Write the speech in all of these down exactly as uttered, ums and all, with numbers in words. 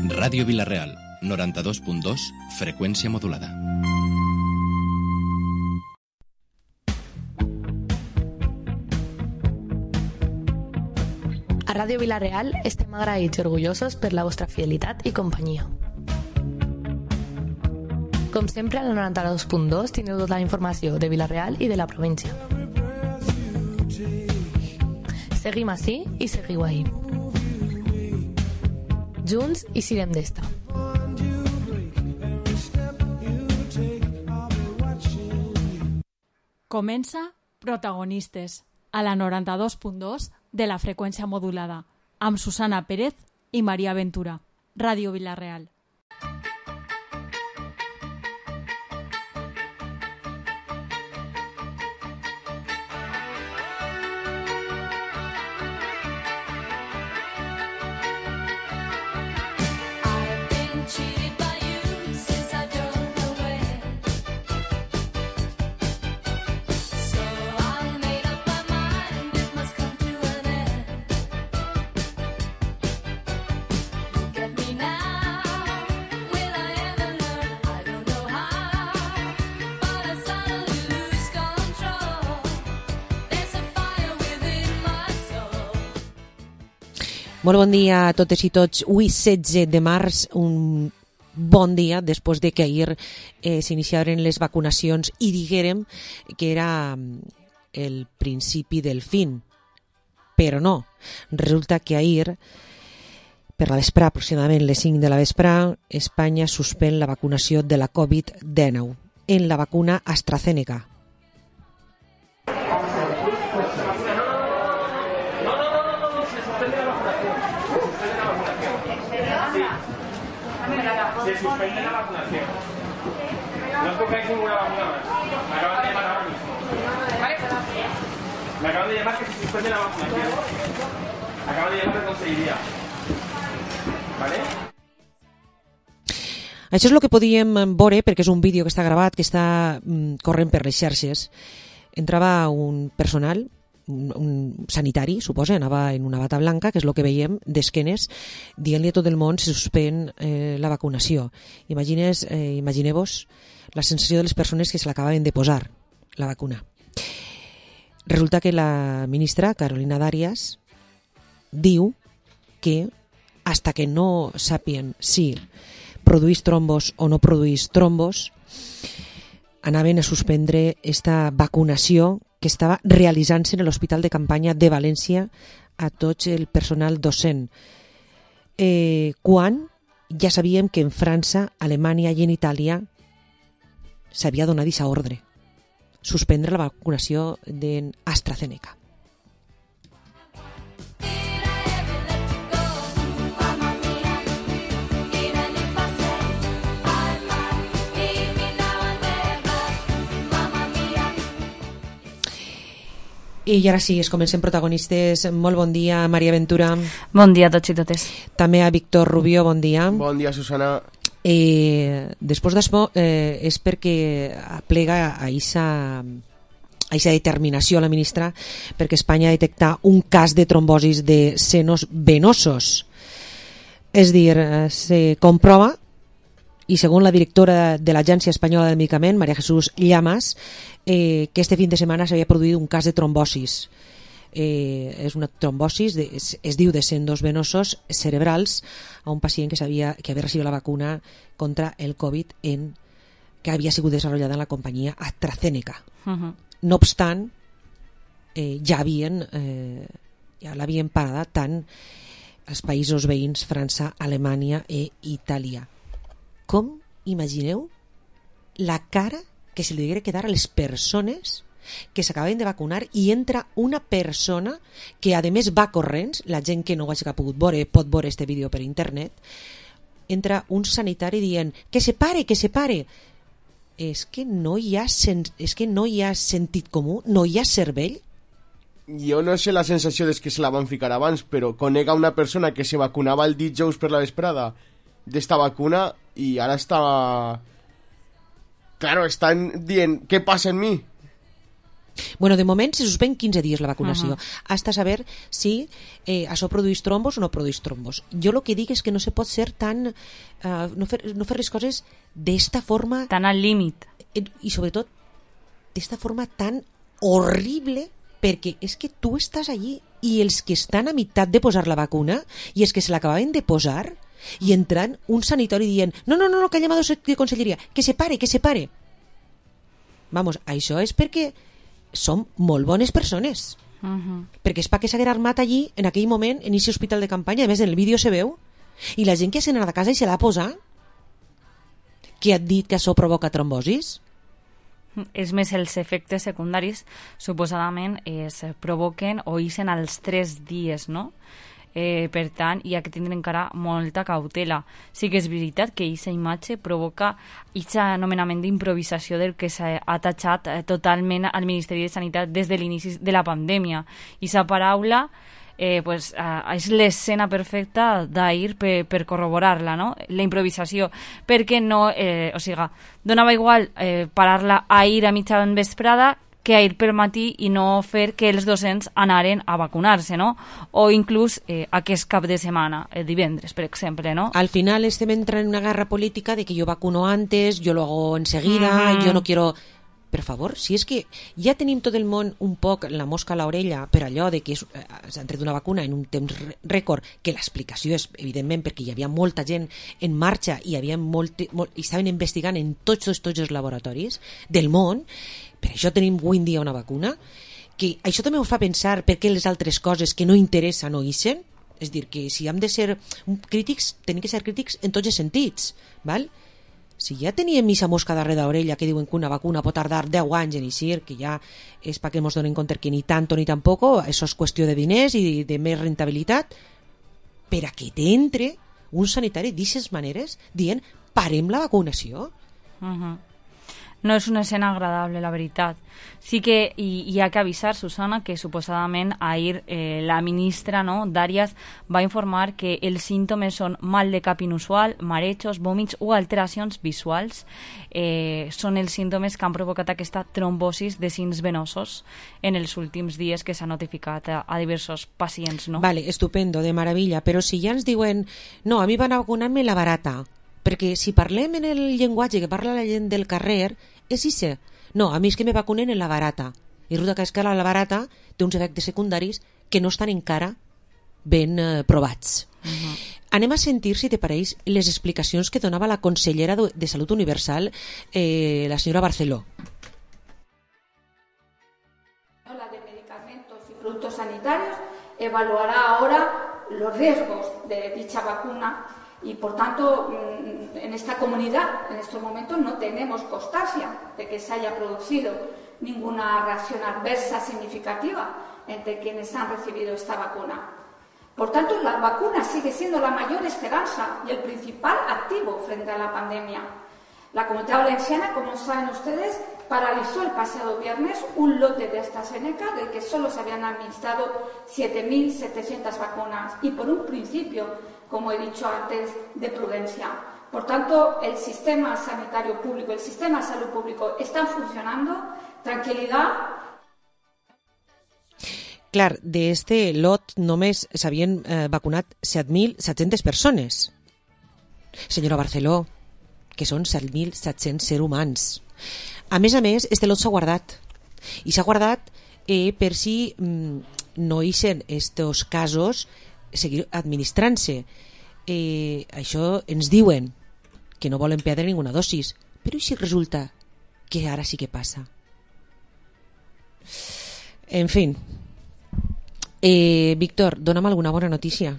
Ràdio Vila-real, noranta-dos punt dos, freqüència modulada. A Ràdio Vila-real estem agraïts i orgullosos per la vostra fidelitat i companyia. Com sempre, al noranta-dos punt dos tindreu tota la informació de Vila-real i de la província. Seguim ací i seguiu ahí. Junts i sirem d'esta. Comença Protagonistes, a la noranta-dos punt dos de la freqüència modulada, amb Susana Pérez i Maria Ventura. Ràdio Vila-real. Molt bon dia a totes i tots. Avui, setze de març, un bon dia després de que ahir eh, s'iniciaren les vacunacions i diguérem que era el principi del fin. Però no. Resulta que ahir, per la vesprà, aproximadament les cinc de la vesprà, Espanya suspèn la vacunació de la covid dinou en la vacuna AstraZeneca. Se suspende la vacunación. No escogáis ninguna vacuna más. Me acaban de llamar ahora mismo. Me acaban de llamar que se suspende la vacunación. Me acaban de llamar de conselleria. ¿Vale? Això és el que podíem veure, perquè és un vídeo que està gravat, que està mm, corrent per les xarxes. Entrava un personal, un, un sanitari, suposa, anava en una bata blanca, que és el que veiem, d'esquenes, dient-li a tot el món se suspèn eh, la vacunació. Imagines, eh, imagineu-vos la sensació de les persones que se l'acabaven de posar, la vacuna. Resulta que la ministra, Carolina Darias, diu que hasta que no sàpien si produís trombos o no produís trombos, anaven a suspendre esta vacunació que estava realitzant-se en l'Hospital de Campanya de València a tot el personal docent. Eh, quan ja sabíem que en França, Alemanya i en Itàlia s'havia donat aquesta ordre, suspendre la vacunació d'AstraZeneca. I ara sí, es comencen protagonistes. Molt bon dia, Maria Ventura. Bon dia a tots i totes. També a Víctor Rubio, bon dia. Bon dia, Susana. Eh, després d'això, eh, és perquè aplega a aquesta a aquesta determinació a la ministra perquè Espanya detecta un cas de trombosis de senos venosos. És dir, se comprova, i segons la directora de l'Agència Espanyola del Medicament, María Jesús Llamas, eh, que este fin de setmana s'havia produït un cas de trombosis. Eh, és una trombosis, de, es, es diu de sendos venosos cerebrals a un pacient que, sabia, que havia recibit la vacuna contra el Covid en, que havia sigut desenvolupada en la companyia AstraZeneca. Uh-huh. No obstant, eh, ja havien eh, ja l'havien parada tant els països veïns França, Alemanya i Itàlia. Com imagineu la cara que se li deguera quedar a les persones que s'acaben de vacunar i entra una persona que a més va corrents, la gent que no ho hagi pogut veure pot veure este vídeo per internet, entra un sanitari dient que se pare, que se pare. És que no hi ha, sen... és que no hi ha sentit comú, no hi ha cervell. Jo no sé la sensació des que se la van ficar abans, però conec a una persona que se vacunava el dijous per la vesprada d'esta vacuna i ara està... Claro, estan dient, què passa en mi? Bueno, de moment se suspèn quinze dies la vacunació, Uh-huh. hasta saber si eh, això produeix trombos o no produeix trombos. Jo el que dic és que no se pot ser tan... Uh, no, fer, no fer les coses d'esta forma... Tan al límit. I sobretot d'esta forma tan horrible, perquè és que tu estàs allí i els que estan a meitat de posar la vacuna i els que se l'acabaven de posar i entrant un sanitori dient no, no, no, no que ha llamat de conselleria, que se pare, que se pare. Vamos, això és perquè som molt bones persones. Uh-huh. Perquè és perquè s'haguera armat allí en aquell moment en aquest hospital de campanya, a més en el vídeo se veu, i la gent que s'ha anat a casa i se l'ha posat, que ha dit que això provoca trombosis. És més, els efectes secundaris suposadament es provoquen o ixen als tres dies, no? Eh, per tant, hi ha que tindre encara molta cautela. Sí que és veritat que aquesta imatge provoca aquest anomenament d'improvisació del que s'ha atachat eh, totalment al Ministeri de Sanitat des de l'inici de la pandèmia. I aquesta paraula eh, pues, eh, és l'escena perfecta d'ahir per, per corroborar-la, no? La improvisació, perquè no, eh, o sigui, donava igual eh, parar-la ahir a mitja vesprada que ahir pel matí i no fer que els docents anaren a vacunar-se, no? O inclús eh, aquest cap de setmana, el divendres, per exemple, no? Al final estem entrant en una guerra política de que yo vacuno antes, yo lo hago enseguida, Mm-hmm. yo no quiero... Per favor, si és que ja tenim tot el món un poc la mosca a l'orella per allò de que és, eh, s'han tret una vacuna en un temps rècord, que l'explicació és, evidentment, perquè hi havia molta gent en marxa i, havia molt, molt, i estaven investigant en tots, tots, tots els laboratoris del món. Per això tenim avui en dia una vacuna, que això també us fa pensar per què les altres coses que no interessen no ixen. És dir, que si hem de ser crítics, tenim que ser crítics en tots els sentits, val? Si ja teníem missa mosca darrere d'orella que diuen que una vacuna pot tardar deu anys en eixir, que ja és perquè ens donen compte que ni tanto ni tampoco, això és qüestió de diners i de més rentabilitat, per a que t'entre un sanitari d'aquestes maneres dient parem la vacunació. Uh-huh. No és una escena agradable, la veritat. Sí que hi, hi ha que avisar, Susana, que suposadament ahir eh, la ministra, no, Darias, va informar que els símptomes són mal de cap inusual, marejos, vòmits o alteracions visuals. Eh, són els símptomes que han provocat aquesta trombosis de sins venosos en els últims dies que s'ha notificat a, a diversos pacients, no? Vale, estupendo, de maravilla, però si ja ens diuen no, a mi van a vacunar-me la barata, perquè si parlem en el llenguatge que parla la gent del carrer, és ixe. No, a mi és que me vacunen en la barata. I resulta que és que la barata té uns efectes secundaris que no estan encara ben eh, provats. Uh-huh. Anem a sentir, si te pareix, les explicacions que donava la consellera de Salut Universal, eh, la senyora Barceló. La de medicamentos y productos sanitarios evaluará ahora los riesgos de dicha vacuna. Y por tanto, en esta comunidad, en estos momentos, no tenemos constancia de que se haya producido ninguna reacción adversa significativa entre quienes han recibido esta vacuna. Por tanto, la vacuna sigue siendo la mayor esperanza y el principal activo frente a la pandemia. La Comunidad Valenciana, como saben ustedes, paralizó el pasado viernes un lote de AstraZeneca del que solo se habían administrado siete mil setecientas vacunas y por un principio, como he dicho antes, de prudencia. Por tanto, el sistema sanitario público, el sistema de salud público están funcionando, tranquilidad. Clar, d'este lot només s'havien eh, vacunat set mil set-centes persones. Senyora Barceló, que són set mil set-cents ser humans. A més a més, este lot s'ha guardat. I s'ha guardat eh, per si mm, no ixen estos casos seguir administrant-se. Eh, això ens diuen que no volen perdre ninguna dosis, però i si resulta que ara sí que passa? En fin, eh, Víctor, dona'm alguna bona notícia.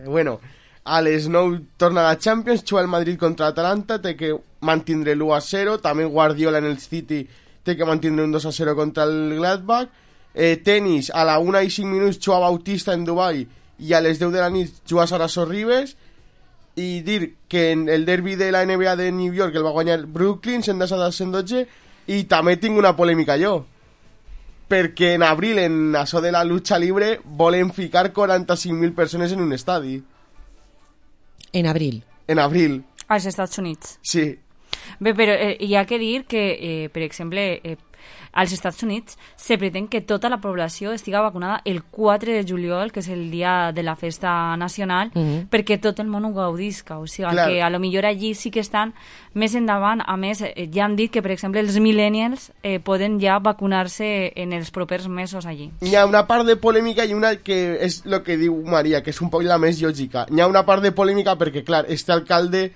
Bueno, a les nou torna la Champions, juga el Madrid contra l'Atalanta, té que mantindre l'u a zero, també Guardiola en el City té que mantindre un dos a zero contra el Gladbach. Eh, tenis, a la una i cinc minuts juga Bautista en Dubai i a les deu de la nit juga Sara Sorribes. I dir que en el derbi de la N B A de New York el va guanyar Brooklyn cent a cent dotze. I també tinc una polèmica jo, perquè en abril en això de la lucha libre volen ficar quaranta-cinc mil persones en un estadi. En abril? En abril. Als Estats Units. Sí. Bé, però eh, hi ha que dir que, eh, per exemple, eh, als Estats Units se pretén que tota la població estiga vacunada el quatre de juliol, que és el dia de la festa nacional, mm-hmm. perquè tot el món ho gaudisca. O sigui, Clar. que a lo millor allí sí que estan més endavant. A més, eh, ja han dit que, per exemple, els millennials eh, poden ja vacunar-se en els propers mesos allí. Hi ha una part de polèmica i una que és el que diu Maria, que és un poc la més lògica. Hi ha una part de polèmica perquè, clar, este alcalde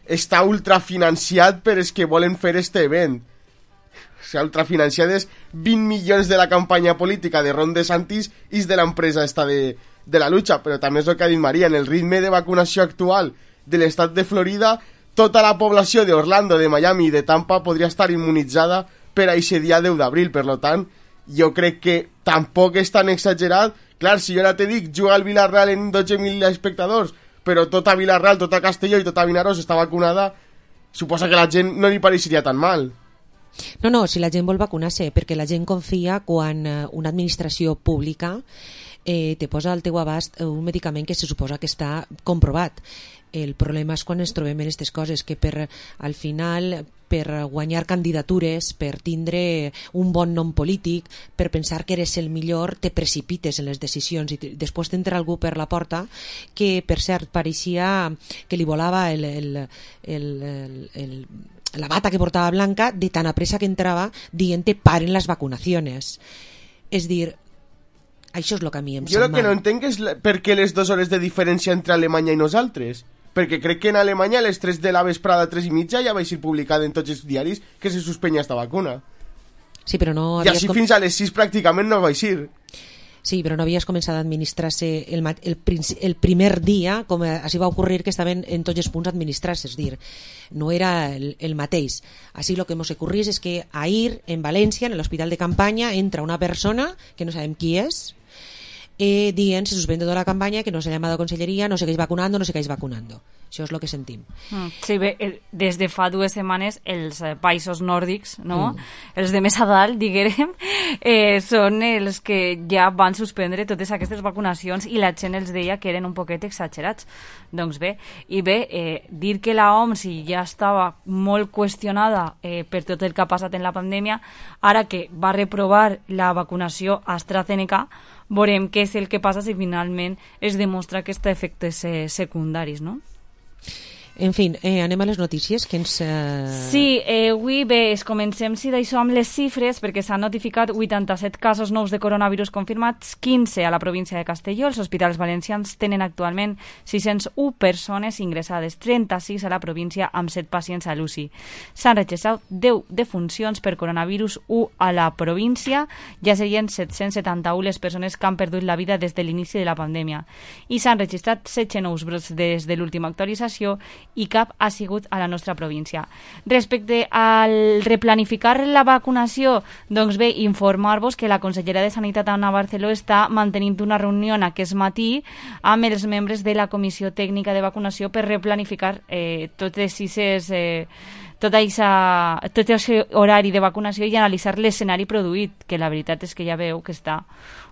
està ultrafinanciat per els que volen fer este event. O sigui, ultrafinanciat és vint milions de la campanya política de Ron DeSantis i de l'empresa esta de, de la lucha, però també és el que ha dit Maria, en el ritme de vacunació actual de l'estat de Florida, tota la població d'Orlando, de Miami i de Tampa podria estar immunitzada per a aquest dia deu d'abril, per tant, jo crec que tampoc és tan exagerat. Clar, si jo ara te dic, juga al Villarreal en dotze mil espectadors, però tota Villarreal, tota Castelló i tota Vinaròs està vacunada, suposa que la gent no li pareixeria tan mal. No, no, si la gent vol vacunar-se, perquè la gent confia quan una administració pública eh, te posa al teu abast un medicament que se suposa que està comprovat. El problema és quan ens trobem en aquestes coses, que per, al final, per guanyar candidatures, per tindre un bon nom polític, per pensar que eres el millor, te precipites en les decisions i després t'entra algú per la porta que, per cert, pareixia que li volava el, el, el, el, el, la bata que portava blanca de tan a pressa que entrava dient-te paren les vacunacions. És dir, això és el que a mi em jo sap el que mal. no entenc és la, per què les dues hores de diferència entre Alemanya i nosaltres. Perquè crec que en Alemanya a les tres de la vesprada, tres i mitja, ja va ser publicat en tots els diaris que se suspenia esta vacuna. Sí, però no I així com... fins a les sis pràcticament no va ser. Sí, però no havies començat a administrar-se el, el, el primer dia, com així va ocorrir que estaven en tots els punts administrar-se, és dir, no era el, el mateix. Així el que ens ocorrís és que ahir, en València, en l'hospital de campanya, entra una persona, que no sabem qui és, eh, dient se suspende tota la campanya, que no se llama a la conselleria, no segueix vacunando, no segueix vacunando. Això és el que sentim. Mm, sí, bé, el, des de fa dues setmanes els eh, països nòrdics, no? Mm. Els de més a dalt, diguem, eh, són els que ja van suspendre totes aquestes vacunacions i la gent els deia que eren un poquet exagerats. Doncs bé, i bé, eh, dir que la O M S ja estava molt qüestionada eh, per tot el que ha passat en la pandèmia, ara que va reprovar la vacunació AstraZeneca, veurem què és el que passa si finalment es demostra que té efectes eh, secundaris, no? En fi, eh, anem a les notícies que ens... Eh... Sí, eh, avui bé, es comencem si d'això amb les xifres, perquè s'han notificat vuitanta-set casos nous de coronavirus confirmats, quinze a la província de Castelló. Els hospitals valencians tenen actualment sis-cents u persones ingressades, trenta-sis a la província amb set pacients a l'U C I. S'han registrat deu defuncions per coronavirus u a la província, ja serien set-cents setanta-u les persones que han perdut la vida des de l'inici de la pandèmia. I s'han registrat setze nous brots des de l'última actualització i cap ha sigut a la nostra província. Respecte al replanificar la vacunació, doncs bé, informar-vos que la consellera de Sanitat, Anna Barceló, està mantenint una reunió aquest matí amb els membres de la Comissió Tècnica de Vacunació per replanificar eh, totes aquestes... Eh, tot aquest horari de vacunació i analitzar l'escenari produït, que la veritat és que ja veu que està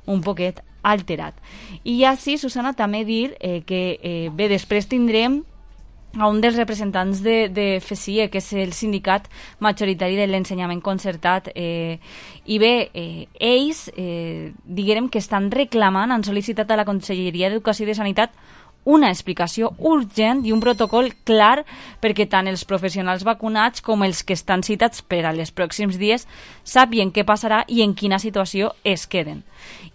un poquet alterat. I ja sí, Susana, també dir eh, que eh, bé, després tindrem a un dels representants de, de F S I E, que és el sindicat majoritari de l'ensenyament concertat, eh, i bé, eh, ells eh, diguem que estan reclamant, han sol·licitat a la Conselleria d'Educació i de Sanitat una explicació urgent i un protocol clar perquè tant els professionals vacunats com els que estan citats per a les pròxims dies sàpien què passarà i en quina situació es queden.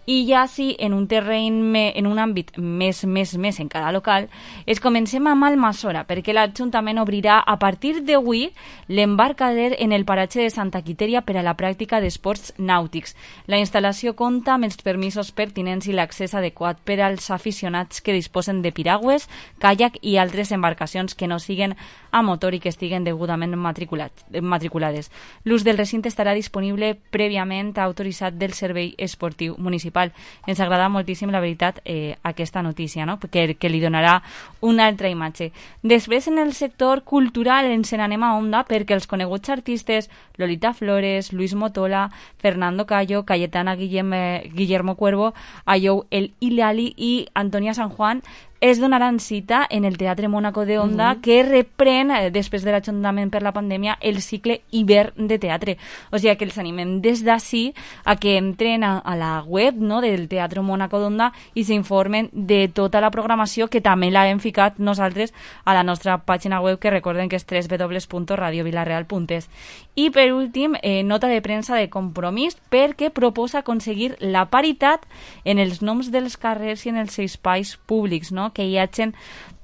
I ja sí, en un terreny, me, en un àmbit més, més, més encara local, es comencem amb Almassora, perquè l'Ajuntament obrirà a partir d'avui l'embarcader en el paratge de Santa Quitèria per a la pràctica d'esports nàutics. La instal·lació compta amb els permisos pertinents i l'accés adequat per als aficionats que disposen de piragües, caiac i altres embarcacions que no siguen a motor i que estiguen degudament matriculades. L'ús del recinte estarà disponible prèviament autoritzat del Servei Esportiu Municipal. Ens agrada moltíssim, la veritat, eh, aquesta notícia, no? que, que li donarà una altra imatge. Després, en el sector cultural, ens n'anem a Onda perquè els coneguts artistes Lolita Flores, Luis Motola, Fernando Cayo, Cayetana Guillem, eh, Guillermo Cuervo, Ayou El Hilali i Antonia San Juan es donaran cita en el Teatre Mónaco de Onda, uh-huh. que reprèn, eh, després de l'ajuntament per la pandèmia, el cicle hivern de teatre. O sigui que els animem des d'ací a que entren a, a la web, no?, del Teatre Mónaco d'Onda i s'informen de tota la programació, que també l'hem ficat nosaltres a la nostra pàgina web, que recorden que és doble u doble u doble u punt radio vilarreal punt es. I per últim, eh, nota de premsa de Compromís, perquè proposa aconseguir la paritat en els noms dels carrers i en els espais públics, no?, que hi hagin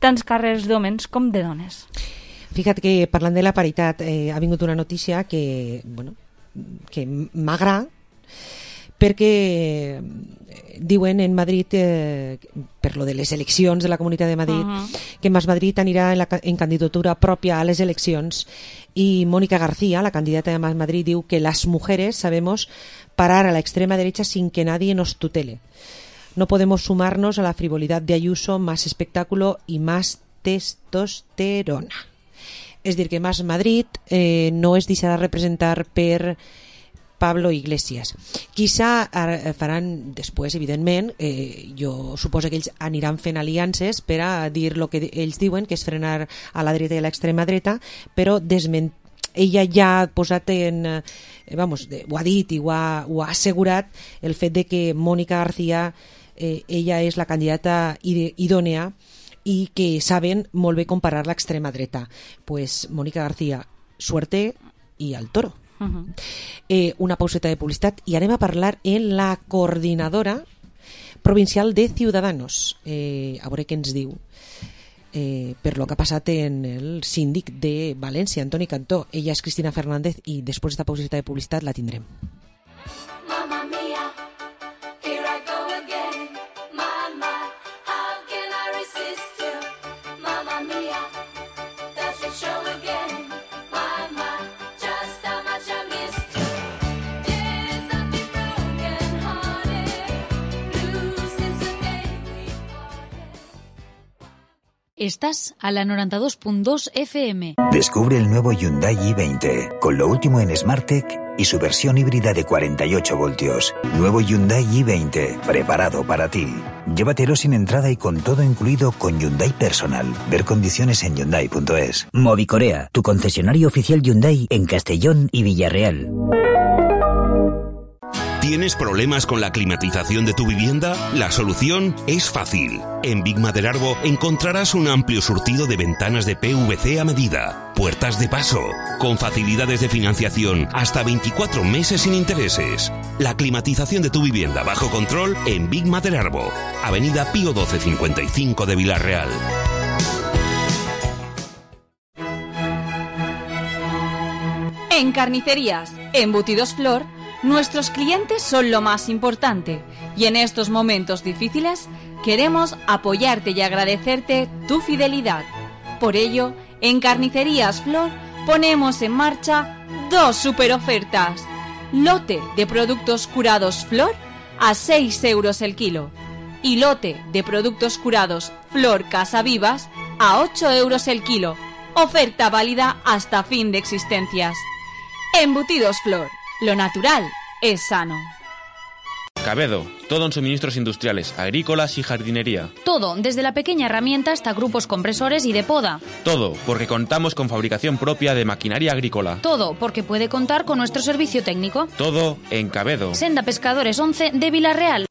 tants carrers d'homes com de dones. Fíjate que parlant de la paritat, eh, ha vingut una notícia que, bueno, que m'agrada, perquè diuen en Madrid, eh, per lo de les eleccions de la Comunitat de Madrid, uh-huh. que Más Madrid anirà en, la, en candidatura pròpia a les eleccions, y Mónica García, la candidata de Más Madrid, diu que las mujeres sabemos parar a la extrema derecha sin que nadie nos tutele. No podemos sumarnos a la frivolidad de Ayuso, más espectáculo y más testosterona. És dir, que Más Madrid eh, no es deixarà representar per Pablo Iglesias. Quizá faran després, evidentment, eh, jo suposo que ells aniran fent aliances per a dir el que ells diuen, que és frenar a la dreta i a l'extrema dreta, però desment... ella ja ha posat en... Eh, vamos, ho ha dit i ho ha, ho ha assegurat el fet de que Mónica García, eh, ella és la candidata idònea i que saben molt bé comparar l'extrema dreta. Pues Mónica García, suerte i al toro. Uh-huh. eh, una pauseta de publicitat i anem a parlar en la coordinadora provincial de Ciudadanos, eh, a veure què ens diu eh, per lo que ha passat en el síndic de València, Antoni Cantó. Ella és Cristina Fernández i després d'esta pauseta de publicitat la tindrem. Estás a la noventa y dos punto dos F M. Descubre el nuevo Hyundai i veinte, con lo último en SmartTech y su versión híbrida de cuarenta y ocho voltios. Nuevo Hyundai i veinte, preparado para ti. Llévatelo sin entrada y con todo incluido con Hyundai Personal. Ver condiciones en hyundai punto es. Movicorea, tu concesionario oficial Hyundai en Castellón y Villarreal. ¿Tienes problemas con la climatización de tu vivienda? La solución es fácil. En Big Maderarbo encontrarás un amplio surtido de ventanas de P V C a medida, puertas de paso, con facilidades de financiación hasta veinticuatro meses sin intereses. La climatización de tu vivienda bajo control en Big Maderarbo, Avenida Pío doce cincuenta y cinco de Villarreal. En Carnicerías Embutidos Flor, nuestros clientes son lo más importante y en estos momentos difíciles queremos apoyarte y agradecerte tu fidelidad. Por ello, en Carnicerías Flor ponemos en marcha dos super ofertas. Lote de productos curados Flor a seis euros el kilo y lote de productos curados Flor Casa Vivas a ocho euros el kilo. Oferta válida hasta fin de existencias. Embutidos Flor. Lo natural es sano. Cabedo, todo en suministros industriales, agrícolas y jardinería. Todo, desde la pequeña herramienta hasta grupos compresores y de poda. Todo, porque contamos con fabricación propia de maquinaria agrícola. Todo, porque puede contar con nuestro servicio técnico. Todo en Cabedo. Senda Pescadores once de Villarreal.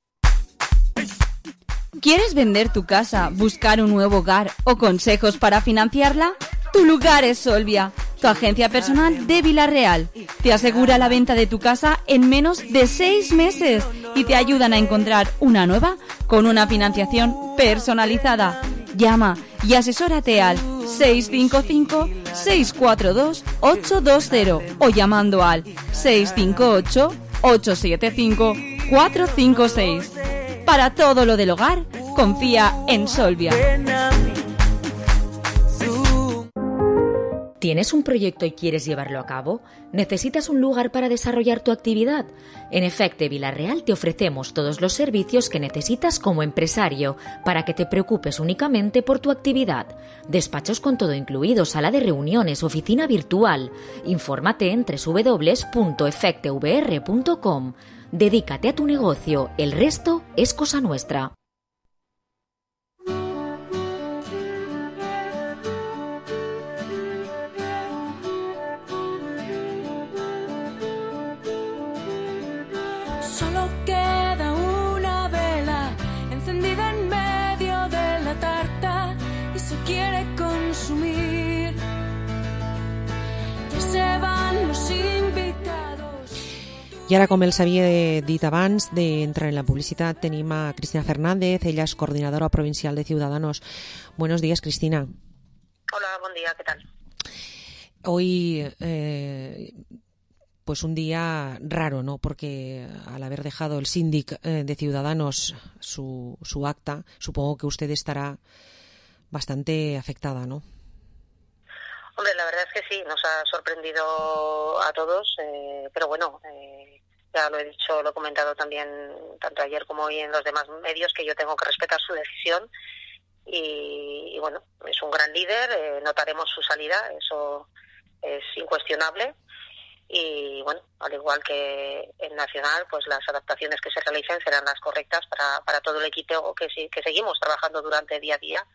¿Quieres vender tu casa, buscar un nuevo hogar o consejos para financiarla? Tu lugar es Solvia, tu agencia personal de Villarreal. Te asegura la venta de tu casa en menos de seis meses y te ayudan a encontrar una nueva con una financiación personalizada. Llama y asesórate al seis cinco cinco, seis cuatro dos, ocho dos cero o llamando al seis cinco ocho, ocho siete cinco, cuatro cinco seis. Para todo lo del hogar, confía en Solvia. ¿Tienes un proyecto y quieres llevarlo a cabo? ¿Necesitas un lugar para desarrollar tu actividad? En Efecte Villarreal te ofrecemos todos los servicios que necesitas como empresario para que te preocupes únicamente por tu actividad. Despachos con todo incluido, sala de reuniones, oficina virtual. Infórmate en doble u doble u doble u punto efecte v r punto com. Dedícate a tu negocio, el resto es cosa nuestra. I ara, com els havia dit abans d'entrar en la publicitat, tenim a Cristina Fernández, ella es coordinadora provincial de Ciudadanos. Buenos días, Cristina. Hola, buen día, ¿qué tal? Hoy, eh, pues un día raro, ¿no? Porque al haber dejado el síndic eh, de Ciudadanos su, su acta, supongo que usted estará bastante afectada, ¿no? Hombre, la verdad es que sí, nos ha sorprendido a todos, eh, pero bueno, eh, ya lo he dicho, lo he comentado también tanto ayer como hoy en los demás medios, que yo tengo que respetar su decisión y, y bueno, es un gran líder, eh, notaremos su salida, eso es incuestionable. Y bueno, al igual que en Nacional, pues las adaptaciones que se realicen serán las correctas para, para todo el equipo que, que seguimos trabajando durante día a día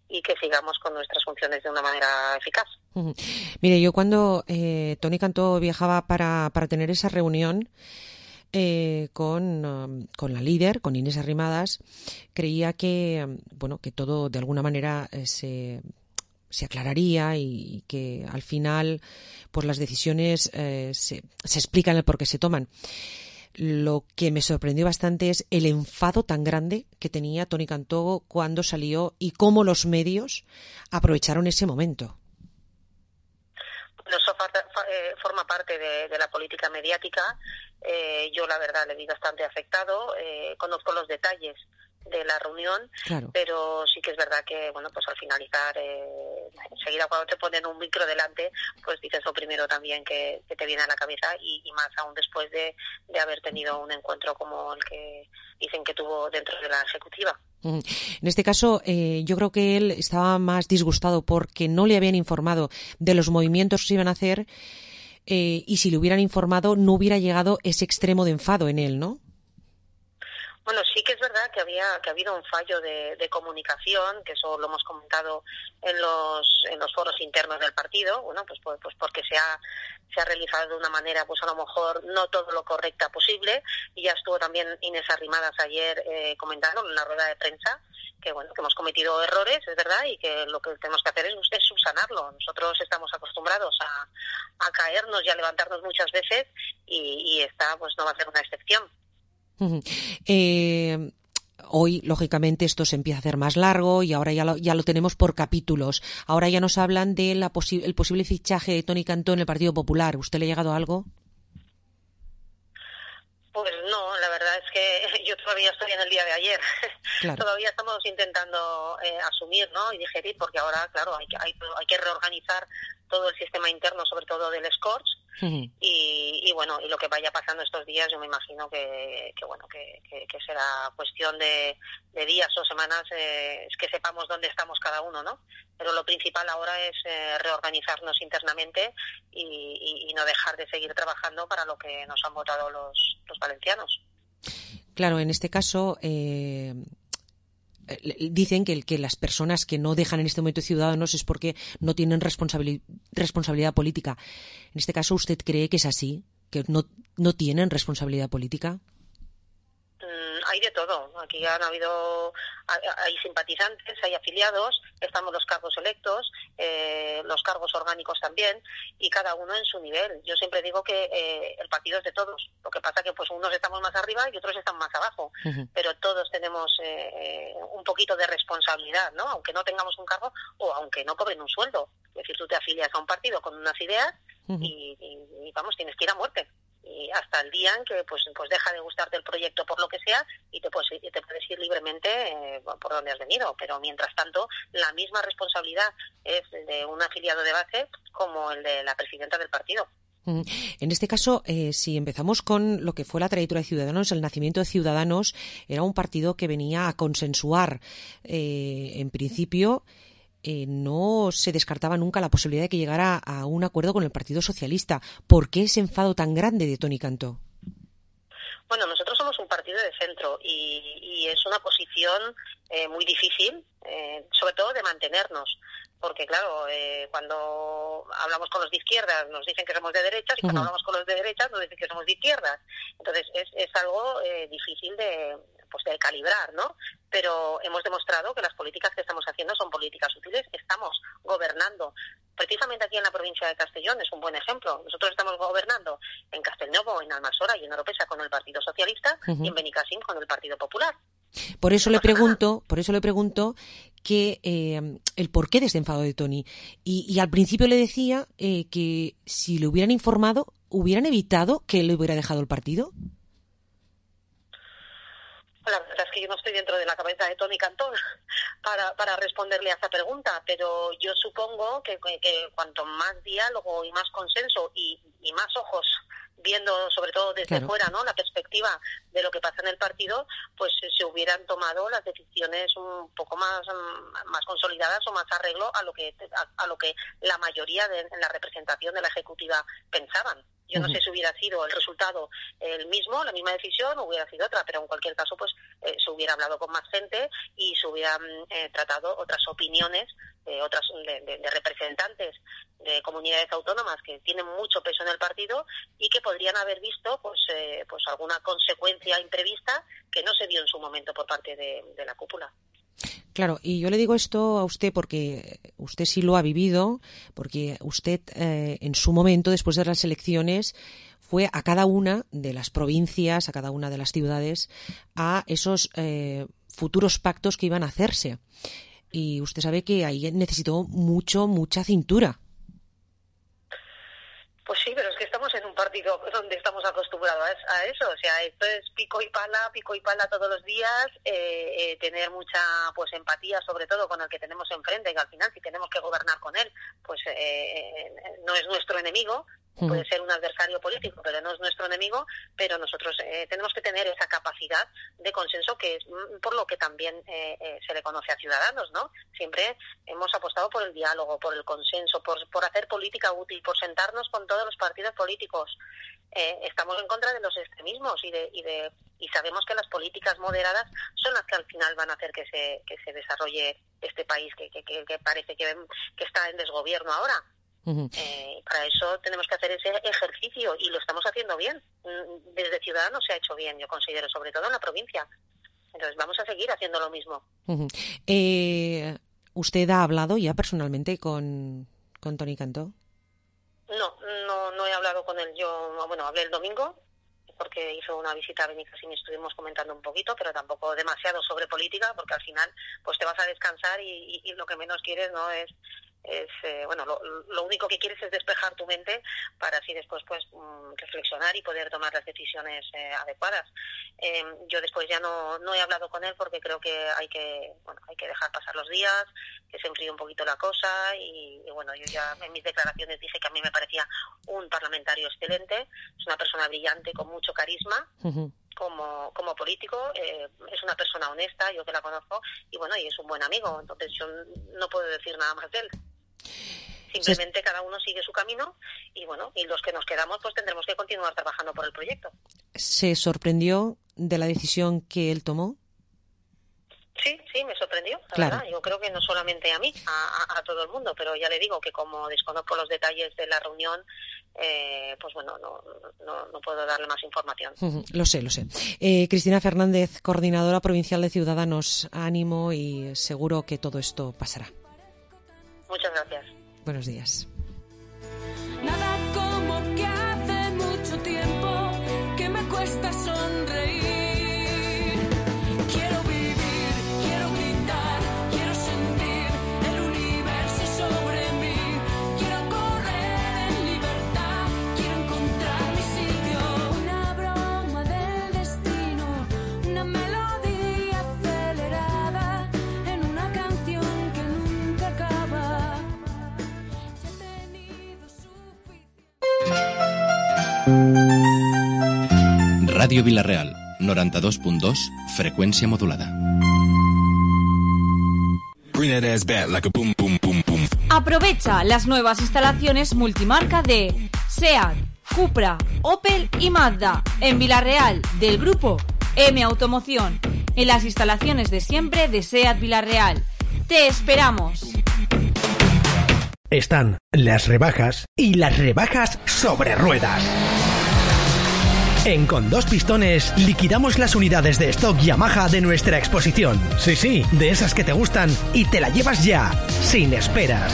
y que sigamos con nuestras funciones de una manera eficaz. Uh-huh. Mire, yo cuando eh, Toni Cantó viajaba para, para tener esa reunión eh, con, um, con la líder, con Inés Arrimadas, creía que, bueno, que todo de alguna manera eh, se... se aclararía y que al final pues las decisiones eh, se, se explican el por qué se toman. Lo que me sorprendió bastante es el enfado tan grande que tenía Toni Cantó cuando salió y cómo los medios aprovecharon ese momento. Bueno, eso eh, forma parte de, de la política mediática. Eh, yo la verdad le vi bastante afectado. Eh, conozco los detalles de la reunión, claro. Pero sí que es verdad que, bueno, pues al finalizar, eh, enseguida cuando te ponen un micro delante, pues dices lo primero también que, que te viene a la cabeza y, y más aún después de, de haber tenido un encuentro como el que dicen que tuvo dentro de la ejecutiva. En este caso, eh, yo creo que él estaba más disgustado porque no le habían informado de los movimientos que se iban a hacer eh, y si le hubieran informado no hubiera llegado ese extremo de enfado en él, ¿no? Bueno, sí que es verdad que había que ha habido un fallo de, de comunicación, que eso lo hemos comentado en los en los foros internos del partido, bueno, pues pues, pues porque se ha se ha realizado de una manera, pues a lo mejor no todo lo correcta posible, y ya estuvo también Inés Arrimadas ayer eh, comentando en la rueda de prensa que bueno, que hemos cometido errores, es verdad, y que lo que tenemos que hacer es, es subsanarlo. Nosotros estamos acostumbrados a, a caernos y a levantarnos muchas veces, y, y esta pues no va a ser una excepción. Uh-huh. Eh, hoy, lógicamente, esto se empieza a hacer más largo y ahora ya lo, ya lo tenemos por capítulos. Ahora ya nos hablan del posi- el posible fichaje de Toni Cantó en el Partido Popular. ¿Usted le ha llegado algo? Pues no, la verdad es que yo todavía estoy en el día de ayer. Claro. Todavía estamos intentando eh, asumir, ¿no? Y digerir, porque ahora, claro, hay que, hay, hay que reorganizar todo el sistema interno, sobre todo del Scorch. Uh-huh. y, y bueno, y lo que vaya pasando estos días, yo me imagino que, que bueno, que, que, que será cuestión de, de días o semanas, eh, es que sepamos dónde estamos cada uno, ¿no? Pero lo principal ahora es eh, reorganizarnos internamente y, y, y no dejar de seguir trabajando para lo que nos han votado los, los valencianos. Claro, en este caso eh, dicen que, que las personas que no dejan en este momento Ciudadanos es porque no tienen responsabili- responsabilidad política. En este caso, ¿usted cree que es así? ¿Que no, no tienen responsabilidad política? Hay de todo. Aquí han habido, hay simpatizantes, hay afiliados, estamos los cargos electos, eh, los cargos orgánicos también, y cada uno en su nivel. Yo siempre digo que eh, el partido es de todos. Lo que pasa que pues unos estamos más arriba y otros están más abajo, uh-huh. Pero todos tenemos eh, un poquito de responsabilidad, ¿no? Aunque no tengamos un cargo o aunque no cobren un sueldo. Es decir, tú te afilias a un partido con unas ideas uh-huh. y, y, y vamos, tienes que ir a muerte. Y hasta el día en que pues pues deja de gustarte el proyecto por lo que sea y te puedes, te puedes ir libremente eh, por donde has venido, pero mientras tanto la misma responsabilidad es de un afiliado de base como el de la presidenta del partido. En este caso, eh, si empezamos con lo que fue la trayectoria de Ciudadanos, el nacimiento de Ciudadanos era un partido que venía a consensuar, eh, en principio, Eh, no se descartaba nunca la posibilidad de que llegara a un acuerdo con el Partido Socialista. ¿Por qué ese enfado tan grande de Toni Cantó? Bueno, nosotros somos un partido de centro y, y es una posición eh, muy difícil, eh, sobre todo de mantenernos, porque claro, eh, cuando hablamos con los de izquierdas nos dicen que somos de derechas y cuando uh-huh. hablamos con los de derechas nos dicen que somos de izquierdas. Entonces es, es algo eh, difícil de, pues de calibrar, ¿no? Pero hemos demostrado que las políticas que estamos haciendo son políticas útiles, estamos gobernando Precisamente aquí en la provincia de Castellón es un buen ejemplo. Nosotros estamos gobernando en Castelnuovo, en Almassora y en Oropesa con el Partido Socialista uh-huh. y en Benicàssim con el Partido Popular. Por eso le pregunto, por eso le pregunto que eh, el porqué de este enfado de Toni. Y, y al principio le decía eh, que si le hubieran informado, hubieran evitado que él le hubiera dejado el partido. La verdad es que yo no estoy dentro de la cabeza de Toni Cantó para, para responderle a esa pregunta, pero yo supongo que, que, que cuanto más diálogo y más consenso y, y más ojos viendo sobre todo desde claro. fuera, ¿no?, la perspectiva de lo que pasa en el partido, pues se hubieran tomado las decisiones un poco más más consolidadas o más arreglo a lo que a, a lo que la mayoría de en la representación de la ejecutiva pensaban. Yo no uh-huh. sé si hubiera sido el resultado el mismo, la misma decisión, o hubiera sido otra, pero en cualquier caso pues eh, se hubiera hablado con más gente y se hubieran eh, tratado otras opiniones de otras de, de, de representantes de comunidades autónomas que tienen mucho peso en el partido y que podrían haber visto pues eh, pues alguna consecuencia imprevista que no se dio en su momento por parte de, de la cúpula. Claro, y yo le digo esto a usted porque usted sí lo ha vivido, porque usted eh, en su momento, después de las elecciones, fue a cada una de las provincias, a cada una de las ciudades, a esos eh, futuros pactos que iban a hacerse. Y usted sabe que ahí necesitó mucho, mucha cintura. Pues sí, pero es que estamos en un partido donde estamos acostumbrados a eso, o sea, esto es pico y pala, pico y pala todos los días, eh, eh, tener mucha pues empatía sobre todo con el que tenemos enfrente, que al final si tenemos que gobernar con él, pues eh, no es nuestro enemigo, puede ser un adversario político, pero no es nuestro enemigo, pero nosotros eh, tenemos que tener esa capacidad de consenso que es por lo que también eh, eh, se le conoce a Ciudadanos, ¿no? Siempre hemos apostado por el diálogo, por el consenso, por, por hacer política útil, por sentarnos con todos los partidos políticos. Eh, estamos en contra de los extremismos y de, y de y sabemos que las políticas moderadas son las que al final van a hacer que se que se desarrolle este país que, que, que, que parece que, que está en desgobierno ahora. Uh-huh. Eh, para eso tenemos que hacer ese ejercicio y lo estamos haciendo bien. Desde Ciudadanos se ha hecho bien, yo considero, sobre todo en la provincia. Entonces vamos a seguir haciendo lo mismo. Uh-huh. Eh, ¿Usted ha hablado ya personalmente con, con Toni Cantó? No, no, no he hablado con él. Yo, bueno, hablé el domingo porque hizo una visita a Benicàssim y estuvimos comentando un poquito, pero tampoco demasiado sobre política, porque al final pues te vas a descansar y, y, y lo que menos quieres no es es eh, bueno lo, lo único que quieres es despejar tu mente para así después pues mm, reflexionar y poder tomar las decisiones eh, adecuadas. Eh, yo después ya no no he hablado con él porque creo que hay que bueno hay que dejar pasar los días, que se enfríe un poquito la cosa y, y bueno yo ya en mis declaraciones dije que a mí me parecía un parlamentario excelente, es una persona brillante con mucho carisma. Uh-huh. Como, como político, eh, es una persona honesta, yo que la conozco, y bueno, y es un buen amigo, entonces yo no puedo decir nada más de él. Simplemente cada uno sigue su camino y bueno, y los que nos quedamos pues tendremos que continuar trabajando por el proyecto. ¿Se sorprendió de la decisión que él tomó? Sí, sí, me sorprendió, la claro. verdad. Yo creo que no solamente a mí, a, a, a todo el mundo, pero ya le digo que como desconozco los detalles de la reunión, eh, pues bueno, no, no, no puedo darle más información. Uh-huh, lo sé, lo sé. Eh, Cristina Fernández, coordinadora provincial de Ciudadanos, ánimo y seguro que todo esto pasará. Muchas gracias. Buenos días. Nada como que hace mucho tiempo que me cuesta sonreír. Quiero vivir, quiero gritar, quiero sentir el universo sobre mí. Quiero correr en libertad, quiero encontrar mi sitio. Una broma del destino, una melodía acelerada en una canción que nunca acaba. Ràdio Vila-real, noranta-dos punt dos, freqüència modulada. Aprovecha las nuevas instalaciones multimarca de SEAT, Cupra, Opel y Mazda en Vila-real del grupo M Automoción, en las instalaciones de siempre de SEAT Vila-real. ¡Te esperamos! Están las rebajas y las rebajas sobre ruedas. En Con Dos Pistones liquidamos las unidades de stock Yamaha de nuestra exposición. Sí, sí, de esas que te gustan y te la llevas ya, sin esperas.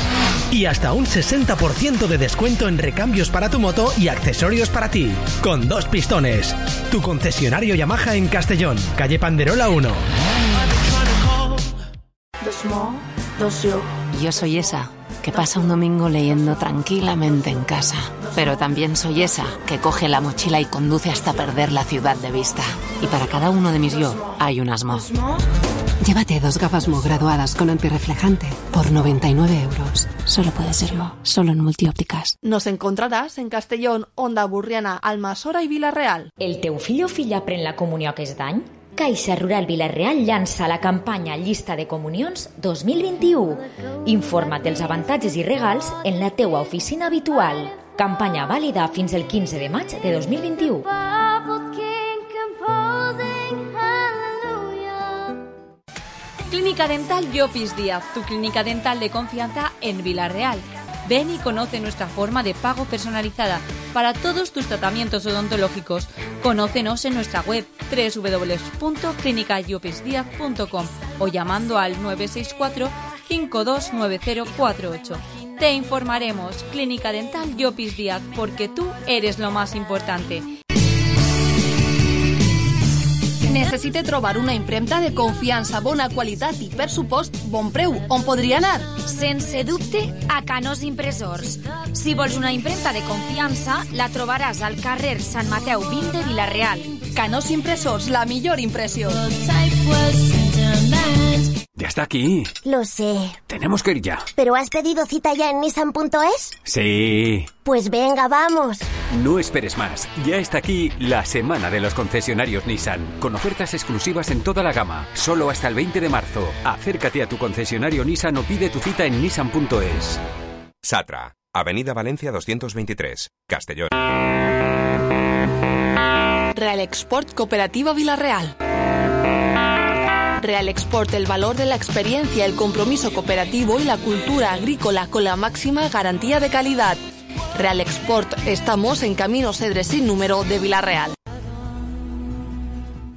Y hasta un sesenta por ciento de descuento en recambios para tu moto y accesorios para ti. Con Dos Pistones, tu concesionario Yamaha en Castellón, calle Panderola uno. Dos mo, dos yo. Yo soy esa que pasa un domingo leyendo tranquilamente en casa. Pero también soy esa que coge la mochila y conduce hasta perder la ciudad de vista. Y para cada uno de mis yo hay unas Mo. Llévate dos gafas Mo graduadas con antirreflejante por noventa y nueve euros. Solo puede ser Mo, solo en Multiópticas. Nos encontraràs en Castellón, Onda Burriana, Almassora i Vila-real. El teu fill o filla pren la comunió aquest any? Caixa Rural Vila-real llança la campanya Llista de Comunions dos mil vint-i-u. Informa't dels avantatges i regals en la teua oficina habitual. Campanya vàlida fins el quinze de maig de dos mil vint-i-u. Clínica Dental Llopis Díaz, tu clínica dental de confianza en Vila-real. Ven y conoce nuestra forma de pago personalizada para todos tus tratamientos odontológicos. Conócenos en nuestra web doble u doble u doble u punto clínica llopis díaz punto com o llamando al nueve seis cuatro, cinco dos nueve cero cuatro ocho. Te informaremos. Clínica Dental Llopis Díaz, porque tú eres lo más importante. Necessite trobar una impremta de confiança, bona qualitat i, per supost, bon preu. On podria anar? Sense dubte, a Canós Impressors. Si vols una impremta de confiança, la trobaràs al carrer Sant Mateu vint de Vila-real. Canós Impressors, la millor impressió. Ya está aquí. Lo sé. Tenemos que ir ya. ¿Pero has pedido cita ya en Nissan punto es? Sí. Pues venga, vamos. No esperes más. Ya está aquí la semana de los concesionarios Nissan, con ofertas exclusivas en toda la gama, solo hasta el veinte de marzo. Acércate a tu concesionario Nissan o pide tu cita en Nissan punto es. Satra, Avenida Valencia doscientos veintitrés, Castellón. Real Export Cooperativa Vila-real. Real Export, el valor de la experiencia, el compromiso cooperativo y la cultura agrícola con la máxima garantía de calidad. Real Export, estamos en Camino Cedres sin número de Vila-real.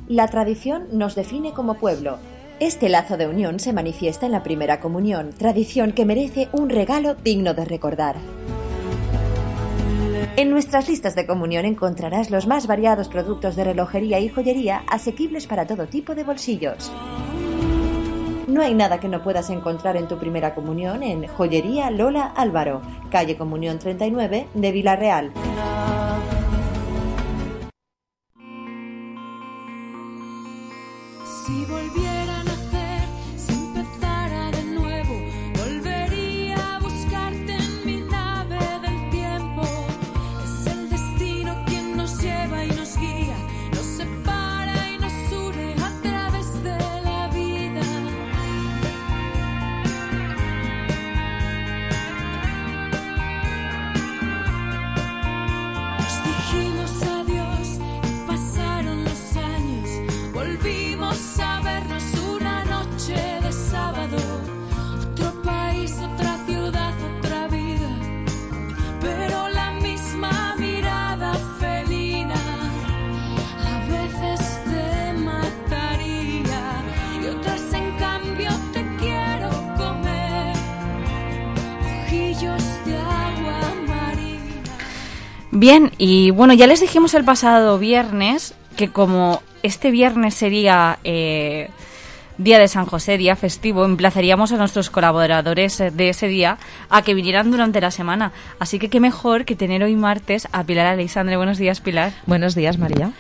La tradición nos define como pueblo. Este lazo de unión se manifiesta en la primera comunión, tradición que merece un regalo digno de recordar. En nuestras listas de comunión encontrarás los más variados productos de relojería y joyería asequibles para todo tipo de bolsillos. No hay nada que no puedas encontrar en tu primera comunión en Joyería Lola Álvaro, calle Comunión treinta y nueve de Vila-real. Si volviera a nacer, si empezara de nuevo, volvería a buscarte en mi nave del tiempo. Es el destino quien nos lleva y nos guía, nos separa y nos une a través de la vida. Nos dijimos adiós y pasaron los años, volvimos a vernos una noche de sábado. Otro país, otra ciudad, otra vida, pero la misma mirada felina. A veces te mataría y otras en cambio te quiero comer. Ojillos de agua marina. Bien, y bueno, ya les dijimos el pasado viernes que como este viernes sería eh, día de San José, día festivo, emplazaríamos a nuestros colaboradores de ese día a que vinieran durante la semana. Así que qué mejor que tener hoy martes a Pilar Aleixandre. Buenos días, Pilar. Buenos días, María.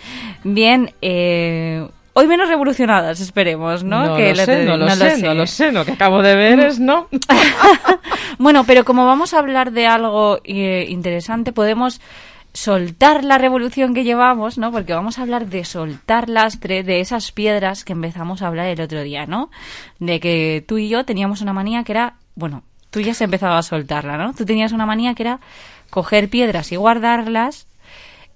Bien, eh, hoy menos revolucionadas, esperemos, ¿no? No que lo sé, no lo sé, no lo sé. Lo que acabo de ver es no. Bueno, pero como vamos a hablar de algo eh, interesante, podemos soltar la revolución que llevamos, ¿no? Porque vamos a hablar de soltar lastre de esas piedras que empezamos a hablar el otro día, ¿no? De que tú y yo teníamos una manía que era, bueno, tú ya has empezado a soltarla, ¿no? Tú tenías una manía que era coger piedras y guardarlas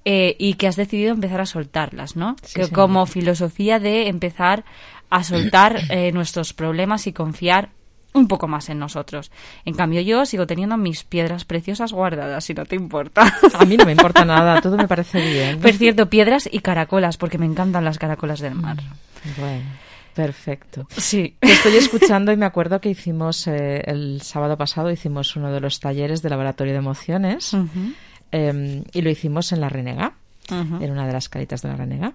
eh, y que has decidido empezar a soltarlas, ¿no? Sí, que sí. como filosofía de empezar a soltar eh, nuestros problemas y confiar un poco más en nosotros. En cambio, yo sigo teniendo mis piedras preciosas guardadas, si no te importa. A mí no me importa nada, todo me parece bien. Por cierto, piedras y caracolas, porque me encantan las caracolas del mar. Bueno, perfecto. Sí. Te estoy escuchando y me acuerdo que hicimos, eh, el sábado pasado, hicimos uno de los talleres de laboratorio de emociones, uh-huh. eh, y lo hicimos en La Renega, uh-huh. en una de las caritas de La Renega.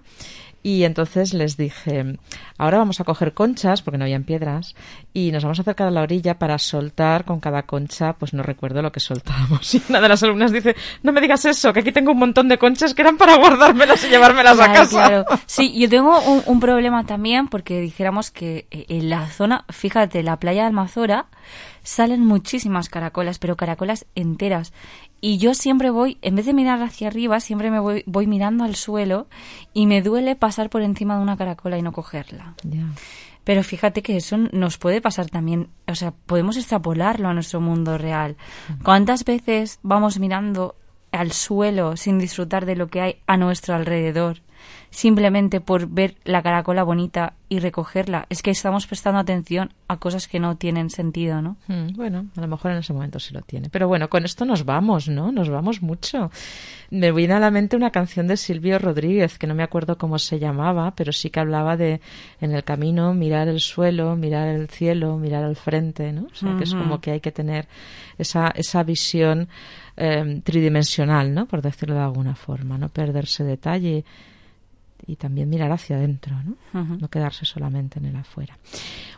Y entonces les dije, ahora vamos a coger conchas, porque no habían piedras, y nos vamos a acercar a la orilla para soltar con cada concha, pues no recuerdo lo que soltábamos. Y una de las alumnas dice, no me digas eso, que aquí tengo un montón de conchas que eran para guardármelas y llevármelas claro, a casa. Claro. Sí, yo tengo un, un problema también, porque dijéramos que en la zona, fíjate, la playa de Almazora, salen muchísimas caracolas, pero caracolas enteras. Y yo siempre voy, en vez de mirar hacia arriba, siempre me voy, voy mirando al suelo y me duele pasar por encima de una caracola y no cogerla. Yeah. Pero fíjate que eso nos puede pasar también, o sea, podemos extrapolarlo a nuestro mundo real. ¿Cuántas veces vamos mirando al suelo sin disfrutar de lo que hay a nuestro alrededor? Simplemente por ver la caracola bonita y recogerla. Es que estamos prestando atención a cosas que no tienen sentido, ¿no? Mm, bueno, a lo mejor en ese momento sí lo tiene. Pero bueno, con esto nos vamos, ¿no? Nos vamos mucho. Me viene a la mente una canción de Silvio Rodríguez, que no me acuerdo cómo se llamaba, pero sí que hablaba de, en el camino, mirar el suelo, mirar el cielo, mirar al frente, ¿no? O sea, uh-huh. que es como que hay que tener esa, esa visión eh, tridimensional, ¿no? Por decirlo de alguna forma, no perderse detalle y también mirar hacia adentro, ¿no? Uh-huh. No quedarse solamente en el afuera.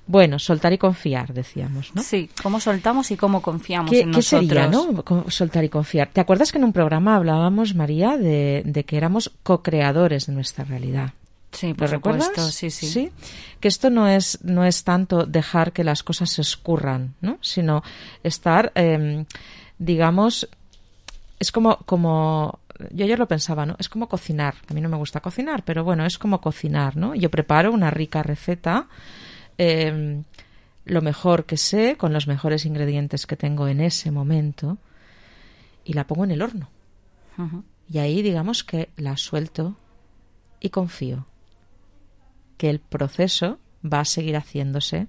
Bueno, soltar y confiar, decíamos, ¿no? Sí, cómo soltamos y cómo confiamos ¿Qué, en ¿qué nosotros. sería, no? Soltar y confiar. ¿Te acuerdas que en un programa hablábamos, María, de, de que éramos co-creadores de nuestra realidad? Sí, por ¿Lo recuerdas? supuesto, sí, sí. Sí, que esto no es, no es tanto dejar que las cosas se escurran, ¿no? Sino estar, eh, digamos, es como, como yo ayer lo pensaba, ¿no? Es como cocinar. A mí no me gusta cocinar, pero bueno, es como cocinar, ¿no? Yo preparo una rica receta, eh, lo mejor que sé, con los mejores ingredientes que tengo en ese momento, y la pongo en el horno. Uh-huh. Y ahí, digamos que la suelto y confío que el proceso va a seguir haciéndose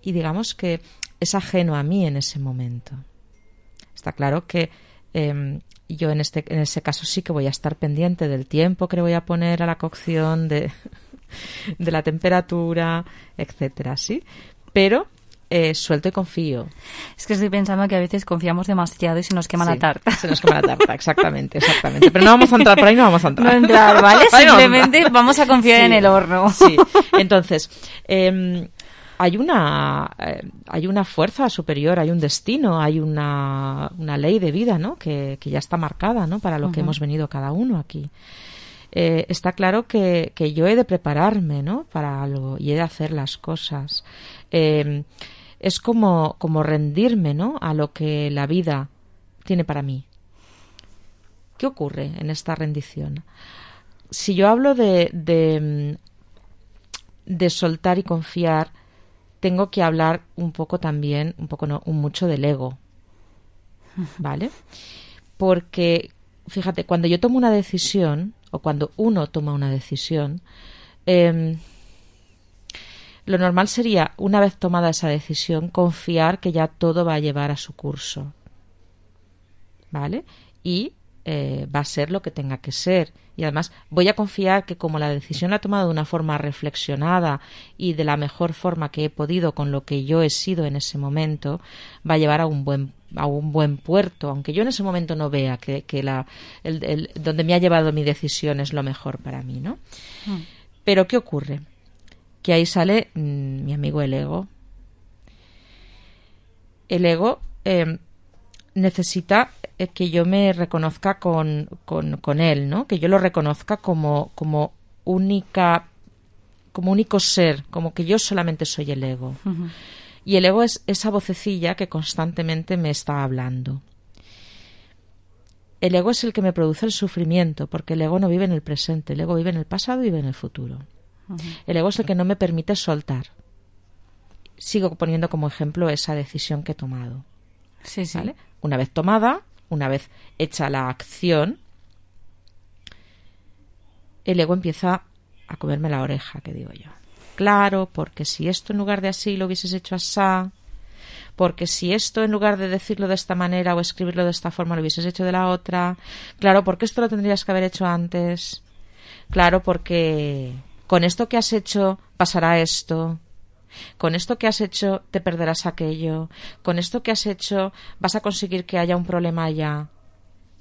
y digamos que es ajeno a mí en ese momento. Está claro que eh, yo en este en ese caso sí que voy a estar pendiente del tiempo que le voy a poner a la cocción, de, de la temperatura, etcétera, ¿sí? Pero eh, suelto y confío. Es que estoy pensando que a veces confiamos demasiado y se nos quema sí, la tarta. Se nos quema la tarta, exactamente, exactamente. Pero no vamos a entrar por ahí, no vamos a entrar. No entrar, ¿vale? Simplemente no vamos a confiar sí, en el horno. Sí, entonces... Eh, Hay una eh, hay una fuerza superior, hay un destino, hay una, una ley de vida, ¿no? Que, que ya está marcada, ¿no? Para lo uh-huh. que hemos venido cada uno aquí. Eh, está claro que, que yo he de prepararme, ¿no? Para algo y he de hacer las cosas. Eh, es como, como rendirme, ¿no? A lo que la vida tiene para mí. ¿Qué ocurre en esta rendición? Si yo hablo de, de, de soltar y confiar, tengo que hablar un poco también, un poco no, un mucho del ego, ¿vale? Porque, fíjate, cuando yo tomo una decisión, o cuando uno toma una decisión, eh, lo normal sería, una vez tomada esa decisión, confiar que ya todo va a llevar a su curso, ¿vale? Y eh, va a ser lo que tenga que ser. Y además voy a confiar que como la decisión la he tomado de una forma reflexionada y de la mejor forma que he podido con lo que yo he sido en ese momento, va a llevar a un buen a un buen puerto, aunque yo en ese momento no vea que, que la el, el, donde me ha llevado mi decisión es lo mejor para mí, ¿no? Mm. Pero ¿qué ocurre? Que ahí sale mmm, mi amigo el ego. El ego eh, necesita que yo me reconozca con, con, con él, ¿no? Que yo lo reconozca como, como única, como único ser, como que yo solamente soy el ego. Uh-huh. Y el ego es esa vocecilla que constantemente me está hablando. El ego es el que me produce el sufrimiento, porque el ego no vive en el presente, el ego vive en el pasado y vive en el futuro. Uh-huh. El ego es el que no me permite soltar. Sigo poniendo como ejemplo esa decisión que he tomado. Sí, sí. ¿Vale? Una vez tomada, una vez hecha la acción, el ego empieza a comerme la oreja, que digo yo. claro, porque si esto en lugar de así lo hubieses hecho asá, porque si esto en lugar de decirlo de esta manera o escribirlo de esta forma lo hubieses hecho de la otra, claro, porque esto lo tendrías que haber hecho antes, claro, porque con esto que has hecho pasará esto, con esto que has hecho te perderás aquello, con esto que has hecho vas a conseguir que haya un problema allá.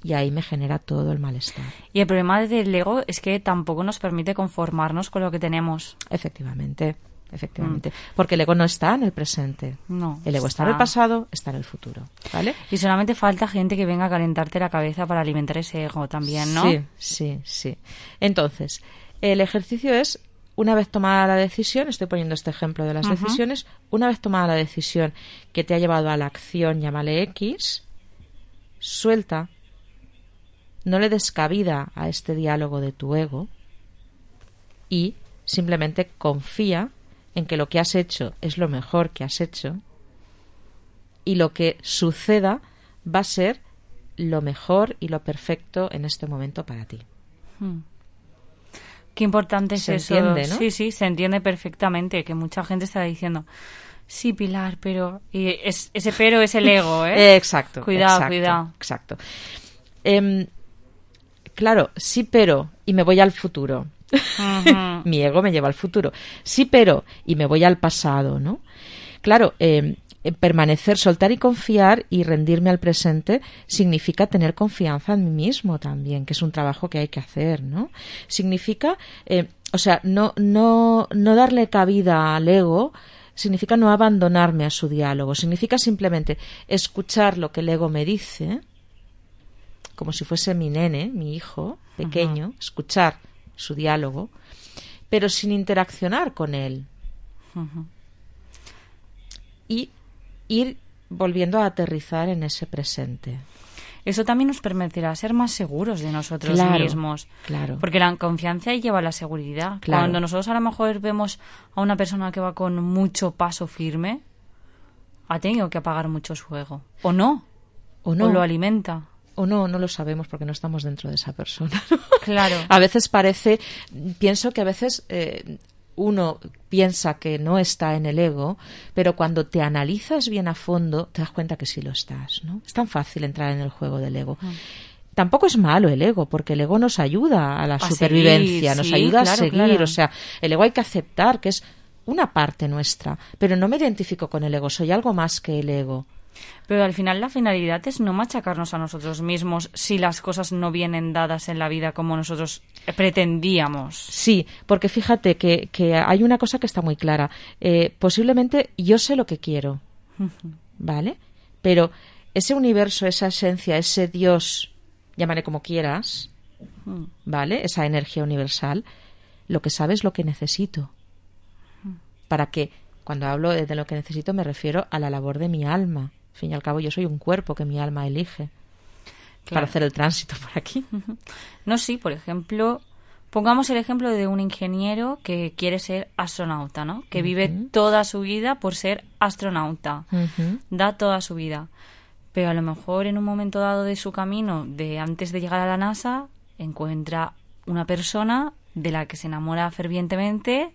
Y ahí me genera todo el malestar. Y el problema del ego es que tampoco nos permite conformarnos con lo que tenemos. Efectivamente, efectivamente. Mm. Porque el ego no está en el presente. No. El ego está, está en el pasado, está en el futuro. ¿Vale? Y solamente falta gente que venga a calentarte la cabeza para alimentar ese ego también, ¿no? Sí, sí, sí. Entonces, el ejercicio es, una vez tomada la decisión, estoy poniendo este ejemplo de las uh-huh. decisiones, una vez tomada la decisión que te ha llevado a la acción, llámale X, suelta. No le des cabida a este diálogo de tu ego y simplemente confía en que lo que has hecho es lo mejor que has hecho y lo que suceda va a ser lo mejor y lo perfecto en este momento para ti. Hmm. Qué importante es se eso. Entiende, ¿no? Sí, sí, se entiende perfectamente, que mucha gente está diciendo, sí, Pilar, pero... Y es, ese pero es el ego, ¿eh? Exacto. Cuidado, exacto, cuidado. Exacto. Eh, Claro, sí, pero, y me voy al futuro. Uh-huh. Mi ego me lleva al futuro. Sí, pero, y me voy al pasado, ¿no? Claro, eh, permanecer, soltar y confiar y rendirme al presente significa tener confianza en mí mismo también, que es un trabajo que hay que hacer, ¿no? Significa, eh, o sea, no, no, no darle cabida al ego, significa no abandonarme a su diálogo, significa simplemente escuchar lo que el ego me dice, como si fuese mi nene, mi hijo pequeño, uh-huh. escuchar su diálogo, pero sin interaccionar con él. Uh-huh. Y ir volviendo a aterrizar en ese presente. Eso también nos permitirá ser más seguros de nosotros claro, mismos. Claro. Porque la confianza lleva a la seguridad. Claro. Cuando nosotros a lo mejor vemos a una persona que va con mucho paso firme, ha tenido que apagar mucho su ego. O no. O no. O lo alimenta. O no, no lo sabemos porque no estamos dentro de esa persona. Claro. A veces parece, pienso que a veces eh, uno piensa que no está en el ego, pero cuando te analizas bien a fondo te das cuenta que sí lo estás, ¿no? Es tan fácil entrar en el juego del ego. Mm. Tampoco es malo el ego, porque el ego nos ayuda a la a supervivencia, seguir, nos sí, ayuda claro, a seguir. Claro. O sea, el ego hay que aceptar que es una parte nuestra, pero no me identifico con el ego, soy algo más que el ego. Pero al final la finalidad es no machacarnos a nosotros mismos si las cosas no vienen dadas en la vida como nosotros pretendíamos. Sí, porque fíjate que, que hay una cosa que está muy clara. Eh, posiblemente yo sé lo que quiero, ¿vale? Pero ese universo, esa esencia, ese Dios, llámale como quieras, ¿vale? Esa energía universal, lo que sabe es lo que necesito. Para que, cuando hablo de, de lo que necesito, me refiero a la labor de mi alma. Al fin y al cabo, yo soy un cuerpo que mi alma elige claro. para hacer el tránsito por aquí. No, sí, por ejemplo, pongamos el ejemplo de un ingeniero que quiere ser astronauta, ¿no? Que uh-huh. vive toda su vida por ser astronauta. Uh-huh. Da toda su vida. Pero a lo mejor en un momento dado de su camino, de antes de llegar a la NASA, encuentra una persona de la que se enamora fervientemente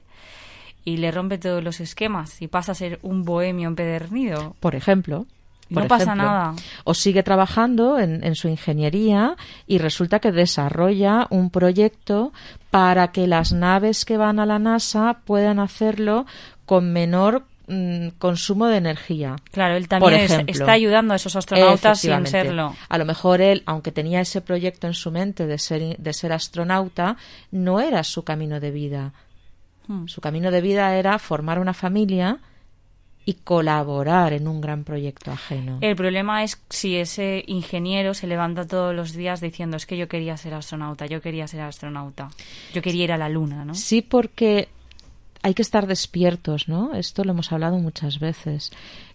y le rompe todos los esquemas y pasa a ser un bohemio empedernido. Por ejemplo. Por no pasa ejemplo, nada. O sigue trabajando en, en su ingeniería y resulta que desarrolla un proyecto para que las naves que van a la NASA puedan hacerlo con menor mm, consumo de energía. Claro, él también es, está ayudando a esos astronautas sin serlo. A lo mejor él, aunque tenía ese proyecto en su mente de ser, de ser astronauta, no era su camino de vida. Hmm. Su camino de vida era formar una familia y colaborar en un gran proyecto ajeno. El problema es si ese ingeniero se levanta todos los días diciendo es que yo quería ser astronauta, yo quería ser astronauta, yo quería ir a la luna, ¿no? Sí, porque hay que estar despiertos, ¿no? Esto lo hemos hablado muchas veces.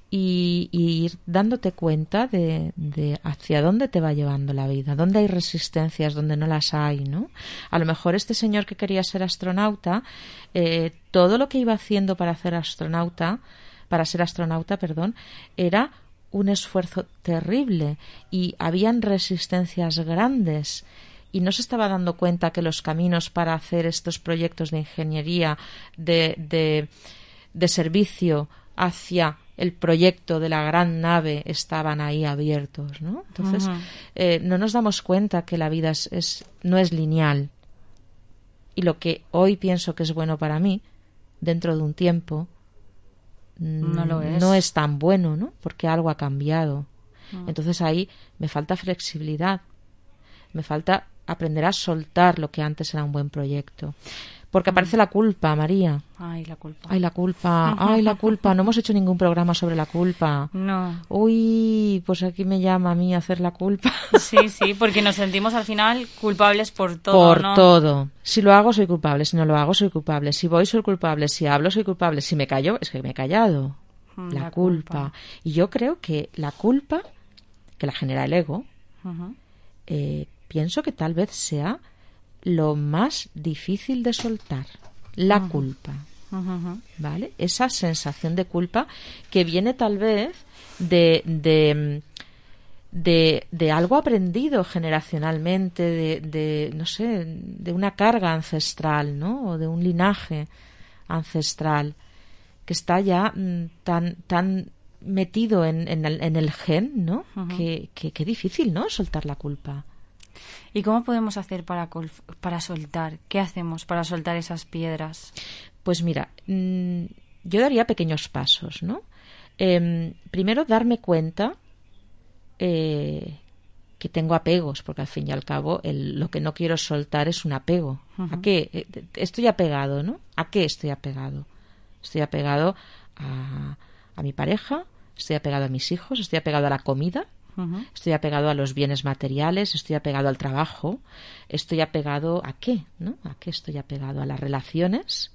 Y, y ir dándote cuenta de, de hacia dónde te va llevando la vida, dónde hay resistencias, dónde no las hay, ¿no? A lo mejor este señor que quería ser astronauta, eh, todo lo que iba haciendo para hacer astronauta para ser astronauta, perdón, era un esfuerzo terrible y habían resistencias grandes y no se estaba dando cuenta que los caminos para hacer estos proyectos de ingeniería, de, de, de servicio hacia el proyecto de la gran nave estaban ahí abiertos, ¿no? Entonces, uh-huh. eh, no nos damos cuenta que la vida es, es, no es lineal. Y lo que hoy pienso que es bueno para mí, dentro de un tiempo, no lo es, no es tan bueno, ¿no? Porque algo ha cambiado. Uh-huh. Entonces ahí me falta flexibilidad, me falta aprender a soltar lo que antes era un buen proyecto. Porque aparece la culpa, María. Ay, la culpa. Ay, la culpa. Ay, la culpa. No hemos hecho ningún programa sobre la culpa. No. Uy, pues aquí me llama a mí a hacer la culpa. Sí, sí, porque nos sentimos al final culpables por todo, Por ¿no? todo. Si lo hago, soy culpable. Si no lo hago, soy culpable. Si voy, soy culpable. Si hablo, soy culpable. Si me callo, es que me he callado. Mm, la la culpa. culpa. Y yo creo que la culpa, que la genera el ego, Uh-huh. eh, pienso que tal vez sea lo más difícil de soltar, la Uh-huh. culpa, Uh-huh. ¿vale? Esa sensación de culpa que viene tal vez de, de, de, de algo aprendido generacionalmente, de, de, no sé, de una carga ancestral, ¿no? O de un linaje ancestral que está ya mm, tan, tan metido en, en, el, en el gen, ¿no? Uh-huh. Que, que, que difícil, ¿no? Soltar la culpa. ¿Y cómo podemos hacer para, col- para soltar? ¿Qué hacemos para soltar esas piedras? Pues mira, mmm, yo daría pequeños pasos, ¿no? Eh, primero, darme cuenta eh, que tengo apegos, porque al fin y al cabo el, lo que no quiero soltar es un apego. Uh-huh. ¿A qué? Eh, estoy apegado, ¿no? ¿A qué estoy apegado? Estoy apegado a, a mi pareja, estoy apegado a mis hijos, estoy apegado a la comida, Uh-huh. estoy apegado a los bienes materiales, estoy apegado al trabajo, estoy apegado a qué, ¿no? ¿A qué estoy apegado? A las relaciones,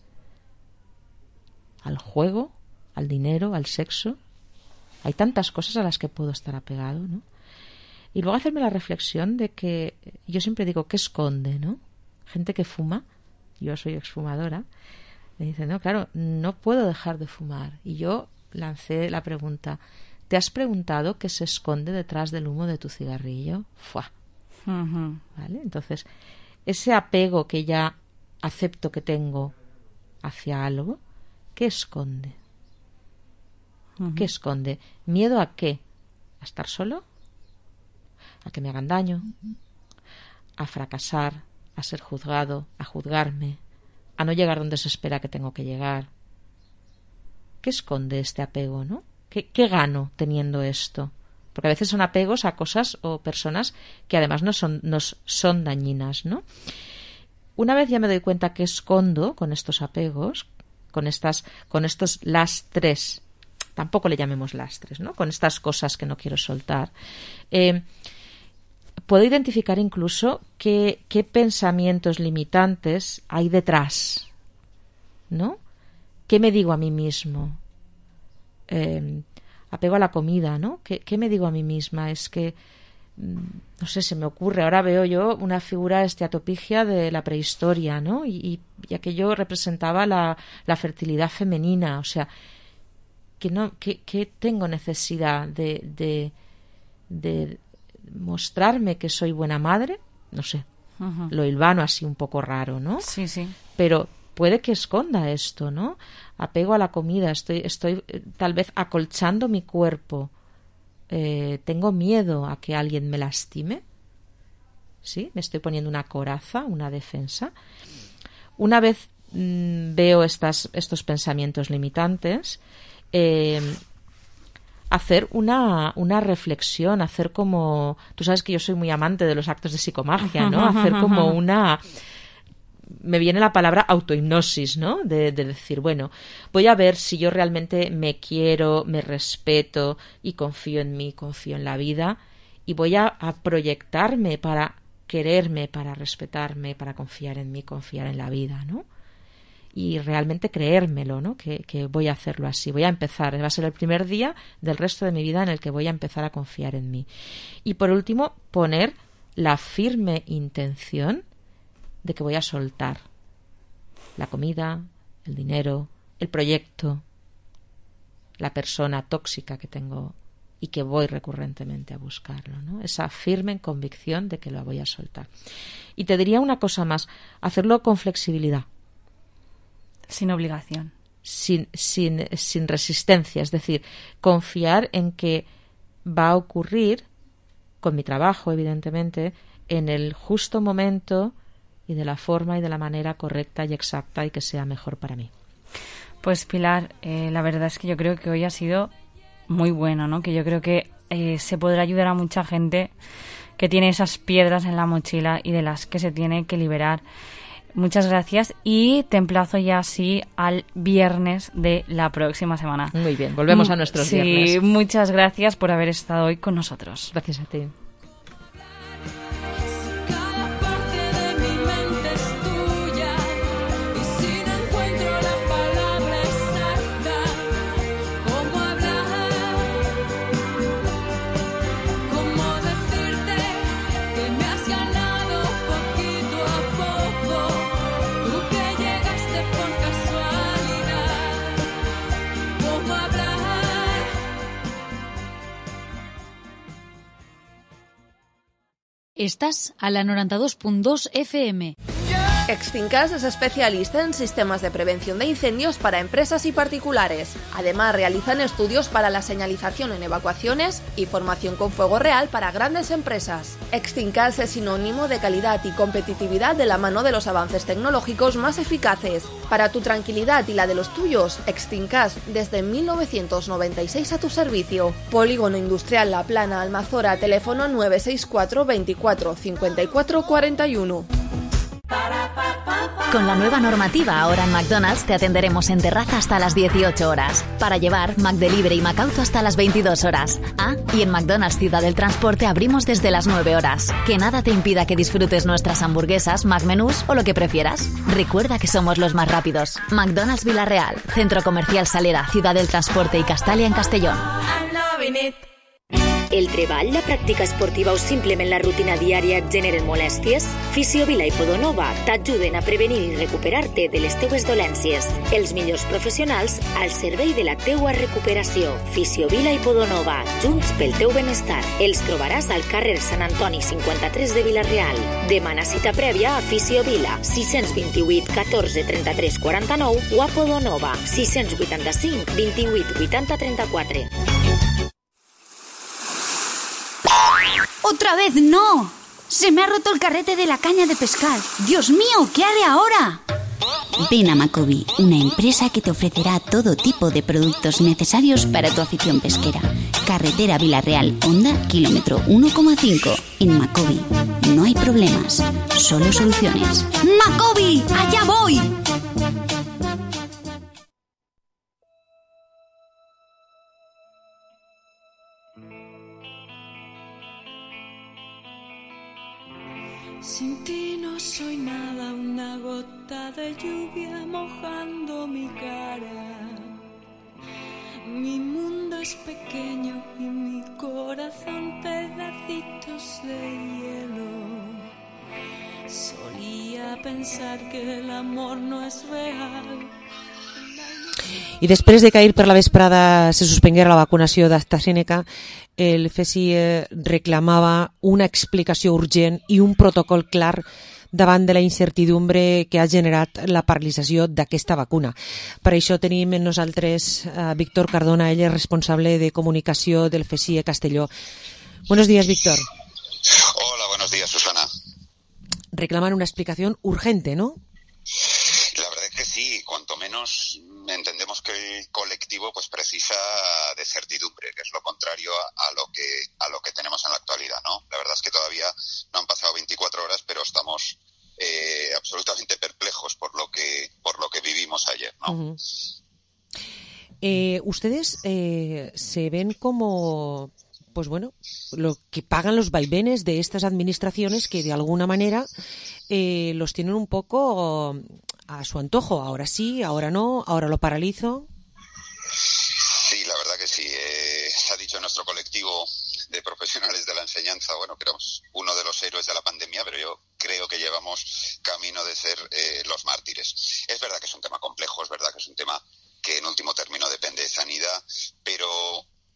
al juego, al dinero, al sexo. Hay tantas cosas a las que puedo estar apegado, ¿no? Y luego hacerme la reflexión de que yo siempre digo, ¿qué esconde, no? Gente que fuma, yo soy exfumadora, me dice, no, claro, no puedo dejar de fumar. Y yo lancé la pregunta, ¿te has preguntado qué se esconde detrás del humo de tu cigarrillo? ¡Fua! Uh-huh. ¿Vale? Entonces, ese apego que ya acepto que tengo hacia algo, ¿qué esconde? Uh-huh. ¿Qué esconde? ¿Miedo a qué? ¿A estar solo? ¿A que me hagan daño? ¿A fracasar? ¿A ser juzgado? ¿A juzgarme? ¿A no llegar donde se espera que tengo que llegar? ¿Qué esconde este apego, no? ¿Qué, qué gano teniendo esto? Porque a veces son apegos a cosas o personas que además no son, nos son dañinas, ¿no? Una vez ya me doy cuenta que escondo con estos apegos, con estas, con estos lastres, tampoco le llamemos lastres, ¿no? Con estas cosas que no quiero soltar, eh, puedo identificar incluso qué, qué pensamientos limitantes hay detrás, ¿no? ¿Qué me digo a mí mismo? Eh, apego a la comida, ¿no? ¿Qué, ¿Qué me digo a mí misma? Es que, no sé, se me ocurre, ahora veo yo una figura esteatopigia de la prehistoria, ¿no? Y, y, y aquello representaba la, la fertilidad femenina, o sea, que no, que, que tengo necesidad de, de, de mostrarme que soy buena madre, no sé, Uh-huh. lo hilvano así un poco raro, ¿no? Sí, sí. Pero puede que esconda esto, ¿no? Apego a la comida, estoy, estoy eh, tal vez acolchando mi cuerpo, eh, tengo miedo a que alguien me lastime, ¿sí? Me estoy poniendo una coraza, una defensa. Una vez mmm, veo estas, estos pensamientos limitantes, eh, hacer una, una reflexión, hacer como... Tú sabes que yo soy muy amante de los actos de psicomagia, ¿no? Hacer como una... Me viene la palabra autohipnosis, ¿no? De, de decir, bueno, voy a ver si yo realmente me quiero, me respeto y confío en mí, confío en la vida, y voy a, a proyectarme para quererme, para respetarme, para confiar en mí, confiar en la vida, ¿no? Y realmente creérmelo, ¿no? Que, que voy a hacerlo así, voy a empezar, va a ser el primer día del resto de mi vida en el que voy a empezar a confiar en mí. Y por último, poner la firme intención de que voy a soltar la comida, el dinero, el proyecto, la persona tóxica que tengo y que voy recurrentemente a buscarlo, ¿no? Esa firme convicción de que lo voy a soltar. Y te diría una cosa más, hacerlo con flexibilidad. Sin obligación. Sin, sin, sin resistencia, es decir, confiar en que va a ocurrir, con mi trabajo, evidentemente, en el justo momento y de la forma y de la manera correcta y exacta y que sea mejor para mí. Pues Pilar, eh, la verdad es que yo creo que hoy ha sido muy bueno, ¿no? Que yo creo que eh, se podrá ayudar a mucha gente que tiene esas piedras en la mochila y de las que se tiene que liberar. Muchas gracias y te emplazo ya así al viernes de la próxima semana. Muy bien, volvemos a nuestros sí, viernes. Sí, muchas gracias por haber estado hoy con nosotros. Gracias a ti. Estás a la noranta-dos punt dos F M. Extincas es especialista en sistemas de prevención de incendios para empresas y particulares. Además, realizan estudios para la señalización en evacuaciones y formación con fuego real para grandes empresas. Extincas es sinónimo de calidad y competitividad de la mano de los avances tecnológicos más eficaces. Para tu tranquilidad y la de los tuyos, Extincas desde mil novecientos noventa y seis a tu servicio. Polígono Industrial La Plana, Almazora, teléfono nueve seis cuatro veinticuatro cincuenta y cuatro cuarenta y uno. Con la nueva normativa, ahora en McDonald's te atenderemos en terraza hasta las dieciocho horas. Para llevar, McDelivery y McAuto hasta las veintidós horas. Ah, y en McDonald's Ciudad del Transporte abrimos desde las nueve horas. Que nada te impida que disfrutes nuestras hamburguesas, McMenús o lo que prefieras. Recuerda que somos los más rápidos. McDonald's Vila-real, Centro Comercial Salera, Ciudad del Transporte y Castalia en Castellón. El treball, la pràctica esportiva o simplement la rutina diària et generen molèsties? Fisiovila i Podonova t'ajuden a prevenir i recuperar-te de les teues dolències. Els millors professionals al servei de la teua recuperació. Fisiovila i Podonova, junts pel teu benestar. Els trobaràs al carrer Sant Antoni cinquanta-tres de Vila-real. Demana cita prèvia a Fisiovila, sis dos vuit, catorze, trenta-tres, quaranta-nou o a Podonova, sis vuitanta-cinc, vint-i-vuit, vuitanta, trenta-quatre. ¡Otra vez no! ¡Se me ha roto el carrete de la caña de pescar! ¡Dios mío! ¿Qué haré ahora? Ven a Macobi, una empresa que te ofrecerá todo tipo de productos necesarios para tu afición pesquera. Carretera Vila-real, Honda, kilómetro uno coma cinco. En Macobi no hay problemas, solo soluciones. ¡Macobi! ¡Allá voy! Sin ti no soy nada, una gota de lluvia mojando mi cara. Mi mundo es pequeño y mi corazón pedacitos de hielo. Solía pensar que el amor no es real. I després de que ahir per la vesprada se suspenguera la vacunació d'AstraZeneca, el C S I reclamava una explicació urgent i un protocol clar davant de la incertidumbre que ha generat la paralització d'aquesta vacuna. Per això tenim amb nosaltres a Víctor Cardona, ell és responsable de comunicació del C S I Castelló. Buenos días, Víctor. Hola, buenos días, Susana. Reclaman una explicación urgente, ¿no? La verdad es que sí, cuanto menos entendemos que el colectivo pues precisa de certidumbre, que es lo contrario a, a lo que a lo que tenemos en la actualidad, ¿no? La verdad es que todavía no han pasado veinticuatro horas, pero estamos eh, absolutamente perplejos por lo que por lo que vivimos ayer, ¿no? Uh-huh. eh, ustedes eh, se ven como, pues bueno, lo que pagan los vaivenes de estas administraciones que de alguna manera eh, los tienen un poco a su antojo. Ahora sí, ahora no, ahora lo paralizo. Sí, la verdad que sí. Eh, se ha dicho en nuestro colectivo de profesionales de la enseñanza, bueno, que éramos uno de los héroes de la pandemia, pero yo creo que llevamos camino de ser eh, los mártires. Es verdad que es un tema complejo, es verdad que es un tema que en último término depende de sanidad, pero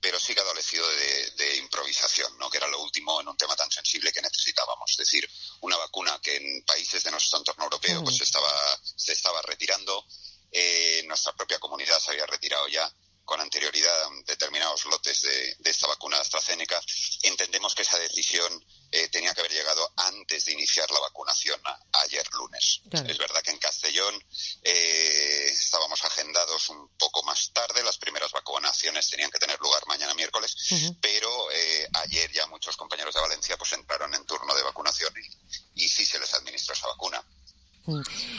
pero sí que ha adolecido de, de improvisación, ¿no? Que era lo último en un tema tan sensible que necesitábamos. Es decir, una vacuna que en países de nuestro entorno europeo pues estaba, se estaba retirando, eh, nuestra propia comunidad se había retirado ya con anterioridad determinados lotes de, de esta vacuna de AstraZeneca. Entendemos que esa decisión eh, tenía que haber llegado antes de iniciar la vacunación a, ayer lunes. Claro. Es verdad que en Castellón eh, estábamos agendados un poco más tarde, las primeras vacunaciones tenían que tener lugar mañana miércoles, uh-huh. pero eh, ayer ya muchos compañeros de Valencia pues entraron en turno de vacunación y, y sí se les administró esa vacuna.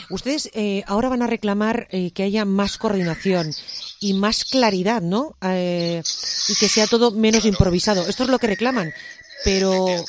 Ustedes eh, ahora van a reclamar eh, que haya más coordinación y más claridad, ¿no? Eh, y que sea todo menos claro. improvisado. Esto es lo que reclaman, pero... Un,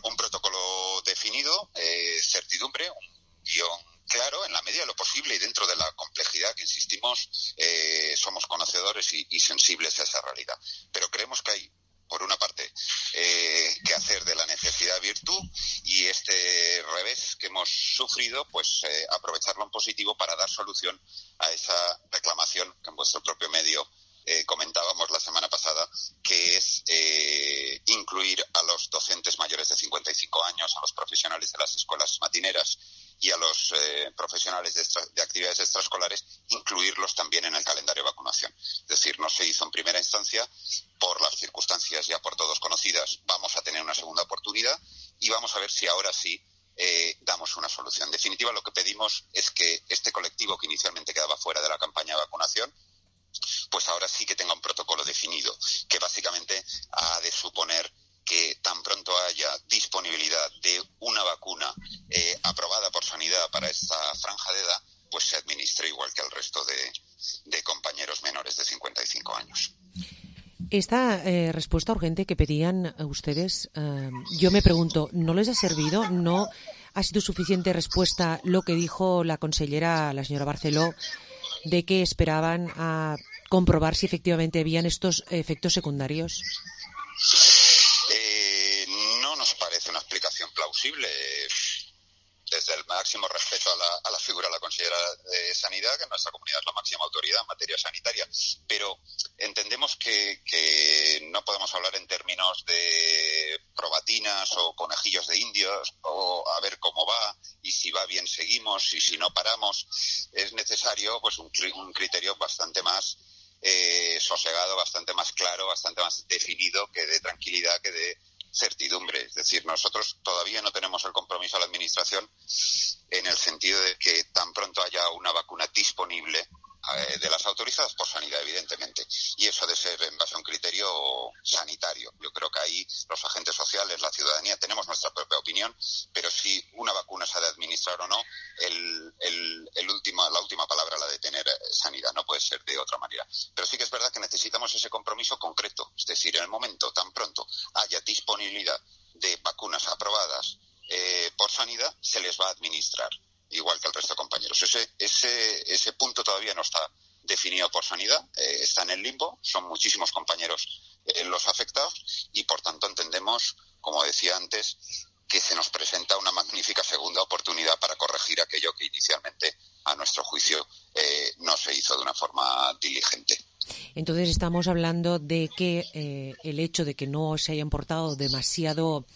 un protocolo definido, eh, certidumbre, un guión claro, en la medida de lo posible y dentro de la complejidad que, insistimos, eh, somos conocedores y, y sensibles a esa realidad. Pero creemos que hay, por una parte, eh, que hacer de la necesidad virtud y este revés que hemos sufrido, pues eh, aprovecharlo en positivo para dar solución a esa reclamación que en vuestro propio medio eh, comentábamos la semana pasada, que es eh, incluir a los docentes mayores de cincuenta y cinco años, a los profesionales de las escuelas matineras y a los eh, profesionales de, extra, de actividades extraescolares, incluirlos también en el calendario de vacunación. Es decir, no se hizo en primera instancia, por las circunstancias ya por todos conocidas, vamos a tener una segunda oportunidad y vamos a ver si ahora sí eh, damos una solución. En definitiva, lo que pedimos es que este colectivo que inicialmente quedaba fuera de la campaña de vacunación, pues ahora sí que tenga un protocolo definido, que básicamente ha de suponer que tan pronto haya disponibilidad de una vacuna eh, aprobada por Sanidad para esta franja de edad, pues se administre igual que al resto de, de compañeros menores de cincuenta y cinco años. Esta eh, respuesta urgente que pedían ustedes, eh, yo me pregunto, ¿no les ha servido? ¿No ha sido suficiente respuesta lo que dijo la consellera, la señora Barceló, de que esperaban a comprobar si efectivamente habían estos efectos secundarios? Eh, no nos parece una explicación plausible. Desde el máximo respeto a la, a la figura de la consellera de Sanidad, que en nuestra comunidad es la máxima autoridad en materia sanitaria, pero entendemos que, que no podemos hablar en términos de probatinas o conejillos de indios o a ver cómo va y si va bien seguimos y si no paramos. Es necesario pues un, un criterio bastante más eh, sosegado, bastante más claro, bastante más definido, que dé tranquilidad, que dé certidumbre. Es decir, nosotros todavía no tenemos el compromiso a la Administración en el sentido de que tan pronto haya una vacuna disponible eh, de las autorizadas por Sanidad, evidentemente, y eso de ser en base a un criterio sanitario. Yo creo que ahí los agentes sociales, la ciudadanía, tenemos nuestra propia opinión, pero si una vacuna se ha de administrar o no, el, el, el último, la última palabra la de tener Sanidad, no puede ser de otra manera. Pero sí que es verdad que necesitamos ese compromiso concreto, es decir, en el momento tan pronto haya disponibilidad de vacunas aprobadas eh, por Sanidad, se les va a administrar, igual que al resto de compañeros. Ese, ese, ese punto todavía no está definido por Sanidad, eh, está en el limbo, son muchísimos compañeros eh, los afectados y por tanto entendemos, como decía antes, que se nos presenta una magnífica segunda oportunidad para corregir aquello que inicialmente, a nuestro juicio, eh, no se hizo de una forma diligente. Entonces estamos hablando de que eh, el hecho de que no se hayan portado demasiado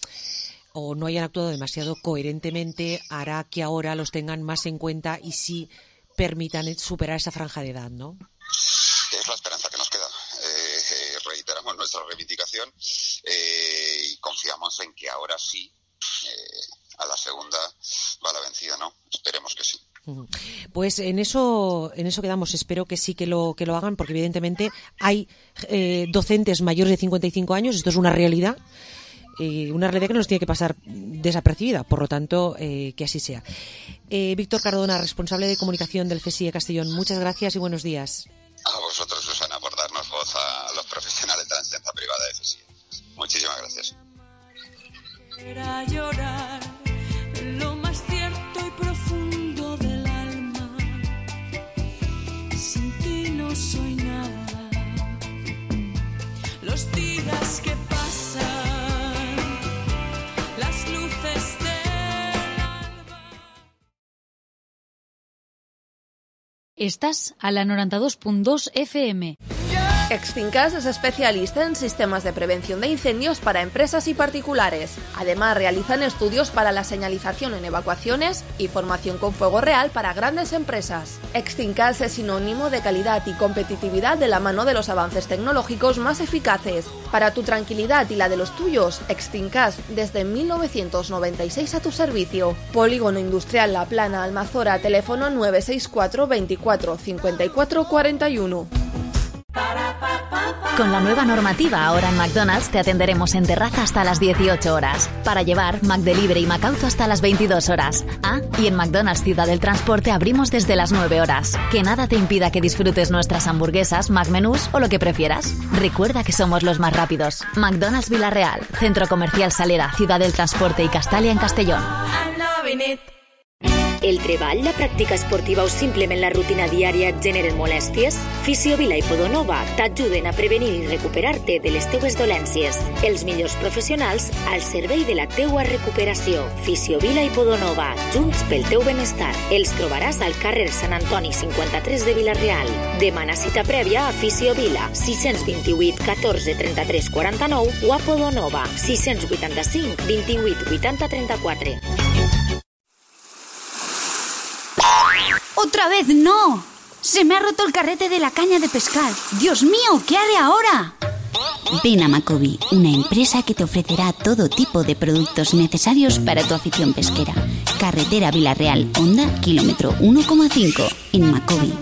o no hayan actuado demasiado coherentemente hará que ahora los tengan más en cuenta y sí permitan superar esa franja de edad, ¿no? Es la esperanza que nos queda. Eh, eh, reiteramos nuestra reivindicación eh, y confiamos en que ahora sí, eh, a la segunda va la vencida, ¿no? Esperemos que sí. Pues en eso en eso quedamos. Espero que sí que lo que lo hagan, porque evidentemente hay eh, docentes mayores de cincuenta y cinco años. Esto es una realidad. Eh, una realidad que no nos tiene que pasar desapercibida, por lo tanto, eh, que así sea. Eh, Víctor Cardona, responsable de comunicación del CSIE Castellón, muchas gracias y buenos días. A vosotros, Susana, por darnos voz a los profesionales de la enseñanza privada de CSIE. Muchísimas gracias. Era llorar en lo más cierto y profundo del alma. Sin ti no soy nada. Los días que pasan, las luces del alba. Estàs a la noranta dos punt dos F M. Yeah. Extincas es especialista en sistemas de prevención de incendios para empresas y particulares. Además, realizan estudios para la señalización en evacuaciones y formación con fuego real para grandes empresas. Extincas es sinónimo de calidad y competitividad de la mano de los avances tecnológicos más eficaces. Para tu tranquilidad y la de los tuyos, Extincas desde mil novecientos noventa y seis a tu servicio. Polígono Industrial La Plana, Almazora, teléfono nueve seis cuatro veinticuatro cincuenta y cuatro cuarenta y uno. Con la nueva normativa, ahora en McDonald's te atenderemos en terraza hasta las dieciocho horas. Para llevar, McDelivery y Macauto hasta las veintidós horas. Ah, y en McDonald's Ciudad del Transporte abrimos desde las nueve horas. Que nada te impida que disfrutes nuestras hamburguesas, McMenús o lo que prefieras. Recuerda que somos los más rápidos. McDonald's Vila-real, Centro Comercial Salera, Ciudad del Transporte y Castalia en Castellón. El treball, la pràctica esportiva o simplement la rutina diària et generen molèsties? Fisiovila i Podonova t'ajuden a prevenir i recuperar-te de les teues dolències. Els millors professionals al servei de la teua recuperació. Fisiovila i Podonova, junts pel teu benestar. Els trobaràs al carrer Sant Antoni cinquanta-tres de Vila-real. Demana cita prèvia a Fisiovila, sis dos vuit, catorze, trenta-tres, quaranta-nou o a Podonova, sis vuitanta-cinc, vint-i-vuit, vuitanta, trenta-quatre. ¡Otra vez no! ¡Se me ha roto el carrete de la caña de pescar! ¡Dios mío! ¿Qué haré ahora? Ven a Macovi, una empresa que te ofrecerá todo tipo de productos necesarios para tu afición pesquera. Carretera Vila-real, Honda, kilómetro uno coma cinco. En Macovi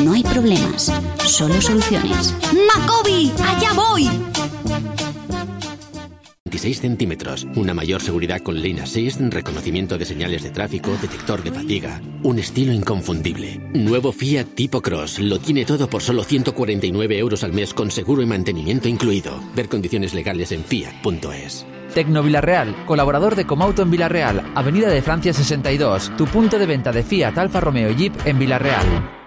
no hay problemas, solo soluciones. ¡Macovi! ¡Allá voy! veintiséis centímetros, una mayor seguridad con Lane Assist, reconocimiento de señales de tráfico, detector de fatiga, un estilo inconfundible. Nuevo Fiat Tipo Cross, lo tiene todo por solo ciento cuarenta y nueve euros al mes con seguro y mantenimiento incluido. Ver condiciones legales en fiat punto es. Tecno Vila-real, colaborador de Comauto en Vila-real, Avenida de Francia sesenta y dos, tu punto de venta de Fiat, Alfa Romeo y Jeep en Vila-real.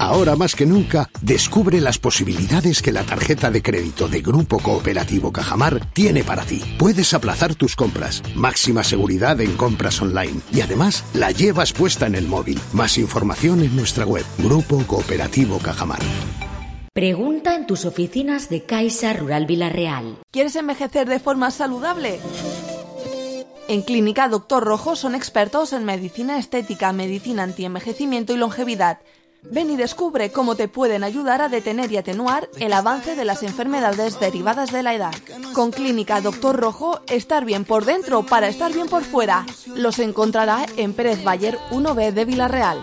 Ahora más que nunca, descubre las posibilidades que la tarjeta de crédito de Grupo Cooperativo Cajamar tiene para ti. Puedes aplazar tus compras, máxima seguridad en compras online y además la llevas puesta en el móvil. Más información en nuestra web, Grupo Cooperativo Cajamar. Pregunta en tus oficinas de Caixa Rural Vila-real. ¿Quieres envejecer de forma saludable? En Clínica Doctor Rojo son expertos en medicina estética, medicina antienvejecimiento y longevidad. Ven y descubre cómo te pueden ayudar a detener y atenuar el avance de las enfermedades derivadas de la edad. Con Clínica Doctor Rojo, estar bien por dentro para estar bien por fuera. Los encontrará en Pérez Bayer uno B de Vila-real.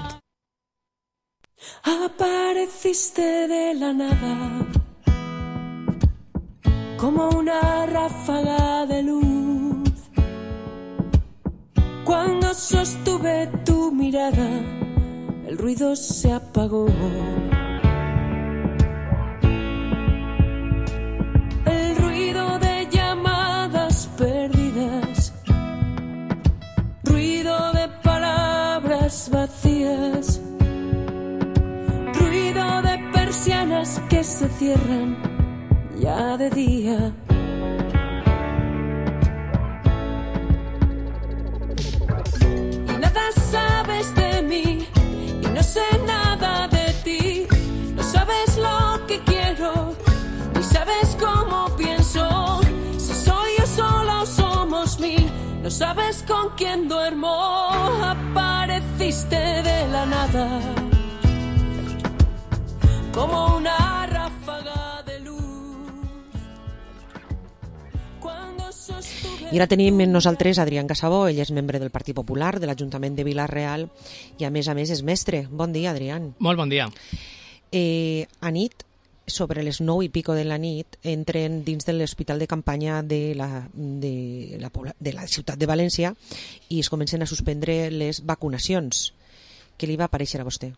Apareciste de la nada, como una ráfaga de luz. Cuando sostuve tu mirada, el ruido se apagó. El ruido de llamadas perdidas, ruido de palabras vacías, ruido de persianas que se cierran ya de día. Y nada sabes de mí, y no sé nada de ti. No sabes lo que quiero, ni sabes cómo pienso. Si soy yo sola o somos mil, no sabes con quién duermo. Apareciste de la nada, como una ráfaga de luz. Cuando sostuve... I ara tenim amb nosaltres Adrián Casabó, ell és membre del Partit Popular de l'Ajuntament de Vila-real i a més a més és mestre. Bon dia, Adrián. Molt bon dia. Eh, a nit, sobre les nou i pico de la nit, entren dins de l'hospital de campanya de la, de, la, de la ciutat de València i es comencen a suspendre les vacunacions. Què li va aparèixer a vostè?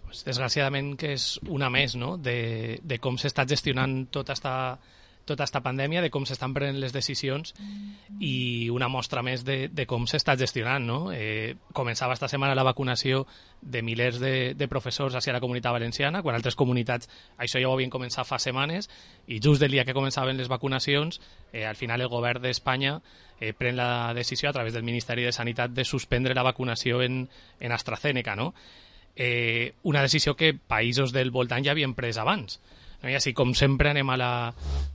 Pues, desgraciadament que és una més, no?, de, de com s'està gestionant tota esta, tota esta pandèmia, de com s'estan prenent les decisions i una mostra més de, de com s'està gestionant, no? Eh, començava esta setmana la vacunació de milers de, de professors hacia la comunitat valenciana, quan altres comunitats això ja ho havien començat fa setmanes i just el dia que començaven les vacunacions, eh, al final el govern d'Espanya eh, pren la decisió a través del Ministeri de Sanitat de suspendre la vacunació en, en AstraZeneca, no? Eh, una decisió que països del voltant ja havien pres abans. No? I així, com sempre, anem a la,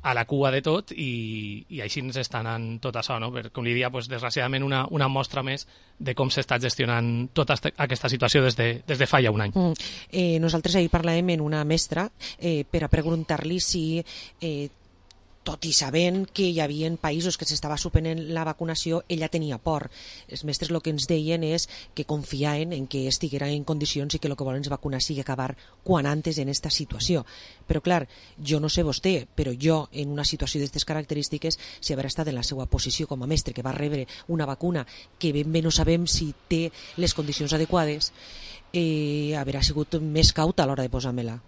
a la cua de tot i, i així ens està anant tot això, no? Per, com li dia, pues, desgraciadament, una, una mostra més de com s'està gestionant tota este, aquesta situació des de, des de fa ja un any. Mm. Eh, nosaltres ahir parlàvem amb una mestra eh, per a preguntar-li si... Eh, tot i sabent que hi havia països que s'estava suspendent la vacunació, ella tenia por. Els mestres el que ens deien és que confiaven en que estiguera en condicions i que el que volen és vacunar sigui acabar quan antes en esta situació. Però clar, jo no sé vostè, però jo en una situació d'aquestes característiques, si haver estat en la seva posició com a mestre que va rebre una vacuna que ben bé no sabem si té les condicions adequades, eh, haurà sigut més cauta a l'hora de posar-me-la.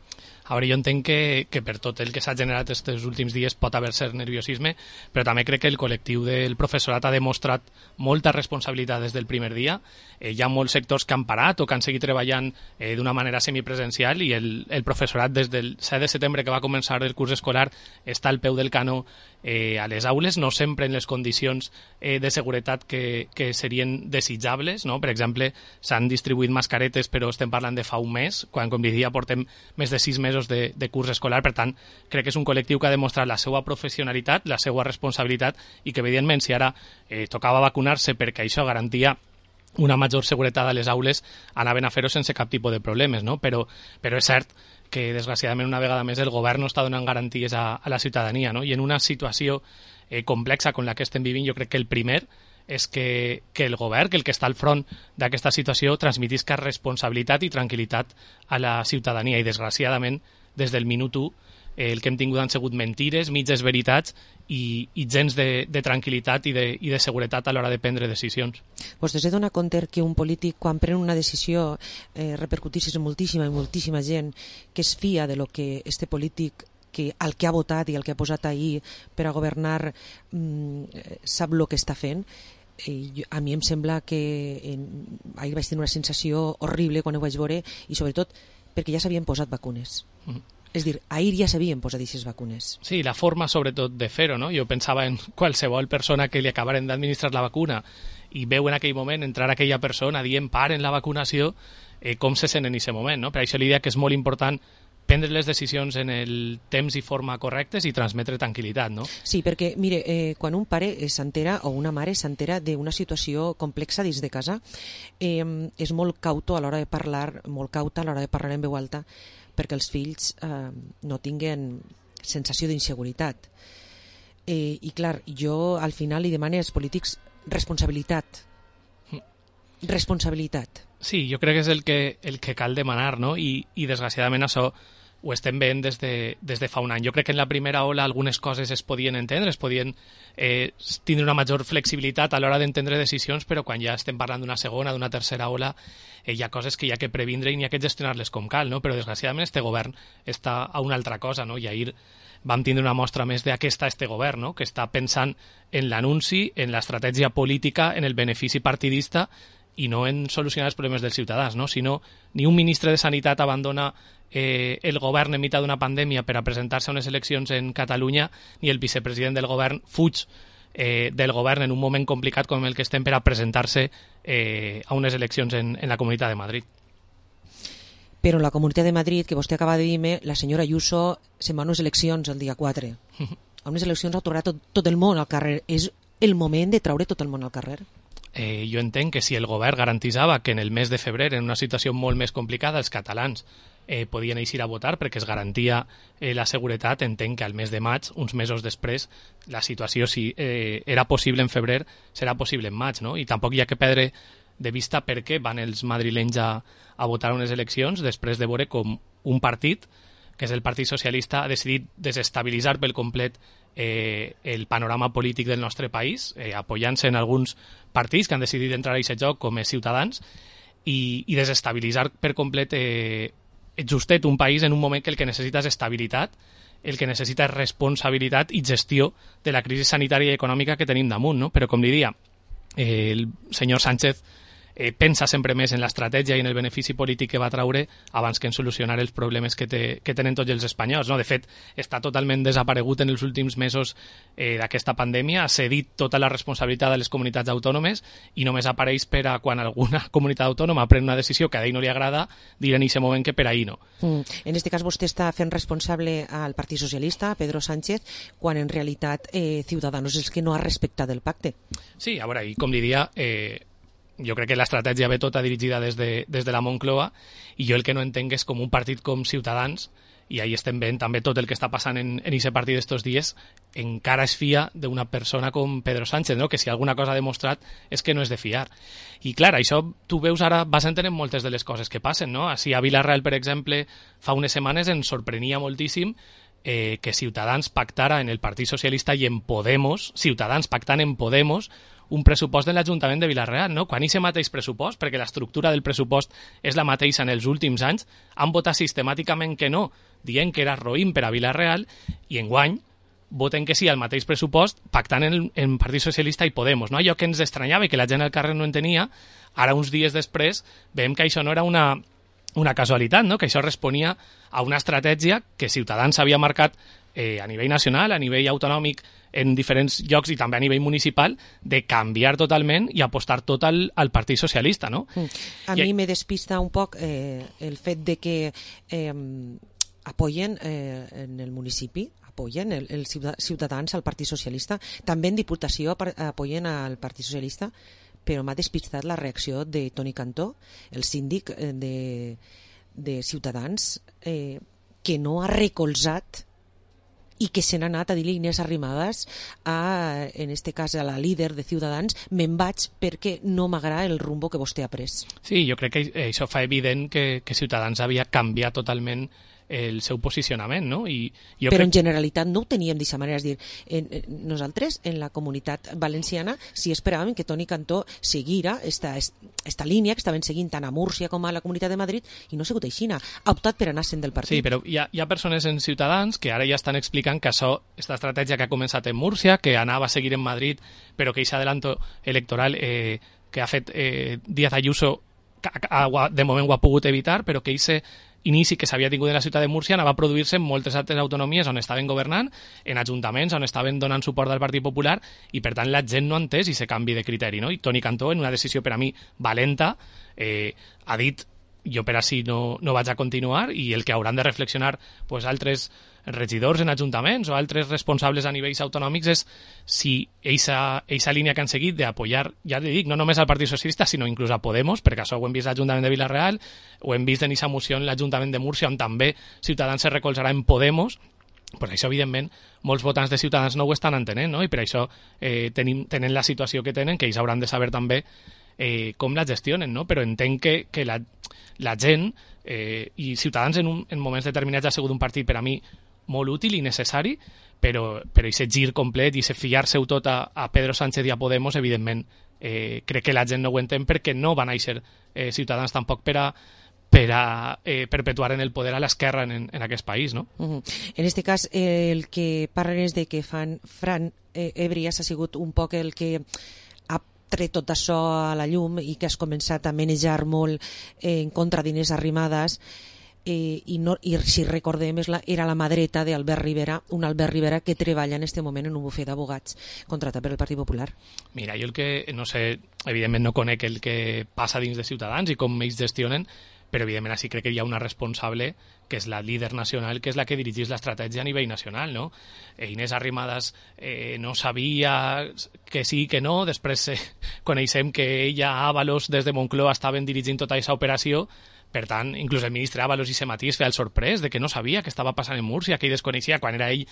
A veure, jo entenc que, que per tot el que s'ha generat aquests últims dies pot haver cert nerviosisme, però també crec que el col·lectiu del professorat ha demostrat molta responsabilitat des del primer dia. Eh, hi ha molts sectors que han parat o que han seguit treballant eh, d'una manera semipresencial i el, el professorat des del set de setembre que va començar el curs escolar està al peu del canó eh, a les aules, no sempre en les condicions eh, de seguretat que, que serien desitjables, no? Per exemple, s'han distribuït mascaretes però estem parlant de fa un mes, quan com diria portem més de sis mesos De, de curs escolar, per tant crec que és un col·lectiu que ha demostrat la seva professionalitat, la seva responsabilitat i que evidentment si ara eh, tocava vacunar-se perquè això garantia una major seguretat a les aules, anaven a fer-ho sense cap tipus de problemes, no? Però, però és cert que desgraciadament una vegada més el govern no està donant garanties a, a la ciutadania, no? I en una situació eh, complexa com la que estem vivint, jo crec que el primer és que, que el govern, que el que està al front d'aquesta situació, transmetisca responsabilitat i tranquil·litat a la ciutadania. I, desgraciadament, des del minut u, eh, el que hem tingut han sigut mentires, mitges veritats i, i gens de, de tranquil·litat i de, i de seguretat a l'hora de prendre decisions. Vostè s'ha donat compte que un polític, quan pren una decisió, eh, repercutís en moltíssima i moltíssima gent que es fia de lo que este polític que al que ha votat i al que ha posat ahir per a governar mmm, sap el que està fent. I a mi em sembla que en, ahir vaig tenir una sensació horrible quan ho vaig veure i sobretot perquè ja s'havien posat vacunes. Mm. És dir, ahir ja s'havien posat aquestes vacunes. Sí, la forma sobretot de fer-ho, no? Jo pensava en qualsevol persona que li acabaren d'administrar la vacuna i veu en aquell moment entrar aquella persona dient paren la vacunació, eh, com se sent en aquest moment, no? Per això li dic que és molt important prendre les decisions en el temps i forma correctes i transmetre tranquil·litat, no? Sí, perquè, mire, eh, quan un pare s'entera o una mare s'entera d'una situació complexa dins de casa, eh, és molt cauto a l'hora de parlar, molt cauta a l'hora de parlar en veu alta, perquè els fills eh, no tinguen sensació d'inseguretat. Eh, I, clar, jo al final li demano als polítics responsabilitat. Responsabilitat. Sí, jo crec que és el que, el que cal demanar, no? I, i desgraciadament això ho estem veient des de, des de fa un any. Jo crec que en la primera ola algunes coses es podien entendre, es podien eh, tindre una major flexibilitat a l'hora d'entendre decisions, però quan ja estem parlant d'una segona, d'una tercera ola, eh, hi ha coses que hi ha que previndre i n'hi ha que gestionar-les com cal, no? Però desgraciadament este govern està a una altra cosa, no? I ahir vam tindre una mostra més de a què està este govern, no? Que està pensant en l'anunci, en l'estratègia política, en el benefici partidista i no en solucionar els problemes dels ciutadans, no? Si no, ni un ministre de Sanitat abandona eh, el govern en mitjà d'una pandèmia per a presentar-se a unes eleccions en Catalunya, ni el vicepresident del govern fuig eh, del govern en un moment complicat com el que estem per a presentar-se eh, a unes eleccions en, en la Comunitat de Madrid. Però la Comunitat de Madrid, que vostè acaba de dir-me, la senyora Ayuso se'n va a unes eleccions el dia quatre. A unes eleccions ha tornat tot, tot el món al carrer. És el moment de traure tot el món al carrer? Eh, jo entenc que si el govern garantitzava que en el mes de febrer, en una situació molt més complicada, els catalans eh, podien eixir a votar perquè es garantia eh, la seguretat, entenc que al mes de maig, uns mesos després, la situació, si eh, era possible en febrer, serà possible en maig, no? I tampoc hi ha que perdre de vista per què van els madrilenys a, a votar unes eleccions després de veure com un partit, que és el Partit Socialista, ha decidit desestabilitzar pel complet eh, el panorama polític del nostre país, eh, apoyant-se en alguns partits que han decidit entrar a aquest joc com és Ciutadans i, i desestabilitzar per complet eh, justet un país en un moment que el que necessita és estabilitat, el que necessita és responsabilitat i gestió de la crisi sanitària i econòmica que tenim damunt, no? Però com diria, eh, el senyor Sánchez eh, pensa sempre més en l'estratègia i en el benefici polític que va traure abans que en solucionar els problemes que, té, que tenen tots els espanyols. No? De fet, està totalment desaparegut en els últims mesos eh, d'aquesta pandèmia, ha cedit tota la responsabilitat de les comunitats autònomes i només apareix per a quan alguna comunitat autònoma pren una decisió que a ell no li agrada, dir en aquest moment que per ahir no. Mm. En aquest cas vostè està fent responsable al Partit Socialista, Pedro Sánchez, quan en realitat eh, Ciudadanos és que no ha respectat el pacte. Sí, a veure, i com diria... Eh, jo crec que l'estratègia ve tota dirigida des de, des de la Moncloa i jo el que no entenc és com un partit com Ciutadans, i ahí estem veient també tot el que està passant en aquest partit d'estos dies, encara es fia d'una persona com Pedro Sánchez, no? Que si alguna cosa ha demostrat és que no és de fiar. I clar, això tu veus ara, vas entenent moltes de les coses que passen, no? Així a Vila-real, per exemple, fa unes setmanes ens sorprenia moltíssim eh, que Ciutadans pactara en el Partit Socialista i en Podemos, Ciutadans pactant en Podemos, un pressupost de l'Ajuntament de Vila-real, no? Quan aquest mateix pressupost, perquè l'estructura del pressupost és la mateixa en els últims anys, han votat sistemàticament que no, dient que era roïn per a Vila-real, i enguany voten que sí al mateix pressupost, pactant en el Partit Socialista i Podemos, no? Allò que ens estranyava i que la gent al carrer no entenia, ara uns dies després veiem que això no era una, una casualitat, no? Que això responia a una estratègia que Ciutadans havia marcat eh, a nivell nacional, a nivell autonòmic, en diferents llocs i també a nivell municipal, de canviar totalment i apostar tot al, al Partit Socialista, no? Mm. A I... mi me despista un poc eh, el fet de que eh, apoyen eh, en el municipi, apoyen el, el Ciutadans al Partit Socialista, també en Diputació apoyen al Partit Socialista, però m'ha despistat la reacció de Toni Cantó, el síndic de, de Ciutadans, eh, que no ha recolzat i que se n'ha anat a dir-li Inés Arrimadas, a, en este cas a la líder de Ciutadans, me'n vaig perquè no m'agrada el rumbo que vostè ha pres. Sí, jo crec que això fa evident que, que Ciutadans havia canviat totalment el seu posicionament, no? I jo Però crec... en generalitat no ho teníem d'aquesta manera, és dir, en, en, nosaltres en la comunitat valenciana sí esperàvem que Toni Cantó seguira esta, esta línia que estaven seguint tant a Múrcia com a la Comunitat de Madrid i no ha sigut així, ha optat per anar-se'n del partit. Sí, però hi ha, hi ha persones en Ciutadans que ara ja estan explicant que això, esta estratègia que ha començat en Múrcia, que anava a seguir en Madrid, però que aquest adelanto electoral eh, que ha fet eh, Díaz Ayuso de moment ho ha pogut evitar, però que aquest inici que s'havia tingut en la ciutat de Múrcia anava a produir-se en moltes altres autonomies on estaven governant, en ajuntaments on estaven donant suport al Partit Popular, i per tant la gent no ha entès i se canvi de criteri, no? I Toni Cantó, en una decisió per a mi valenta, eh, ha dit jo per així no, no vaig a continuar, i el que hauran de reflexionar pues, altres regidors en ajuntaments o altres responsables a nivells autonòmics és si aquesta línia que han seguit d'apoyar, ja li dic, no només al Partit Socialista, sinó inclús a Podemos, perquè això ho hem vist a l'Ajuntament de Vila-real, ho hem vist en aquesta moció en l'Ajuntament de Múrcia, on també Ciutadans se recolzarà en Podemos, pues això, evidentment, molts votants de Ciutadans no ho estan entenent, no? I per això eh, tenim, tenen la situació que tenen, que ells hauran de saber també eh, com la gestionen, no? Però entenc que, que la, la gent, eh, i Ciutadans en, un, en moments determinats ha sigut un partit per a mi molt útil i necessari, però però aquest gir complet i fiar-se-ho tot a, a Pedro Sánchez i a Podemos, evidentment, eh, crec que la gent no ho entén perquè no van néixer eh, Ciutadans tampoc per a per a eh, perpetuar en el poder a l'esquerra en, en aquest país, no? Uh-huh. En aquest cas, eh, el que parlen és de que fan Fran eh, Ebrias ha sigut un poc el que ha tret tot això a la llum i que has començat a manejar molt eh, en contra d'Inés Arrimadas. Eh, i, no, i si recordem és la, era la mà dreta d'Albert Rivera, un Albert Rivera que treballa en este moment en un bufet d'abogats contratat per el Partit Popular. Mira, jo el que, no sé, evidentment no conec el que passa dins de Ciutadans i com ells gestionen, però evidentment així crec que hi ha una responsable que és la líder nacional, que és la que dirigís l'estratègia a nivell nacional, no? Eh, Inés Arrimadas eh, no sabia que sí, que no, després eh, coneixem que ella, Ábalos, des de Moncloa estaven dirigint tota aquesta operació. Per tant, inclús el ministre Ábalos i se matís feia el sorprès de que no sabia què estava passant en Múrcia, que ell desconeixia quan era ell,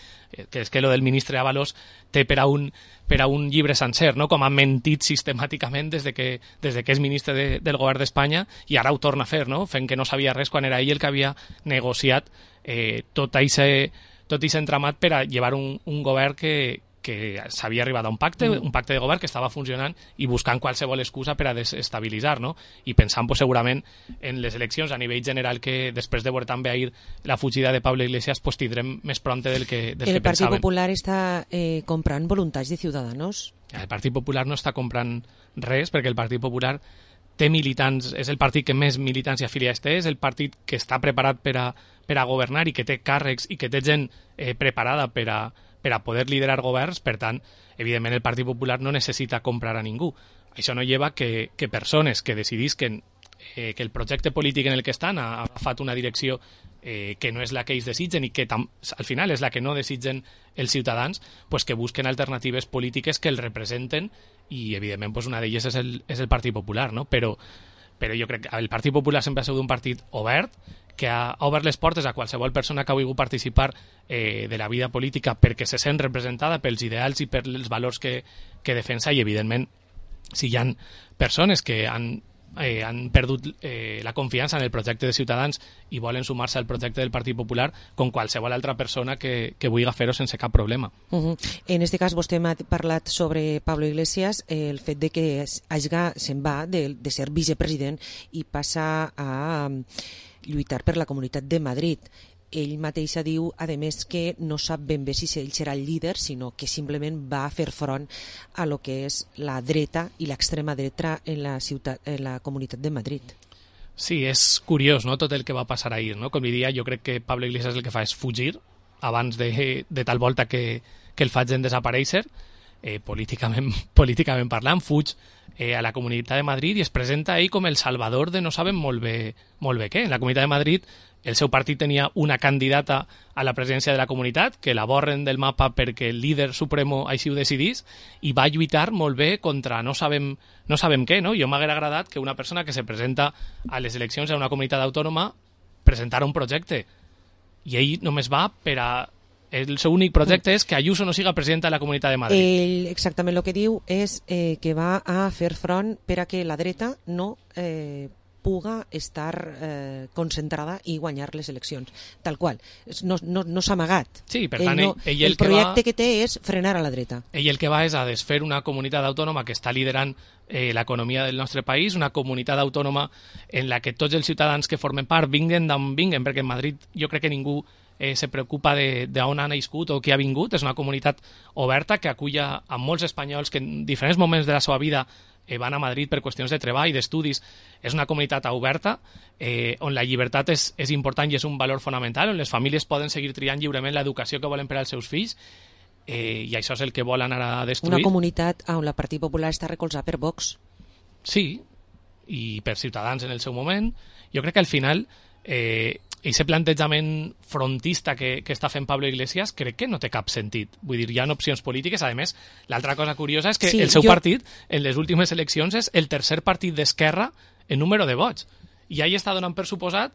que és que lo del ministre Ábalos té per a un, per a un llibre sencer, no? Com ha mentit sistemàticament des de que, des de que és ministre de, del govern d'Espanya, i ara ho torna a fer, no? Fent que no sabia res quan era ell el que havia negociat eh, tot aquest tot entramat per a llevar un, un govern que, que s'havia arribat a un pacte, un pacte de govern que estava funcionant i buscant qualsevol excusa per a desestabilitzar, no? I pensant pues, segurament en les eleccions a nivell general que després de veure també ahir la fugida de Pablo Iglesias pues, tindrem més prompte del que, del el que pensaven. El Partit Popular està eh, comprant voluntats de Ciudadanos? El Partit Popular no està comprant res perquè el Partit Popular té militants, és el partit que més militants i afiliats té, és el partit que està preparat per a, per a governar i que té càrrecs i que té gent eh, preparada per a, per a poder liderar governs. Per tant, evidentment el Partit Popular no necessita comprar a ningú. Això no lleva que, que persones que decidisquen eh, que el projecte polític en el que estan ha agafat una direcció eh, que no és la que ells desitgen i que tam, al final és la que no desitgen els ciutadans, pues que busquen alternatives polítiques que el representen i evidentment pues una d'elles és el, és el Partit Popular, no? Però, però jo crec que el Partit Popular sempre ha sigut un partit obert, que ha obert les portes a qualsevol persona que ha volgut participar eh, de la vida política perquè se sent representada pels ideals i pels valors que, que defensa, i evidentment si hi ha persones que han, eh, han perdut eh, la confiança en el projecte de Ciutadans i volen sumar-se al projecte del Partit Popular, com qualsevol altra persona que, que vulgui fer-ho sense cap problema. Uh-huh. En este cas vostè m'ha parlat sobre Pablo Iglesias, eh, el fet de que hagi, se'n va de, de ser vicepresident i passa a lluitar per la Comunitat de Madrid. Ell mateix diu, a més, que no sap ben bé si ell serà el líder, sinó que simplement va a fer front a lo que és la dreta i l'extrema dreta en la, ciutat, en la Comunitat de Madrid. Sí, és curiós, no?, tot el que va passar ahir, no? Com diria, jo crec que Pablo Iglesias el que fa és fugir abans de, de tal volta que, que el facin desaparèixer, eh, políticament, políticament parlant, fuig eh, a la Comunitat de Madrid i es presenta ell com el salvador de no sabem molt bé, molt bé què. En la Comunitat de Madrid el seu partit tenia una candidata a la presidència de la comunitat, que la borren del mapa perquè el líder supremo així ho decidís, i va lluitar molt bé contra no sabem, no sabem què, no? Jo m'hagués agradat que una persona que se presenta a les eleccions a una comunitat autònoma presentara un projecte, i ell només va per a... El seu únic projecte és que Ayuso no siga presidenta de la Comunitat de Madrid. Ell exactament el que diu és eh, que va a fer front per a que la dreta no... Eh, puga estar eh, concentrada i guanyar les eleccions, tal qual. No, no, no s'ha amagat. Sí, per tant, ell no, ell, ell el, el projecte que, va, que té és frenar a la dreta. Ell el que va és a desfer una comunitat autònoma que està liderant eh, l'economia del nostre país, una comunitat autònoma en la que tots els ciutadans que formen part vinguen d'on vinguen, perquè en Madrid jo crec que ningú eh, se preocupa d'on ha nascut o qui ha vingut. És una comunitat oberta que aculla a molts espanyols que en diferents moments de la seva vida eh, van a Madrid per qüestions de treball, d'estudis. És una comunitat oberta eh, on la llibertat és, és important i és un valor fonamental, on les famílies poden seguir triant lliurement l'educació que volen per als seus fills, eh, i això és el que vol anar a destruir. Una comunitat on la Partit Popular està recolzada per Vox. Sí, i per Ciutadans en el seu moment. Jo crec que al final eh, aquest plantejament frontista que, que està fent Pablo Iglesias crec que no té cap sentit. Vull dir, hi ha opcions polítiques. A més, l'altra cosa curiosa és que sí, el seu jo... partit, en les últimes eleccions, és el tercer partit d'esquerra en número de vots. I ell està donant per suposat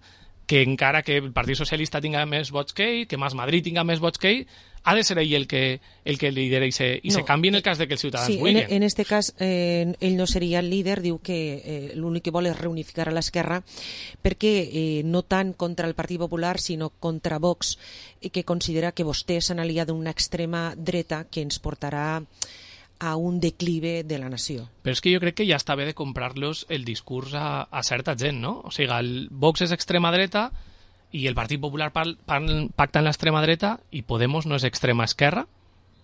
que encara que el Partit Socialista tinga més vots que ell, que Mas Madrid tinga més vots que ell, ha de ser ell el que, el que lidera i, se, i no, se canvi en el cas de que els ciutadans sí, vulguin. En, en este cas, eh, ell no seria el líder, diu que eh, l'únic que vol és reunificar a l'esquerra, perquè eh, no tant contra el Partit Popular, sinó contra Vox, eh, que considera que vostès s'han aliat d'una extrema dreta que ens portarà a un declive de la nació. Però és que jo crec que ja està bé de comprar-los el discurs a, a certa gent, no? O sigui, el Vox és extrema dreta i el Partit Popular pal, pal, pacta en l'extrema dreta i Podemos no és extrema esquerra?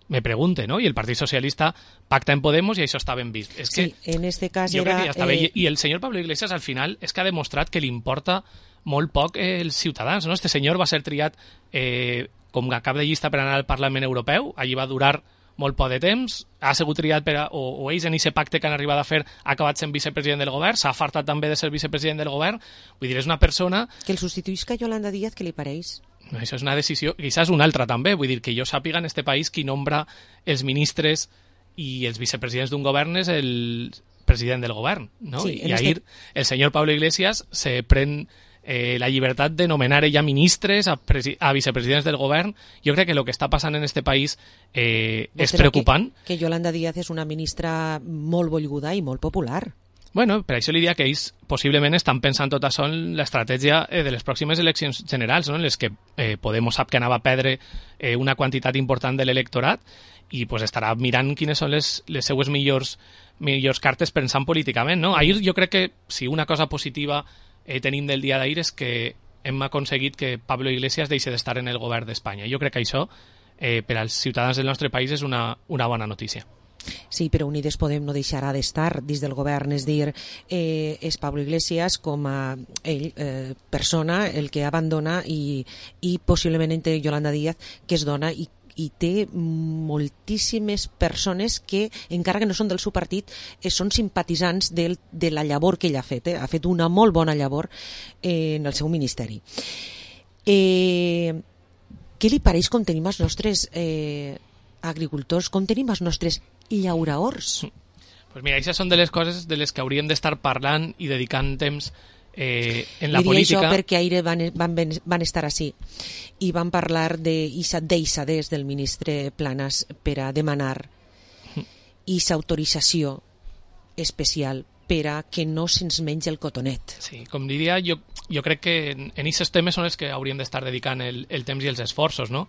Me pregunte, no? I el Partit Socialista pacta en Podemos i això està ben vist. És que sí, en este cas jo era... crec que ja està bé. Eh... I el senyor Pablo Iglesias al final és que ha demostrat que li importa molt poc eh, els ciutadans, no? Este senyor va ser triat eh, com a cap de llista per anar al Parlament Europeu, allí va durar molt poc de temps, ha sigut triat per a, o, o ells en aquest pacte que han arribat a fer ha acabat sent vicepresident del govern, s'ha fartat també de ser vicepresident del govern. Vull dir, és una persona... Que el substituïsca Yolanda Díaz, què li pareix? Això és una decisió, quizás una altra també, vull dir que jo sàpiga en este país qui nombra els ministres i els vicepresidents d'un govern és el president del govern, no? Sí, I ahir este... el senyor Pablo Iglesias se pren eh, la llibertat de nomenar ella ministres a, a vicepresidents del govern. Jo crec que el que està passant en este país eh, és preocupant. Que, que Yolanda Díaz és una ministra molt volguda i molt popular. Bueno, per això li diria que ells possiblement estan pensant tot això en l'estratègia eh, de les pròximes eleccions generals, no? En les que eh, Podemos sap que anava a perdre eh, una quantitat important de l'electorat i pues, estarà mirant quines són les, les seues millors, millors cartes pensant políticament, no? Ahir jo crec que si una cosa positiva eh, tenim del dia d'ahir és que hem aconseguit que Pablo Iglesias deixi d'estar en el govern d'Espanya. Jo crec que això eh, per als ciutadans del nostre país és una, una bona notícia. Sí, però Unides Podem no deixarà d'estar dins del govern, és dir, eh, és Pablo Iglesias com a ell, eh, persona, el que abandona i, i possiblement entre Yolanda Díaz, que es dona i i té moltíssimes persones que, encara que no són del seu partit, eh, són simpatitzants del, de la llavor que ell ha fet. Eh? Ha fet una molt bona llavor eh, en el seu ministeri. Eh, què li pareix com tenim els nostres eh, agricultors, com tenim els nostres llauraors? Pues mira, aquestes són de les coses de les que hauríem d'estar parlant i dedicant temps Eh, en la Diria política. això perquè ahir van, van, van estar així i van parlar d'eixa deixadès del ministre Planas per a demanar eixa autorització especial per a que no se'ns mengi el cotonet. Sí, com diria, jo, jo crec que en aquests temes són els que hauríem d'estar dedicant el, el temps i els esforços, no?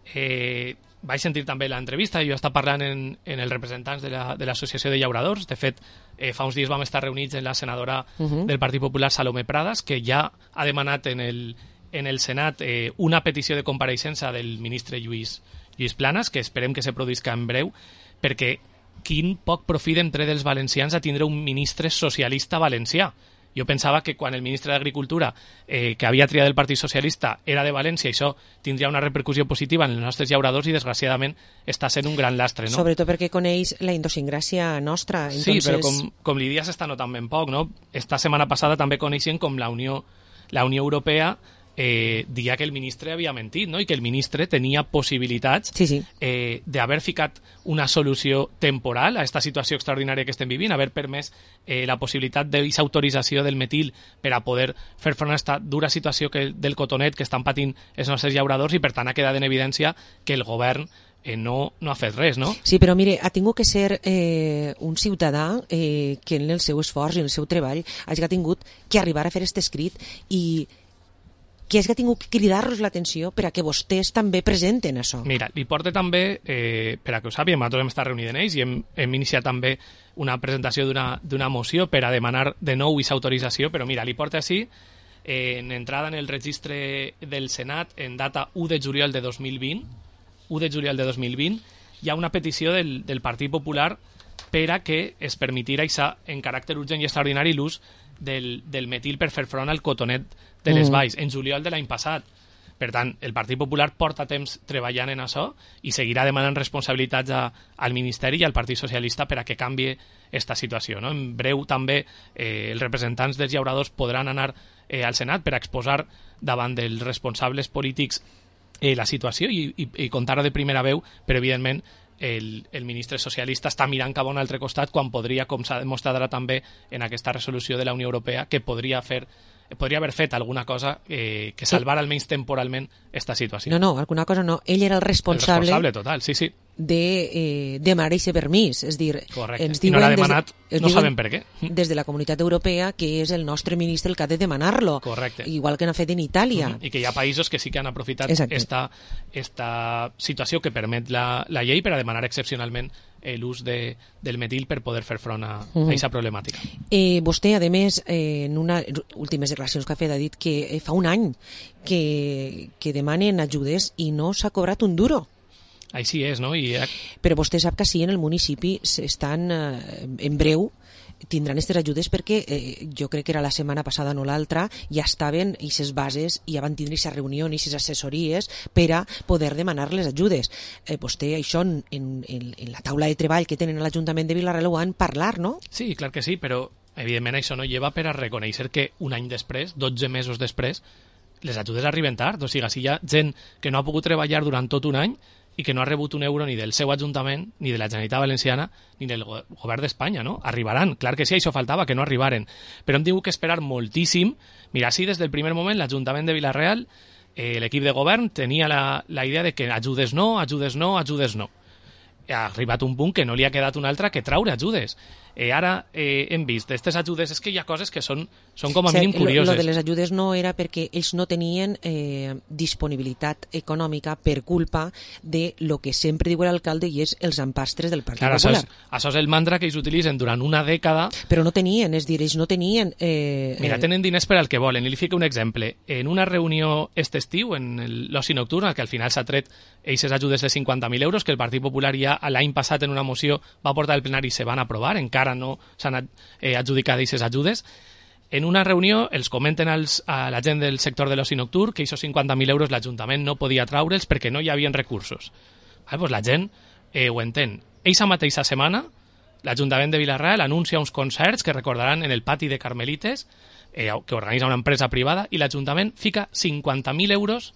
Eh, vaig sentir també l'entrevista, jo estava parlant en, en els representants de la, de l'Associació de Llauradors. De fet, eh, fa uns dies vam estar reunits en la senadora uh -huh. del Partit Popular, Salomé Pradas, que ja ha demanat en el, en el Senat eh, una petició de compareixença del ministre Lluís, Lluís Planas, que esperem que se produïsca en breu, perquè quin poc profit entre dels valencians a tindre un ministre socialista valencià. Jo pensava que quan el ministre d'Agricultura, eh, que havia triat el Partit Socialista, era de València, això tindria una repercussió positiva en els nostres llauradors i, desgraciadament, està sent un gran lastre, no? Sobretot perquè coneix la idiosincràsia nostra. Sí, Entonces... però com, com li dia s'està notant ben poc, no? Esta setmana passada també coneixien com la Unió, la Unió Europea eh, dia que el ministre havia mentit, no? I que el ministre tenia possibilitats sí, sí. eh, d'haver ficat una solució temporal a aquesta situació extraordinària que estem vivint, haver permès eh, la possibilitat d'aquesta autorització del metil per a poder fer front a aquesta dura situació que, del cotonet que estan patint els nostres llauradors, i per tant ha quedat en evidència que el govern eh, no, no ha fet res, no? Sí, però mire, ha tingut que ser eh, un ciutadà eh, que en el seu esforç i en el seu treball hagi tingut que arribar a fer aquest escrit i que hagi tingut que cridar-los l'atenció per a que vostès també presenten això. Mira, li porta també, eh, per a que ho sàpiguen, nosaltres hem estat reunits en ells i hem, hem iniciat també una presentació d'una moció per a demanar de nou aquesta autorització, però mira, li porta així, eh, en entrada en el registre del Senat, en data u de juliol de dos mil vint, u de juliol de dos mil vint, hi ha una petició del, del Partit Popular per a que es permetirà en caràcter urgent i extraordinari l'ús del, del metil per fer front al cotonet de les valls, en juliol de l'any passat. Per tant, el Partit Popular porta temps treballant en això i seguirà demanant responsabilitats a, al Ministeri i al Partit Socialista per a que canvie aquesta situació, no? En breu també eh, els representants dels llauradors podran anar eh, al Senat per a exposar davant dels responsables polítics eh, la situació i, i, i contar-ho de primera veu, però evidentment el, el ministre socialista està mirant cap a un altre costat quan podria, com s'ha demostrat ara també en aquesta resolució de la Unió Europea, que podria fer podria haver fet alguna cosa eh, que salvar almenys temporalment aquesta situació. No, no, alguna cosa no. Ell era el responsable, el responsable total, sí, sí. de eh, demanar aquest permís. És dir, correcte. Ens diuen, I no l'ha demanat, des, no sabem per què. Des de la Comunitat Europea, que és el nostre ministre el que ha de demanar-lo. Correcte. Igual que n'ha fet en Itàlia. Mm-hmm. I que hi ha països que sí que han aprofitat esta, esta situació que permet la, la llei per a demanar excepcionalment l'ús de, del metil per poder fer front a aquesta uh-huh. problemàtica. Eh, vostè, a més, eh, en unes últimes declaracions que ha fet, ha dit que eh, fa un any que, que demanen ajudes i no s'ha cobrat un duro. Així és, no? I... Però vostè sap que sí, en el municipi estan eh, en breu tindran aquestes ajudes perquè eh, jo crec que era la setmana passada, no l'altra, ja estaven aquestes bases i ja van tindre aquesta reunió i aquestes assessories per a poder demanar les ajudes. Eh, vostè això en, en, en la taula de treball que tenen a l'Ajuntament de Vila-real ho van parlar, no? Sí, clar que sí, però evidentment això no lleva per a reconèixer que un any després, dotze mesos després, les ajudes arriben tard. O sigui, si hi ha gent que no ha pogut treballar durant tot un any i que no ha rebut un euro ni del seu Ajuntament, ni de la Generalitat Valenciana, ni del go govern d'Espanya, no? Arribaran, clar que sí, això faltava, que no arribaren. Però hem tingut que esperar moltíssim. Mira, sí, des del primer moment, l'Ajuntament de Vila-real, eh, l'equip de govern, tenia la, la idea de que ajudes no, ajudes no, ajudes no. Ha arribat un punt que no li ha quedat un altre que traure ajudes. Eh, ara eh, hem vist aquestes ajudes, és que hi ha coses que són, són com a mínim curioses. Lo de les ajudes no era perquè ells no tenien eh, disponibilitat econòmica per culpa de lo que sempre diu l'alcalde i és els empastres del Partit Clar, Popular. Això és, això és el mantra que ells utilitzen durant una dècada. Però no tenien, és dir, ells no tenien... Eh, Mira, tenen diners per al que volen. I li fico un exemple. En una reunió este estiu, en l'oci nocturn, que al final s'ha tret aquestes ajudes de cinquanta mil euros, que el Partit Popular ja l'any passat en una moció va portar al plenari i se van aprovar, encara no s'han eh, adjudicat aquestes ajudes. En una reunió els comenten als, a la gent del sector de l'oci nocturn que aquests cinquanta mil euros l'Ajuntament no podia traure'ls perquè no hi havia recursos. Ah, doncs la gent eh, ho entén. Eixa mateixa setmana l'Ajuntament de Vila-real anuncia uns concerts que recordaran en el pati de Carmelites, eh, que organitza una empresa privada, i l'Ajuntament fica cinquanta mil euros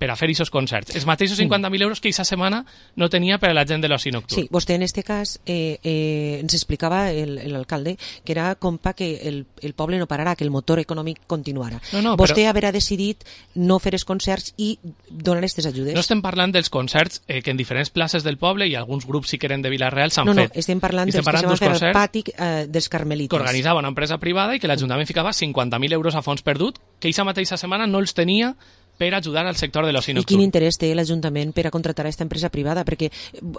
per a fer aquests concerts. Els mateixos cinquanta mil euros que aquesta setmana no tenia per a la gent de l'oci nocturn. Sí, vostè en este cas eh, eh, ens explicava l'alcalde que era com pa que el, el poble no pararà, que el motor econòmic continuarà. No, no, vostè però... haurà decidit no fer els concerts i donar aquestes ajudes. No estem parlant dels concerts eh, que en diferents places del poble i alguns grups si que eren de Vila-real s'han no, no, fet. No, estem parlant estem dels parlant que se van fer al concerts pati eh, dels Carmelites. Que organitzava una empresa privada i que l'Ajuntament ficava cinquanta mil euros a fons perdut, que aquesta mateixa setmana no els tenia per ajudar al sector de l'oci I nocturn. quin interès té l'Ajuntament per a contractar aquesta empresa privada? Perquè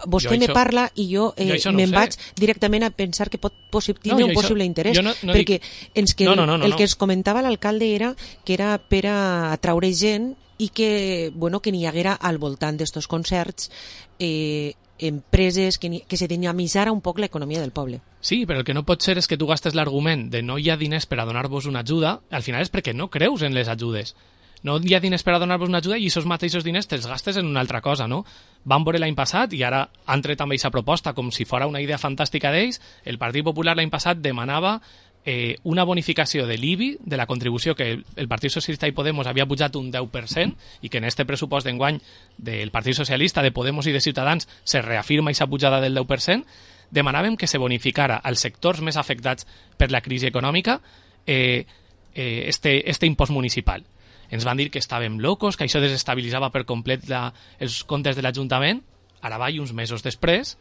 vostè Jo me això- parla i jo, eh, jo això no me'n ho sé. vaig directament a pensar que pot possi- No, tindre jo un això- possible interès. jo no- no perquè dic- ens que No, no, no, no, el no. que es comentava l'alcalde era que era per a atraure gent i que, bueno, que n'hi haguera al voltant d'estos concerts eh, empreses que, ni- que se dinamitzara un poc l'economia del poble. Sí, però el que no pot ser és que tu gastes l'argument de no hi ha diners per a donar-vos una ajuda, al final és perquè no creus en les ajudes. No hi ha diners per a donar-vos una ajuda i aquests mateixos diners te'ls gastes en una altra cosa, no? Van veure l'any passat i ara han tret també aquesta proposta com si fora una idea fantàstica d'ells. El Partit Popular l'any passat demanava eh, una bonificació de l'I B I, de la contribució que el, el Partit Socialista i Podemos havia pujat un deu per cent i que en este pressupost d'enguany del Partit Socialista, de Podemos i de Ciutadans se reafirma aquesta pujada del deu per cent. Demanàvem que se bonificara als sectors més afectats per la crisi econòmica eh, eh, este, este impost municipal. Ens van dir que estàvem locos, que això desestabilitzava per complet la, els comptes de l'Ajuntament. Ara va i uns mesos després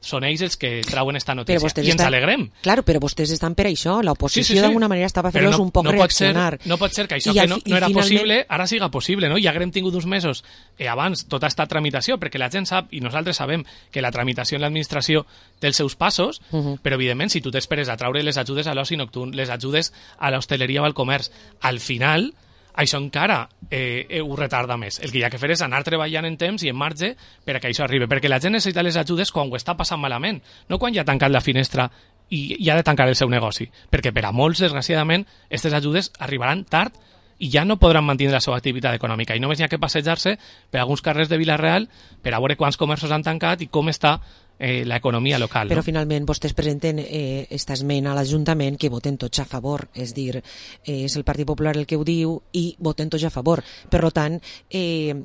són ells els que trauen esta notícia i ens estan, alegrem. Claro, però vostès estan per això. L'oposició Sí, sí, sí. d'alguna manera estava fent-los no, un poc no pot ser, reaccionar. no pot ser que això I que al no, fi- no i era finalment- possible, ara siga possible, no? I haguem tingut uns mesos eh, abans tota esta tramitació, perquè la gent sap, i nosaltres sabem, que la tramitació en l'administració té els seus passos, Uh -huh. però evidentment si tu t'esperes a traure les ajudes a l'oci nocturn, les ajudes a l'hostaleria o al comerç, al final això encara eh, eh, ho retarda més. El que hi ha que fer és anar treballant en temps i en marge per a que això arribi, perquè la gent necessita les ajudes quan ho està passant malament, no quan ja ha tancat la finestra i, i ha de tancar el seu negoci, perquè per a molts, desgraciadament, aquestes ajudes arribaran tard i ja no podran mantenir la seva activitat econòmica i només hi ha que passejar-se per alguns carrers de Vila-real per a veure quants comerços han tancat i com està eh, l'economia local. Però no? finalment vostès presenten eh, esta esmena a l'Ajuntament que voten tots a favor, és dir, eh, és el Partit Popular el que ho diu i voten tots a favor. Per tant, eh,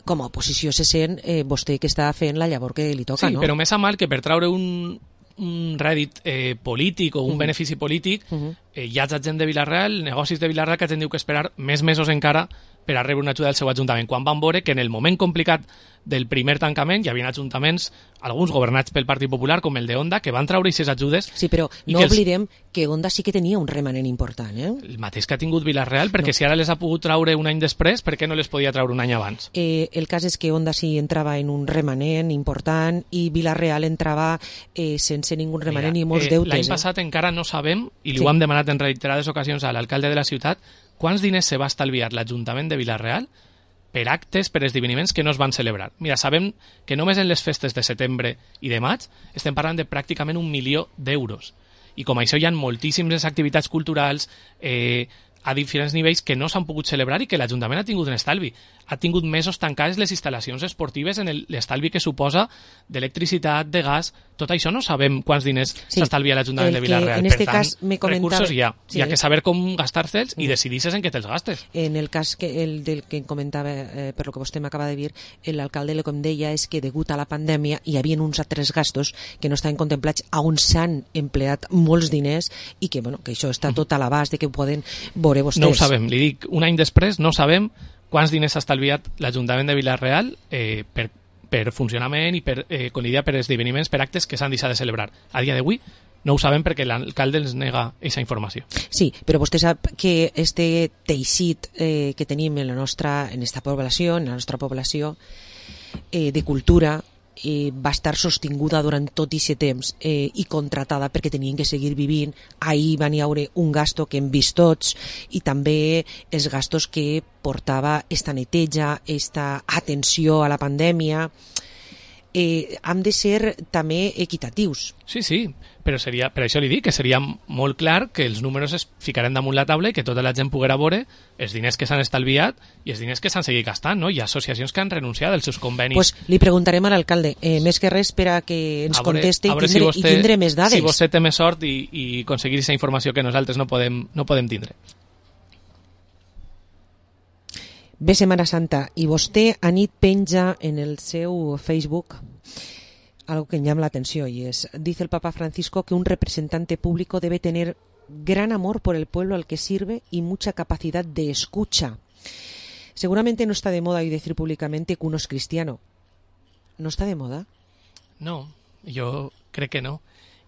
com a oposició se sent eh, vostè que està fent la llavor que li toca, sí, no? però més a mal que per traure un, un rèdit eh, polític o un Uh -huh. benefici polític, Uh -huh. eh, hi ha gent de Vila-real, negocis de Vila-real que teniu que esperar més mesos encara per a rebre una ajuda del seu ajuntament, quan van veure que en el moment complicat del primer tancament hi havia ajuntaments, alguns governats pel Partit Popular, com el de Onda, que van traure aquestes ajudes. Sí, però i no que els- oblidem que Onda sí que tenia un remanent important, eh? El mateix que ha tingut Vila-real, perquè No. si ara les ha pogut traure un any després, per què no les podia traure un any abans? Eh, el cas és que Onda sí entrava en un remanent important i Vila-real entrava eh, sense ningú remanent i molts eh, deutes. L'any eh? passat encara no sabem, i li Sí. ho hem demanat en reiterades ocasions a l'alcalde de la ciutat, quants diners se va estalviar l'Ajuntament de Vila-real per actes, per esdeveniments que no es van celebrar. Mira, sabem que només en les festes de setembre i de maig estem parlant de pràcticament un milió d'euros. I com això hi ha moltíssimes activitats culturals eh, a diferents nivells que no s'han pogut celebrar i que l'Ajuntament ha tingut un estalvi. Ha tingut mesos tancades les instal·lacions esportives en el- l'estalvi que suposa d'electricitat, de gas. Tot això no sabem quants diners Sí. s'estalvia l'Ajuntament El de que Vila-real. en Per este tant, cas me comentava- recursos hi ha. Sí. Hi ha que saber com gastar-se'ls i decidir-se en què te'ls gastes. En el cas que el del que em comentava, eh, per lo que vostè m'acaba de dir, l'alcalde el que em deia és que degut a la pandèmia hi havia uns altres gastos que no estaven contemplats on s'han empleat molts diners i que, bueno, que això està tot a l'abast de que ho poden veure vostès. No ho sabem, li dic, un any després no sabem quants diners s'ha estalviat l'Ajuntament de Vila-real eh, per, per funcionament i per, eh, con l'idea per esdeveniments, per actes que s'han deixat de celebrar. A dia d'avui no ho sabem perquè l'alcalde ens nega aquesta informació. Sí, però vostè sap que este teixit eh, que tenim en la nostra, en esta població, en la nostra població eh, de cultura, eh, va estar sostinguda durant tot aquest temps eh, i contratada perquè tenien que seguir vivint. Ahir van hi haure un gasto que hem vist tots i també els gastos que portava esta neteja, esta atenció a la pandèmia. eh, hem de ser també equitatius. Sí, sí, però seria, per això li dic que seria molt clar que els números es ficaran damunt la taula i que tota la gent poguera veure els diners que s'han estalviat i els diners que s'han seguit gastant, no? Hi ha associacions que han renunciat als seus convenis. Pues li preguntarem a l'alcalde, eh, més que res per a que ens A veure- conteste a i veure tindre, si vostè, i tindre més dades. Si vostè té més sort i, i aconseguir aquesta informació que nosaltres no podem, no podem tindre. Ve Setmana Santa i vostè a nit penja en el seu Facebook algo que em llama la atención y es, dice el Papa Francisco que un representante público debe tener gran amor por el pueblo al que sirve y mucha capacidad de escucha. Seguramente no está de moda hoy decir públicamente que uno es cristiano. ¿No está de moda? No, jo crec que no.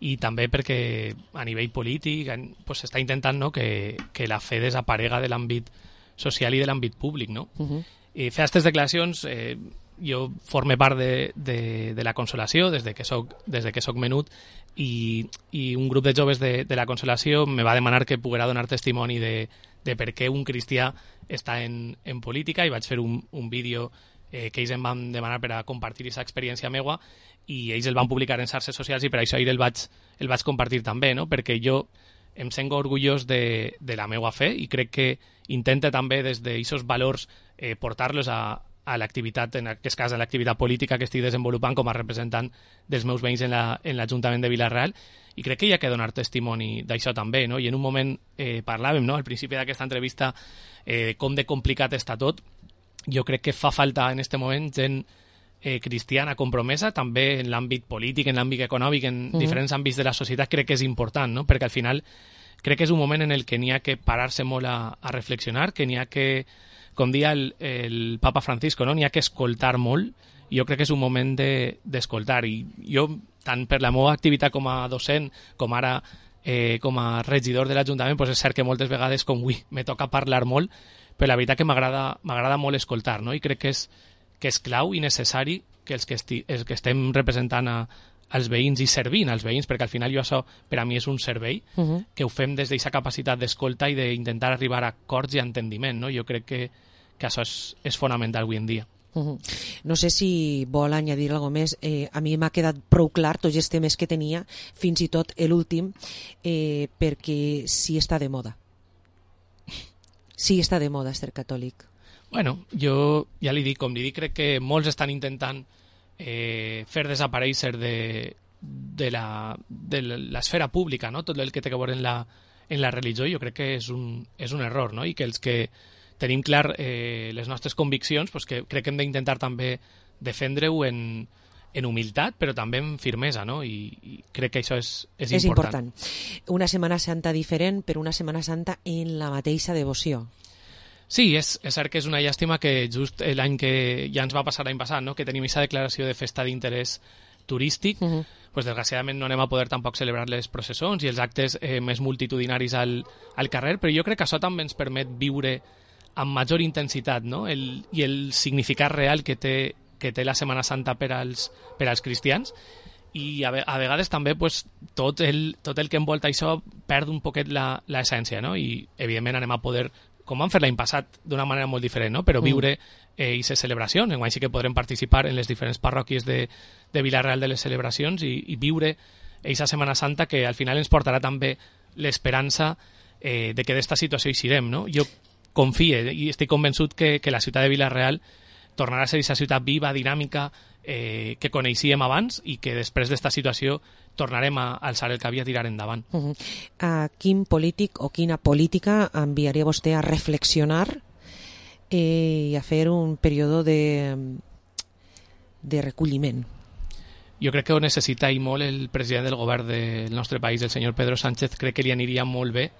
I també perquè a nivell polític pues, s'està intentant, no, que, que la fe desaparega de l'àmbit social i de l'àmbit públic, no? Uh-huh. I fer aquestes declaracions, eh, jo forme part de, de, de la Consolació des de que soc, des de que soc menut i, i un grup de joves de, de la Consolació me va demanar que poguera donar testimoni de, de per què un cristià està en, en política i vaig fer un, un vídeo eh, que ells em van demanar per a compartir aquesta experiència meua i ells el van publicar en xarxes socials i per això ahir el vaig, el vaig compartir també, no? Perquè jo em sento orgullós de, de la meua fe i crec que intenta també des d'aquests valors eh, portar-los a, a l'activitat, en aquest cas a l'activitat política que estic desenvolupant com a representant dels meus veïns en la, en l'Ajuntament de Vila-real i crec que hi ha que donar testimoni d'això també, no? I en un moment eh, parlàvem, no?, al principi d'aquesta entrevista eh, com de complicat està tot. Jo crec que fa falta en aquest moment gent eh, cristiana compromesa, també en l'àmbit polític, en l'àmbit econòmic, en Mhm. diferents àmbits de la societat, crec que és important, no? Perquè al final crec que és un moment en el que n'hi ha que parar-se molt a, a reflexionar, que n'hi ha que, com dia el, el Papa Francisco, no? N'hi ha que escoltar molt, i jo crec que és un moment de, d'escoltar, i jo, tant per la meva activitat com a docent, com ara eh, com a regidor de l'Ajuntament, doncs és cert que moltes vegades, com avui, me toca parlar molt, però la veritat que m'agrada m'agrada molt escoltar, no? I crec que és, que és clau i necessari que els que, esti, els que estem representant a, als veïns i servint als veïns, perquè al final jo això per a mi és un servei, Uh-huh. que ho fem des d'aquesta capacitat d'escolta i d'intentar arribar a acords i a entendiment, no? Jo crec que, que això és, és fonamental avui en dia. Uh-huh. No sé si vol añadir algo més. Eh, a mi m'ha quedat prou clar tots els temes que tenia, fins i tot l'últim, eh, perquè sí està de moda. Sí està de moda ser catòlic. Bueno, jo ja li dic, com li dic, crec que molts estan intentant eh, fer desaparèixer de, de, la, de l'esfera pública, no? Tot el que té a veure en la, en la religió, jo crec que és un, és un error, no? I que els que tenim clar eh, les nostres conviccions, pues que crec que hem d'intentar també defendre-ho en, en humilitat, però també en firmesa, no? I, i crec que això és, és, És important. important. Una Setmana Santa diferent, però una Setmana Santa en la mateixa devoció. Sí, és, és cert que és una llàstima que just l'any que ja ens va passar l'any passat, no? Que tenim aquesta declaració de festa d'interès turístic, uh -huh. pues desgraciadament no anem a poder tampoc celebrar les processons i els actes eh, més multitudinaris al, al carrer, però jo crec que això també ens permet viure amb major intensitat, no? El, i el significat real que té, que té la Setmana Santa per als, per als cristians, i a, ve, a vegades també pues, tot, el, tot el que envolta això perd un poquet l'essència, no? I evidentment anem a poder, com vam fer l'any passat, d'una manera molt diferent, no? Però viure aquestes eh, celebracions. Enguany sí que podrem participar en les diferents parròquies de, de Vila-real de les celebracions i, i viure aquesta Setmana Santa que al final ens portarà també l'esperança eh, de que d'esta situació hi sirem, no? Jo confie i estic convençut que, que la ciutat de Vila-real tornarà a ser aquesta ciutat viva, dinàmica, eh, que coneixíem abans i que després d'esta situació tornarem a alçar el cap i a tirar endavant. Uh -huh. A quin polític o quina política enviaria vostè a reflexionar eh, i a fer un període de, de recolliment? Jo crec que ho necessita i molt el president del govern del nostre país, el senyor Pedro Sánchez. Crec que li aniria molt bé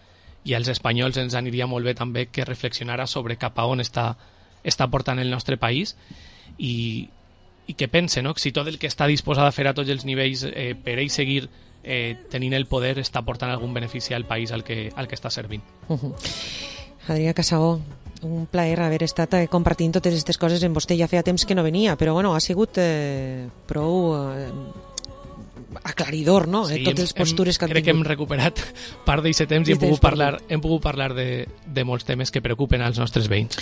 i als espanyols ens aniria molt bé també que reflexionara sobre cap a on està, està portant el nostre país i, i que pense, no?, si tot el que està disposat a fer a tots els nivells eh, per ell seguir eh, tenint el poder està portant algun benefici al país al que, al que està servint. Uh -huh. Adrià Casagó, un plaer haver estat eh, compartint totes aquestes coses amb vostè. Ja feia temps que no venia, però bueno, ha sigut eh, prou eh, aclaridor, no?, Sí, eh, totes les postures que han crec que hem tingut. recuperat part d'aquest temps i hem Temps pogut perdut. parlar, hem pogut parlar de, de molts temes que preocupen als nostres veïns.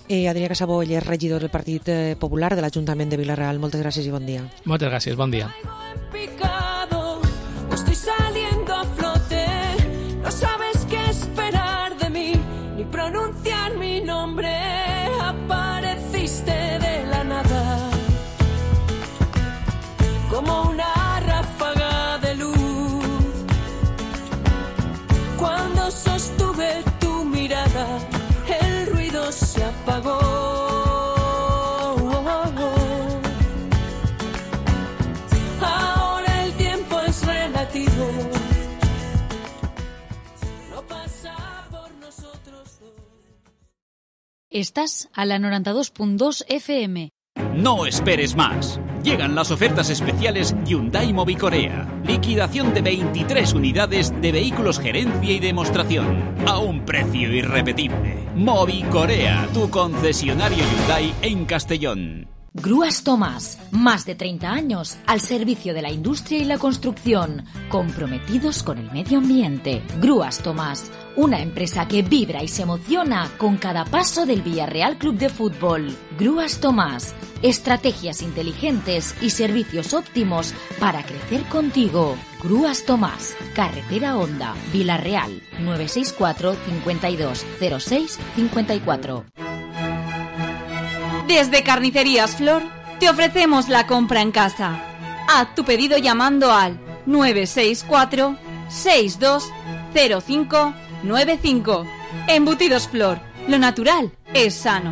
Eh, Adrià Casabó, ell és regidor del Partit eh, Popular de l'Ajuntament de Vila-real. Moltes gràcies i bon dia. Moltes gràcies, bon dia. Picado, o estoy saliendo a flote, no sabes qué esperar de mí, ni pronunciar mi nombre, apareciste de la nada, como una ráfaga de luz, cuando sostuve tu mirada, el ruido se apagó. Estás a la noventa y dos punto dos F M. No esperes más. Llegan las ofertas especiales Hyundai Mobicorea. Liquidación de veintitrés unidades de vehículos gerencia y demostración. A un precio irrepetible. Mobicorea, tu concesionario Hyundai en Castellón. Grúas Tomás, más de treinta años al servicio de la industria y la construcción, comprometidos con el medio ambiente. Grúas Tomás, una empresa que vibra y se emociona con cada paso del Villarreal Club de Fútbol. Grúas Tomás, estrategias inteligentes y servicios óptimos para crecer contigo. Grúas Tomás, carretera Honda, Vila-real, nueve seis cuatro, cincuenta y dos, cero seis, cincuenta y cuatro. Desde Carnicerías Flor te ofrecemos la compra en casa. Haz tu pedido llamando al nueve seis cuatro, seis dos cero cinco nueve cinco. Embutidos Flor, lo natural es sano.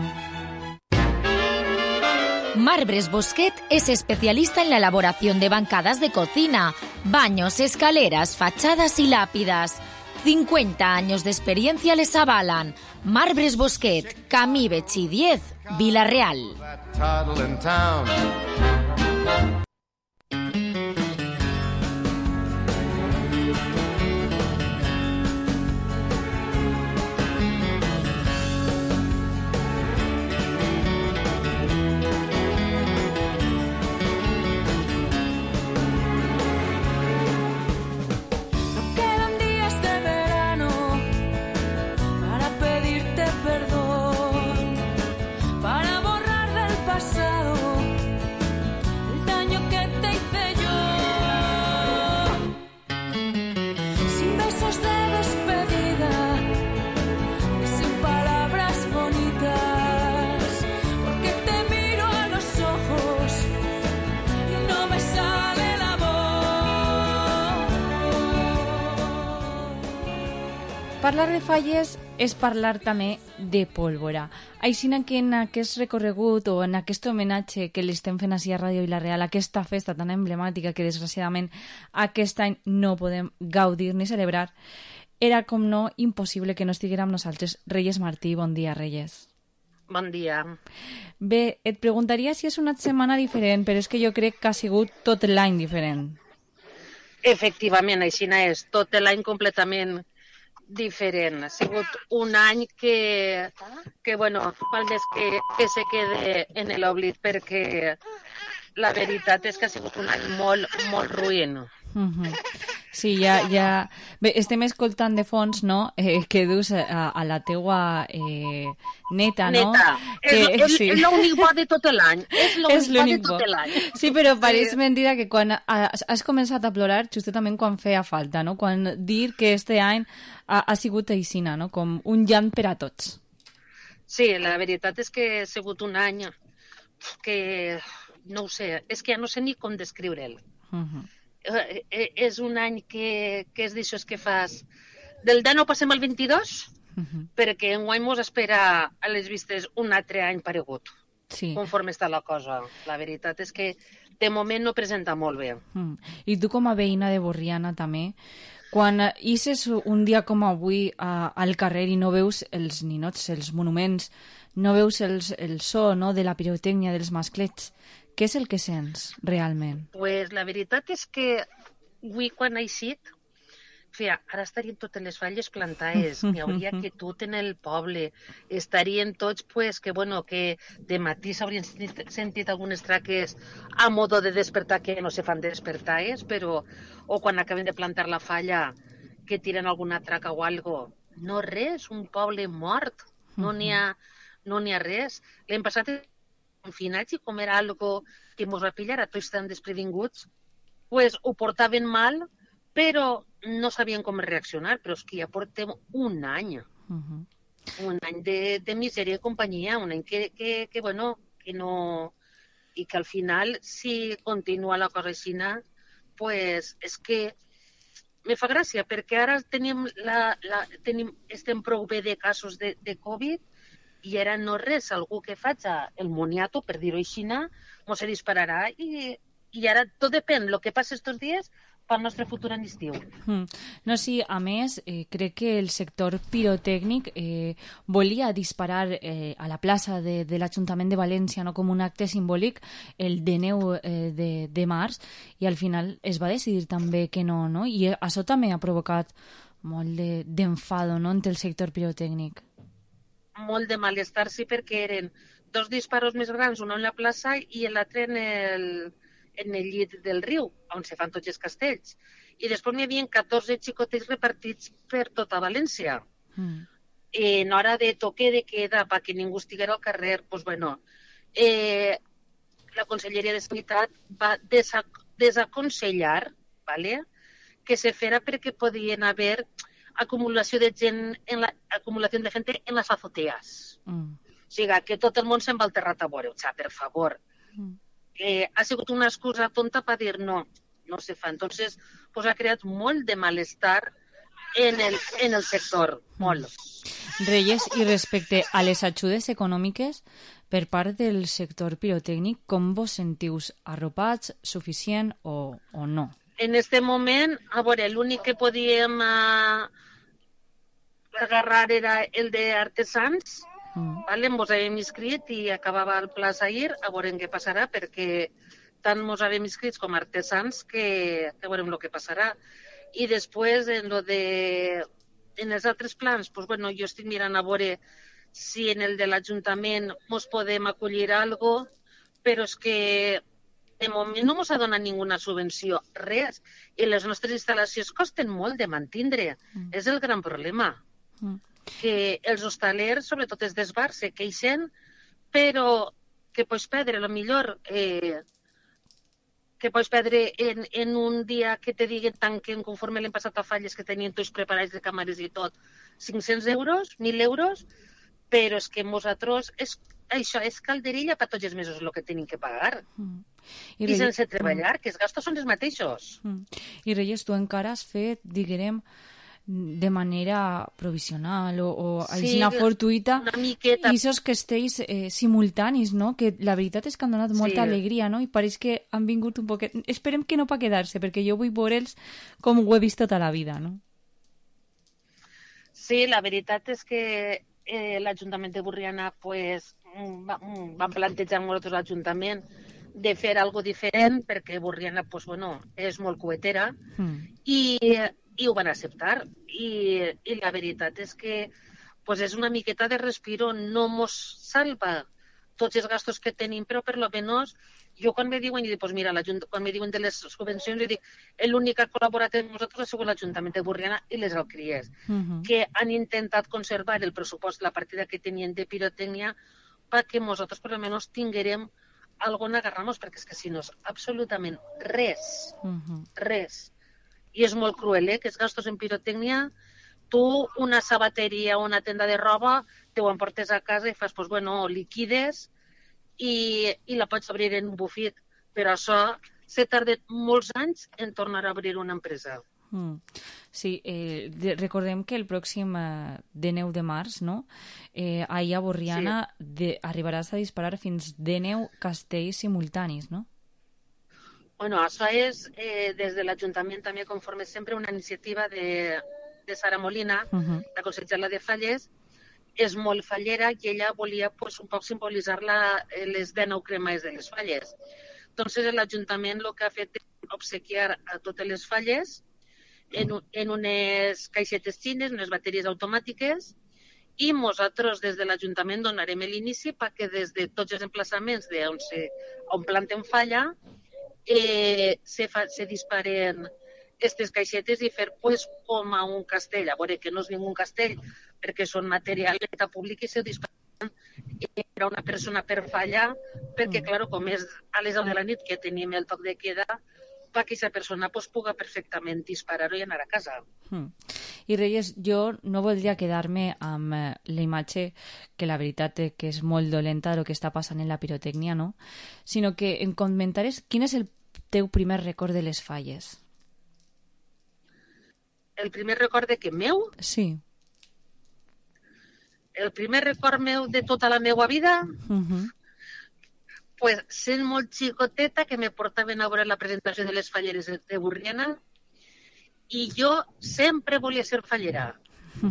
Marbres Bosquet es especialista en la elaboración de bancadas de cocina, baños, escaleras, fachadas y lápidas. cincuenta años de experiencia les avalan. Marbres Bosquet, Camí Betxí diez, Vila-real. Parlar de falles és parlar també de pólvora. Així que en aquest recorregut o en aquest homenatge que li estem fent així a Ràdio Vila-real, aquesta festa tan emblemàtica que desgraciadament aquest any no podem gaudir ni celebrar, era com no impossible que no estiguera amb nosaltres Reyes Martí. Bon dia, Reyes. Bon dia. Bé, et preguntaria si és una setmana diferent, però és que jo crec que ha sigut tot l'any diferent. Efectivament, així és, tot l'any completament diferent. Ha sigut un any que, que bueno, val més que, que se quede en l'oblit, perquè la veritat és que ha sigut un any molt, molt ruïn. Uh-huh. Sí, ja, ja... Bé, estem escoltant de fons, no?, eh, que dus a, a la teua eh, neta, no? Neta. Que, és sí. l'únic bo de tot l'any. És l'únic bo de tot l'any. Sí, però pareix mentida que quan has, has començat a plorar justament quan feia falta, no? Quan dir que este any ha, ha sigut aixina, no? Com un llant per a tots. Sí, la veritat és que ha sigut un any que, no ho sé, és que ja no sé ni com descriure'l. Uh-huh. Eh, és un any que, que és d'això que fas del deu passem al vint-i-dos, uh-huh. perquè enguany mos espera a les vistes un altre any paregut, sí. Conforme està la cosa. La veritat és que de moment no presenta molt bé. Mm. I tu com a veïna de Borriana també, quan ixes un dia com avui a, al carrer i no veus els ninots, els monuments, no veus els, el so, no?, de la pirotècnia, dels masclets, què és el que sents realment? Pues la veritat és que avui quan ha eixit, fia, ara estarien totes les falles plantades, n'hi hauria que tot en el poble, estarien tots, pues, que bueno, que de matí s'haurien sentit, sentit algunes traques a modo de despertar que no se fan despertades, però, o quan acaben de plantar la falla, que tiren alguna traca o algo, no res, un poble mort, no n'hi ha no n'hi ha res. L'hem passat confinats i com era algo que mos va pillar a tots tan desprevinguts, pues ho portaven mal, però no sabien com reaccionar, però és que ja portem un any. Uh-huh. Un any de, de misèria i companyia, un any que, que, que, bueno, que no... I que al final, si continua la cosa així, pues és que me fa gràcia, perquè ara tenim la, la, tenim, estem prou bé de casos de, de Covid i ara no res, algú que faci el moniato, per dir-ho així, mos se dispararà i, i ara tot depèn, el que passa estos dies pel nostre futur en estiu. Mm. No, sí, a més, eh, crec que el sector pirotècnic eh, volia disparar eh, a la plaça de, de l'Ajuntament de València, no, com un acte simbòlic el dinou eh, de, de març, i al final es va decidir també que no, no? I això també ha provocat molt de, d'enfado, no?, entre el sector pirotècnic. Molt de malestar, sí, perquè eren dos disparos més grans, un en la plaça i l'altre en el... en el llit del riu, on se fan tots els castells. I després n'hi havia catorze xicotets repartits per tota València. Mm. En hora de toque de queda, perquè ningú estiguera al carrer, doncs, bueno, eh, la Conselleria de Sanitat va desac desaconsellar, ¿vale?, que se fera perquè podien haver acumulació de gent, en la, acumulació de gent en les azoteas. Mm. O sigui, que tot el món se'n va al terrat a veure, o sigui, per favor. Mm. Eh, ha sigut una excusa tonta per dir no, no se fa. Entonces, pues ha creat molt de malestar en el, en el sector, molt. Reyes, i respecte a les ajudes econòmiques per part del sector pirotècnic, com vos sentius? Arropats, suficient o, o no? En este moment, a veure, l'únic que podíem uh, agarrar era el de artesans. Mm. Vale, ens havíem inscrit i acabava el pla ahir, a veure què passarà, perquè tant ens havíem inscrits com artesans que, que veurem el que passarà. I després, en, lo de, en els altres plans, pues, bueno, jo estic mirant a veure si en el de l'Ajuntament ens podem acollir a algo, però és que de moment no ens ha donat ninguna subvenció, res. I les nostres instal·lacions costen molt de mantindre. Mm. És el gran problema. Mm. Que els hostalers, sobretot els dels bars, se queixen, però que pots perdre, a lo millor, eh, que pots perdre en, en un dia que te diguen tanquen conforme l'hem passat a falles que tenien tots preparats de càmeres i tot, cinc-cents euros, mil euros, però és que nosaltres, és, això és calderilla per tots els mesos el que tenim que pagar. Mm. I, I sense treballar, mm. que els gastos són els mateixos. Mm. I Reyes, tu encara has fet, diguem, de manera provisional o, o sí, aixina fortuïta i aquests castells eh, simultanis, no? Que la veritat és que han donat molta sí. alegria, no? I pareix que han vingut un poquet... Esperem que no per quedar-se, perquè jo vull veure'ls com ho he vist tota la vida, no? Sí, la veritat és que eh, l'Ajuntament de Borriana pues, va, va plantejar amb nosaltres l'Ajuntament de fer algo diferent, perquè Borriana pues, bueno, és molt coetera mm. i... i ho van acceptar. I, i la veritat és que pues, és una miqueta de respiro, no mos salva tots els gastos que tenim, però per lo menos jo quan me diuen, i dic, pues mira, quan me diuen de les subvencions, jo dic, l'únic que ha col·laborat amb nosaltres ha sigut l'Ajuntament de Borriana i les alcries, uh-huh. que han intentat conservar el pressupost, la partida que tenien de pirotècnia, perquè nosaltres per lo menos tinguérem algo on agarrar-nos, perquè és que si no és absolutament res, uh-huh. res. I és molt cruel, eh, que els gastos en pirotècnia, tu una sabateria o una tenda de roba, te ho emportes a casa i fas, pues, bueno, liquides i, i la pots obrir en un bufit. Però això se tarda molts anys en tornar a obrir una empresa. Mm. Sí, eh, de, recordem que el pròxim eh, dinou de març, no? Eh, ahir a Borriana sí. de, arribaràs a disparar fins dinou castells simultanis, no? Bueno, això és, eh, des de l'Ajuntament també, conforme sempre, una iniciativa de, de Sara Molina, uh-huh. la consellera de Falles, és molt fallera i ella volia pues, un poc simbolitzar la, les dinou cremades de les falles. Entonces l'Ajuntament el que ha fet és obsequiar a totes les falles en, en unes caixetes xines, unes bateries automàtiques, i nosaltres des de l'Ajuntament donarem l'inici perquè des de tots els emplaçaments de on, se, on planten falla Eh, se, fa, se disparen aquestes caixetes i fer pues, com a un castell, a veure que no és ningú castell perquè són material de públic i se disparen era una persona per fallar, perquè, clar, com és a les deu de la nit que tenim el toc de queda, perquè aquesta persona pues, puga perfectament disparar-ho i anar a casa. Mm. I Reyes, jo no voldria quedar-me amb eh, la imatge que la veritat és que és molt dolenta el que està passant en la pirotècnia, no? Sinó que em comentares quin és el teu primer record de les falles. El primer record de què meu? Sí. El primer record meu de tota la meva vida, Uh-huh. pues, sent molt xicoteta, que me portaven a veure la presentació de les falleres de, de Burriana, i jo sempre volia ser fallera.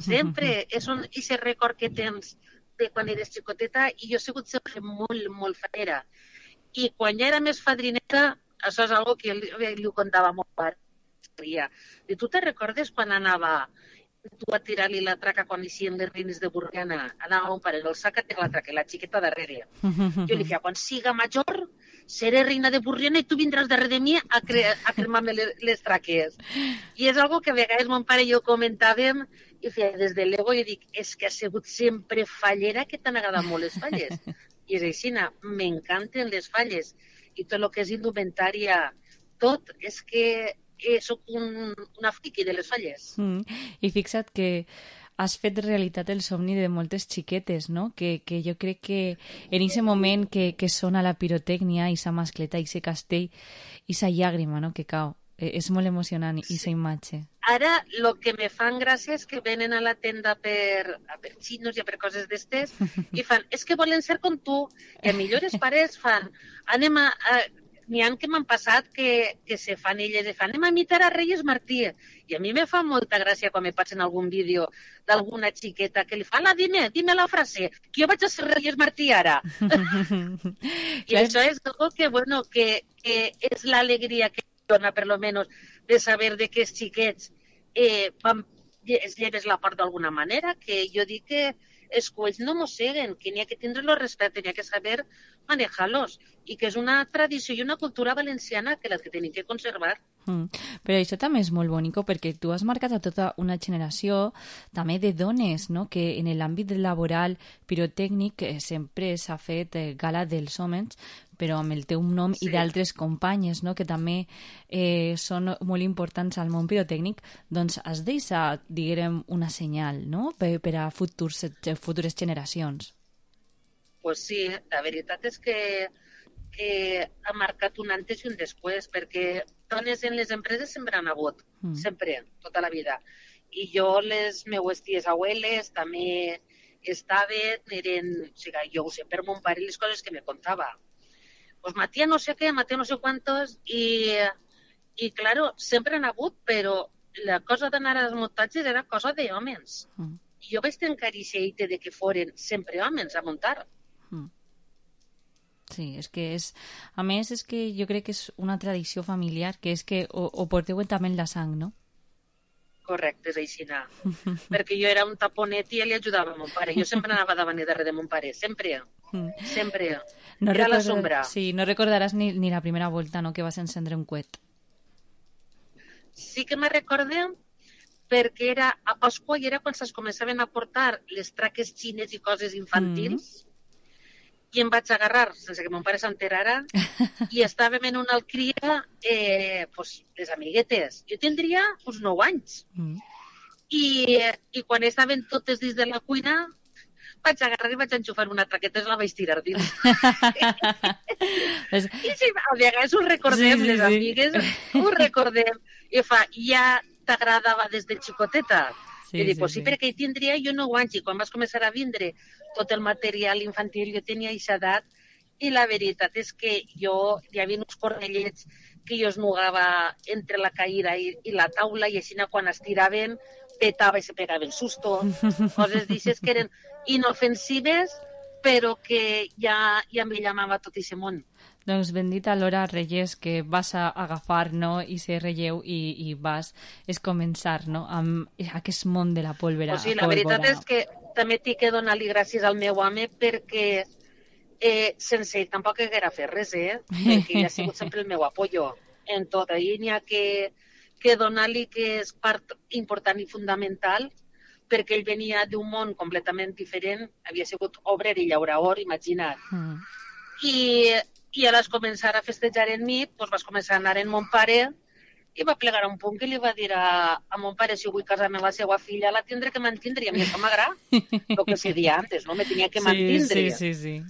Sempre. És un ese record que tens de quan eres xicoteta, i jo he sigut sempre molt, molt fallera. I quan ja era més fadrineta, això és algo que li, li ho contava molt pare. I tu te recordes quan anava tu a tirar-li la traca quan eixien les reines de Burriana? Anava un pare, el sac a tirar la traca i la xiqueta darrere. Jo li feia, quan siga major, seré reina de Burriana i tu vindràs darrere de mi a, cre a cremar-me les, les traques. I és algo que a vegades mon pare i jo comentàvem i feia, des de l'ego, i dic, és que ha sigut sempre fallera, que t'han agradat molt les falles. I és així, m'encanten les falles. I tot el que és indumentària, tot, és que eh, soc un, una friqui de les falles. Mm. I fixa't que has fet realitat el somni de moltes xiquetes, no? Que, que jo crec que en aquest moment que, que sona la pirotècnia, i sa mascleta, i sa castell, i sa llàgrima, no? Que cau. Eh, és molt emocionant, i sa imatge. Ara, el que me fan gràcia és que venen a la tenda per, a per xinos i a per coses d'estes i fan, és que volen ser com tu. I a millor els pares fan, anem a... a n'hi ha que m'han passat que, que se fan elles i fan, anem a imitar a Reyes Martí. I a mi me fa molta gràcia quan me passen algun vídeo d'alguna xiqueta que li fa, la, dime, dime la frase, que jo vaig a ser Reyes Martí ara. I això és algo que, bueno, que, que és l'alegria que dona, per lo menos, de saber de que els xiquets eh, van, es lleves la part d'alguna manera, que jo dic que els coells no mosseguen, que n'hi ha que tindre-los respecte, n'hi ha que saber manejar-los, i que és una tradició i una cultura valenciana que la que tenim que conservar. Mm. Però això també és molt bonic perquè tu has marcat a tota una generació també de dones, no? Que en l'àmbit laboral pirotècnic eh, sempre s'ha fet eh, gala dels homes, però amb el teu nom sí. I d'altres companyes, no? Que també eh, són molt importants al món pirotècnic, doncs has deixat, diguem, una senyal, no? Per, per a futurs, futures generacions. Pues sí, la veritat és que, que ha marcat un antes i un després, perquè dones en les empreses sempre han hagut, mm. sempre, tota la vida. I jo, les meues ties abueles, també estaven, eren, o sigui, jo ho sé, per mon pare, les coses que me contava. Pues matia no sé què, matia no sé quantos, i, i claro, sempre han hagut, però la cosa d'anar als muntatges era cosa d'homes. Mm. I jo vaig tenir carícia de que foren sempre homes a muntar. Mm. Sí, és que és... A més, és que jo crec que és una tradició familiar, que és que ho, ho porteu també en la sang, no? Correcte, és així, no. Perquè jo era un taponet i ell ajudava a mon pare. Jo sempre anava davant i darrere de mon pare, sempre. Mm. Sempre. No era recorda... la sombra. Sí, no recordaràs ni, ni la primera volta, no?, que vas encendre un coet. Sí que me recorde perquè era a Pasqua i era quan es començaven a portar les traques xines i coses infantils. Mm. I em vaig agarrar, sense que mon pare s'enterara, i estàvem en una alcria, eh, pues, les amiguetes. Jo tindria uns nou anys. Mm. I, I quan estaven totes dins de la cuina, vaig agarrar i vaig enxufar una traqueta i la vaig tirar dins. I sí, a vegades ho recordem, sí, sí, les amigues, sí. Ho recordem. I fa, ja t'agradava des de xicoteta? Sí, I dic, sí, pues sí, sí, perquè hi tindria jo nou anys i quan vas començar a vindre tot el material infantil jo tenia aquesta edat i la veritat és que jo hi havia uns cornellets que jo es nugava entre la caïra i, i la taula i així quan es tiraven petava i se pegaven susto, coses d'aixes que eren inofensives però que ja, ja me llamava tot aquest món. Doncs bendita l'hora, Reyes, que vas a agafar, no?, i ser relleu i, i vas es començar, no?, amb aquest món de la pólvora. O sigui, la veritat és que també tinc que donar-li gràcies al meu home perquè eh, sense ell tampoc haguera fet res, eh? Perquè ell ha sigut sempre el meu apoyo en tot. Ahir n'hi ha que, que donar-li que és part important i fundamental perquè ell venia d'un món completament diferent, havia sigut obrer i llaurador, imagina't. Mm. I, i a les començar a festejar en mi, doncs vas començar a anar en mon pare i va plegar un punt que li va dir a, a mon pare, si vull casar-me amb la seva filla, la tindré que mantindre, i a mi això m'agrada, el que se dia antes, no? Me tenia que mantindre. Sí, sí, sí, sí.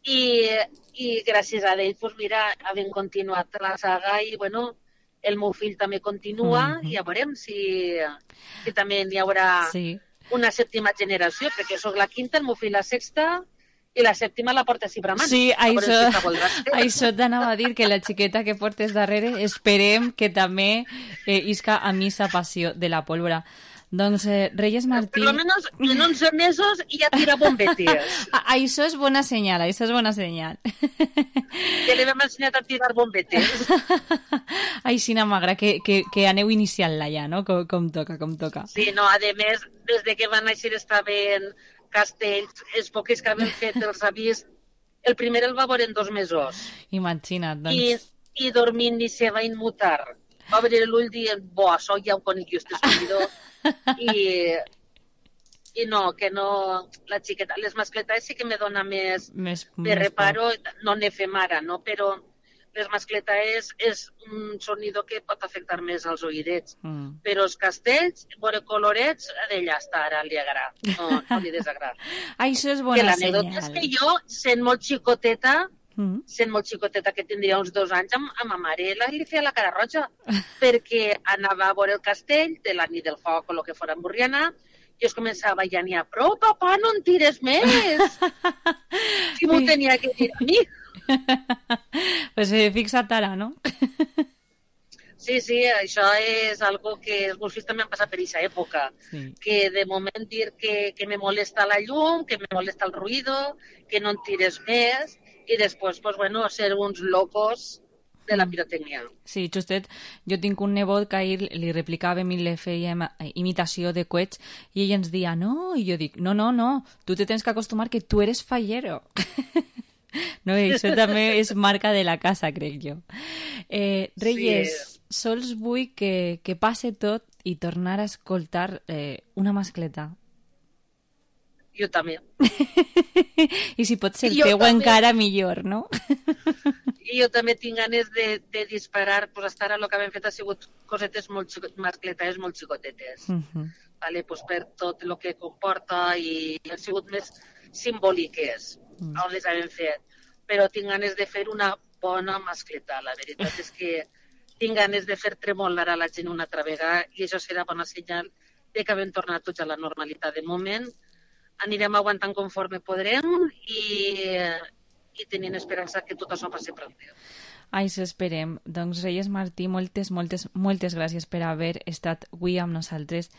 I, i gràcies a ell, doncs mira, havent continuat la saga i, bueno, el meu fill també continua mm -hmm. i ja veurem si, si també hi haurà sí. una sèptima generació, perquè sóc la quinta, el meu fill la sexta i la sèptima la porta així bramant. Sí, a això, si això t'anava a dir, que la xiqueta que portes darrere esperem que també eh, isca a missa passió de la pólvora. Doncs, eh, Reyes Martí... Per almenys en onze mesos ja tira bombetes. Això és bona senyal, això és bona senyal. Ja li vam ensenyat a tirar bombetes. Ai, sí, m'agrada que, que, que aneu iniciant-la ja, no? Com, com toca, com toca. Sí, no, a més, des de que van néixer estaven castells, els poques que havien fet els avis, el primer el va veure en dos mesos. Imagina't, doncs. I, i dormint ni se va immutar. Va obrir l'ull dient, bo, això ja ho conec jo, este escolidor. I, i no, que no, la xiqueta, les mascletes sí que me dona més, més de reparo, no ne fem ara, no? Però les mascletes és un sonido que pot afectar més als oïdets, mm. però els castells, veure colorets, d'ella està, ara li agrada, no, no li desagrada. Això és bona senyal. L'anècdota és que jo, sent molt xicoteta, mm. sent molt xicoteta, que tindria uns dos anys, amb, amb ma mare la, li feia la cara roja, perquè anava a veure el castell de la nit del foc o el que fora Burriana, i es començava ja n'hi ha prou, papà, no en tires més! Si m'ho tenia que dir a mi. Pues eh, fixa't ara, no? Sí, sí, això és algo que els meus fills també han passat per aquesta època, sí. Que de moment dir que, que me molesta la llum, que me molesta el ruïdo, que no en tires més, i després, pues, bueno, ser uns locos de la pirotècnia. Sí, justet, jo tinc un nebot que ahir li replicava i li feia imitació de coets i ell ens deia, no, i jo dic, no, no, no, tu te tens que acostumar que tu eres fallero. No, això també és marca de la casa, crec jo. Eh, Reyes, sí. Sols vull que, que passe tot i tornar a escoltar eh, una mascleta. Jo també. I si pot ser jo teu també. Encara millor, no? I jo també tinc ganes de, de disparar, pues hasta ara el que hem fet ha sigut cosetes molt xicot, mascletes molt xicotetes, uh -huh. vale? Pues per tot el que comporta i han sigut més simbòliques uh -huh. on les hem fet, però tinc ganes de fer una bona mascleta, la veritat és que tinc ganes de fer tremolar a la gent una altra vegada i això serà bona senyal de que hem tornat tots a la normalitat. De moment anirem aguantant conforme podrem i, i tenint esperança que tot això passi prou bé. Ai, s'esperem. Doncs Reyes Martí, moltes, moltes, moltes gràcies per haver estat avui amb nosaltres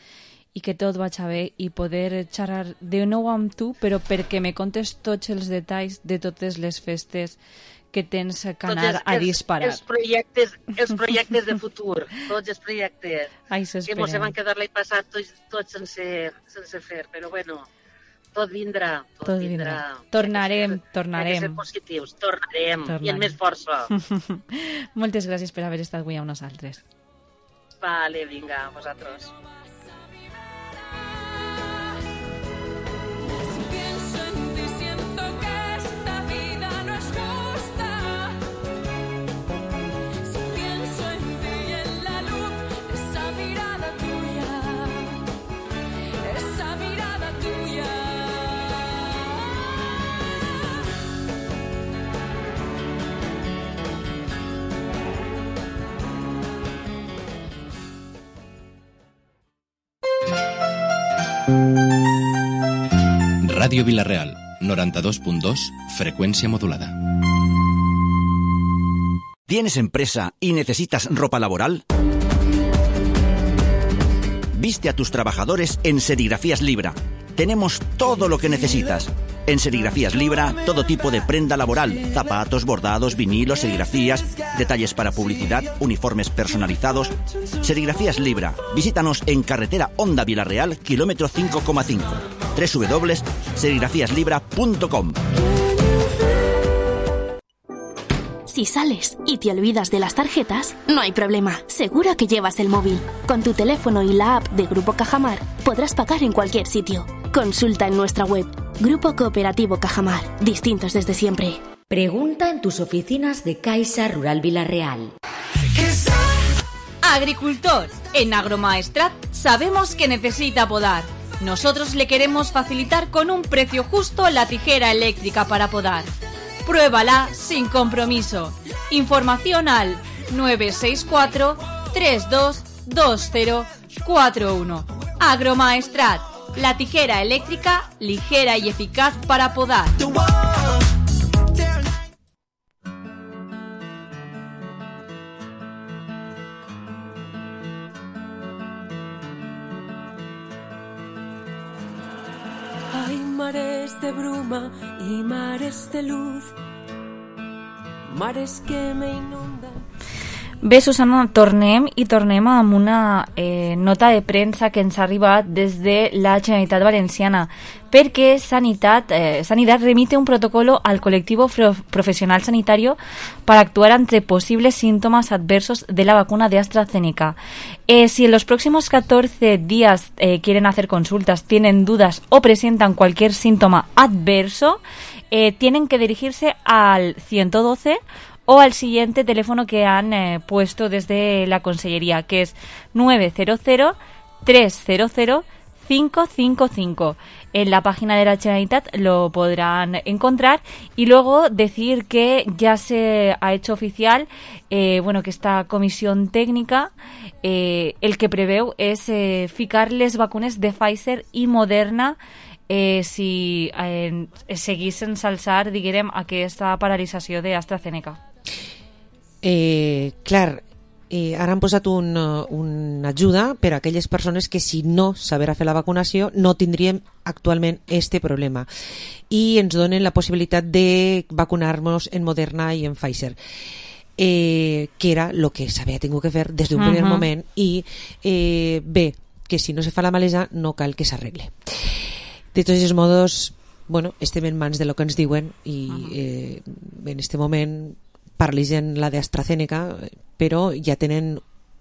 i que tot vagi bé i poder xerrar de nou amb tu, però perquè me contes tots els detalls de totes les festes que tens que anar a disparar. Els projectes, els projectes de futur, tots els projectes. Ai, s'esperem. Que mos van quedar l'any passat tots, tots sense, sense fer, però bueno... Tot vindrà, tot, tot vindrà. vindrà. Tornarem, tornarem. Hem de ser positius, tornarem, tornarem. I amb més força. Moltes gràcies per haver estat avui amb nosaltres. Vale, vinga, vosaltres. Radio Vila-real, noventa y dos punto dos, frecuencia modulada. ¿Tienes empresa y necesitas ropa laboral? Viste a tus trabajadores en Serigrafías Libra. Tenemos todo lo que necesitas. En Serigrafías Libra, todo tipo de prenda laboral, zapatos, bordados, vinilos, serigrafías, detalles para publicidad, uniformes personalizados. Serigrafías Libra. Visítanos en carretera Honda Vila-real, kilómetro cinco coma cinco. doble u doble u doble u punto serigrafías libra punto com. Si sales y te olvidas de las tarjetas, no hay problema. Seguro que llevas el móvil. Con tu teléfono y la app de Grupo Cajamar podrás pagar en cualquier sitio. Consulta en nuestra web. Grupo Cooperativo Cajamar. Distintos desde siempre. Pregunta en tus oficinas de Caixa Rural Vilarreal. Agricultor, en Agromaestrat sabemos que necesita podar. Nosotros le queremos facilitar con un precio justo la tijera eléctrica para podar. Pruébala sin compromiso. Información al nueve seis cuatro, tres dos dos cero cuatro uno. Agromaestrat, la tijera eléctrica ligera y eficaz para podar. Hay mares de bruma y mares de luz, mares que me inundan. Bé, Susana, tornem i tornem amb una eh, nota de premsa que ens ha arribat des de la Generalitat Valenciana, perquè Sanitat, eh, Sanidad remite un protocolo al colectivo profesional sanitario para actuar ante posibles síntomas adversos de la vacuna de AstraZeneca. Eh, si en los próximos catorce días eh, quieren hacer consultas, tienen dudas o presentan cualquier síntoma adverso, eh, tienen que dirigirse al ciento doce o al siguiente teléfono que han eh, puesto desde la Consellería, que es nueve cero cero, tres cero cero, cinco cinco cinco. En la página de la Generalitat lo podrán encontrar, y luego decir que ya se ha hecho oficial eh, bueno, que esta comisión técnica eh, el que preveu és eh, ficar les vacunes de Pfizer i Moderna eh, si eh, seguissin s'alçar, diguem, aquesta paralització d'AstraZeneca. Eh, clar, eh, ara han posat un, una ajuda per a aquelles persones que si no saber fer la vacunació no tindríem actualment este problema, i ens donen la possibilitat de vacunar-nos en Moderna i en Pfizer, eh, que era el que s'havia tingut que fer des d'un uh-huh. primer moment, i eh, bé, que si no se fa la malesa no cal que s'arregle. De tots els modos, bueno, estem en mans de lo que ens diuen, i eh, en este moment paralitzen la de AstraZeneca, però ja tenen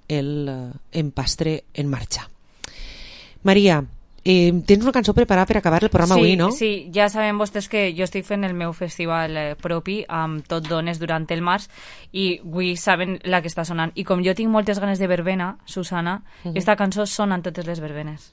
el empastre en marxa. Maria, eh, tens una cançó preparada per acabar el programa sí, avui, no? Sí, ja sabem vostès que jo estic fent el meu festival eh, propi amb Tot Dones durant el març, i avui saben la que està sonant. I com jo tinc moltes ganes de verbena, Susana, uh-huh. esta cançó sona en totes les verbenes.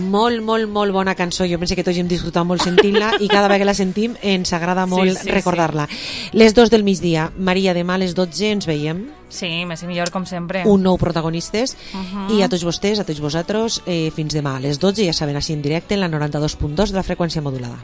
Molt, molt, molt bona cançó. Jo penso que tots hem disfrutat molt sentint-la, i cada vegada que la sentim ens agrada molt sí, sí, recordar-la. Sí. Les dos del migdia. Maria, demà a les dotze ens veiem. Sí, més i millor, com sempre. Un nou protagonistes. Uh-huh. I a tots vostès, a tots vosaltres, eh, fins demà a les dotze, ja saben, així en directe, en la noranta-dos punt dos de la freqüència modulada.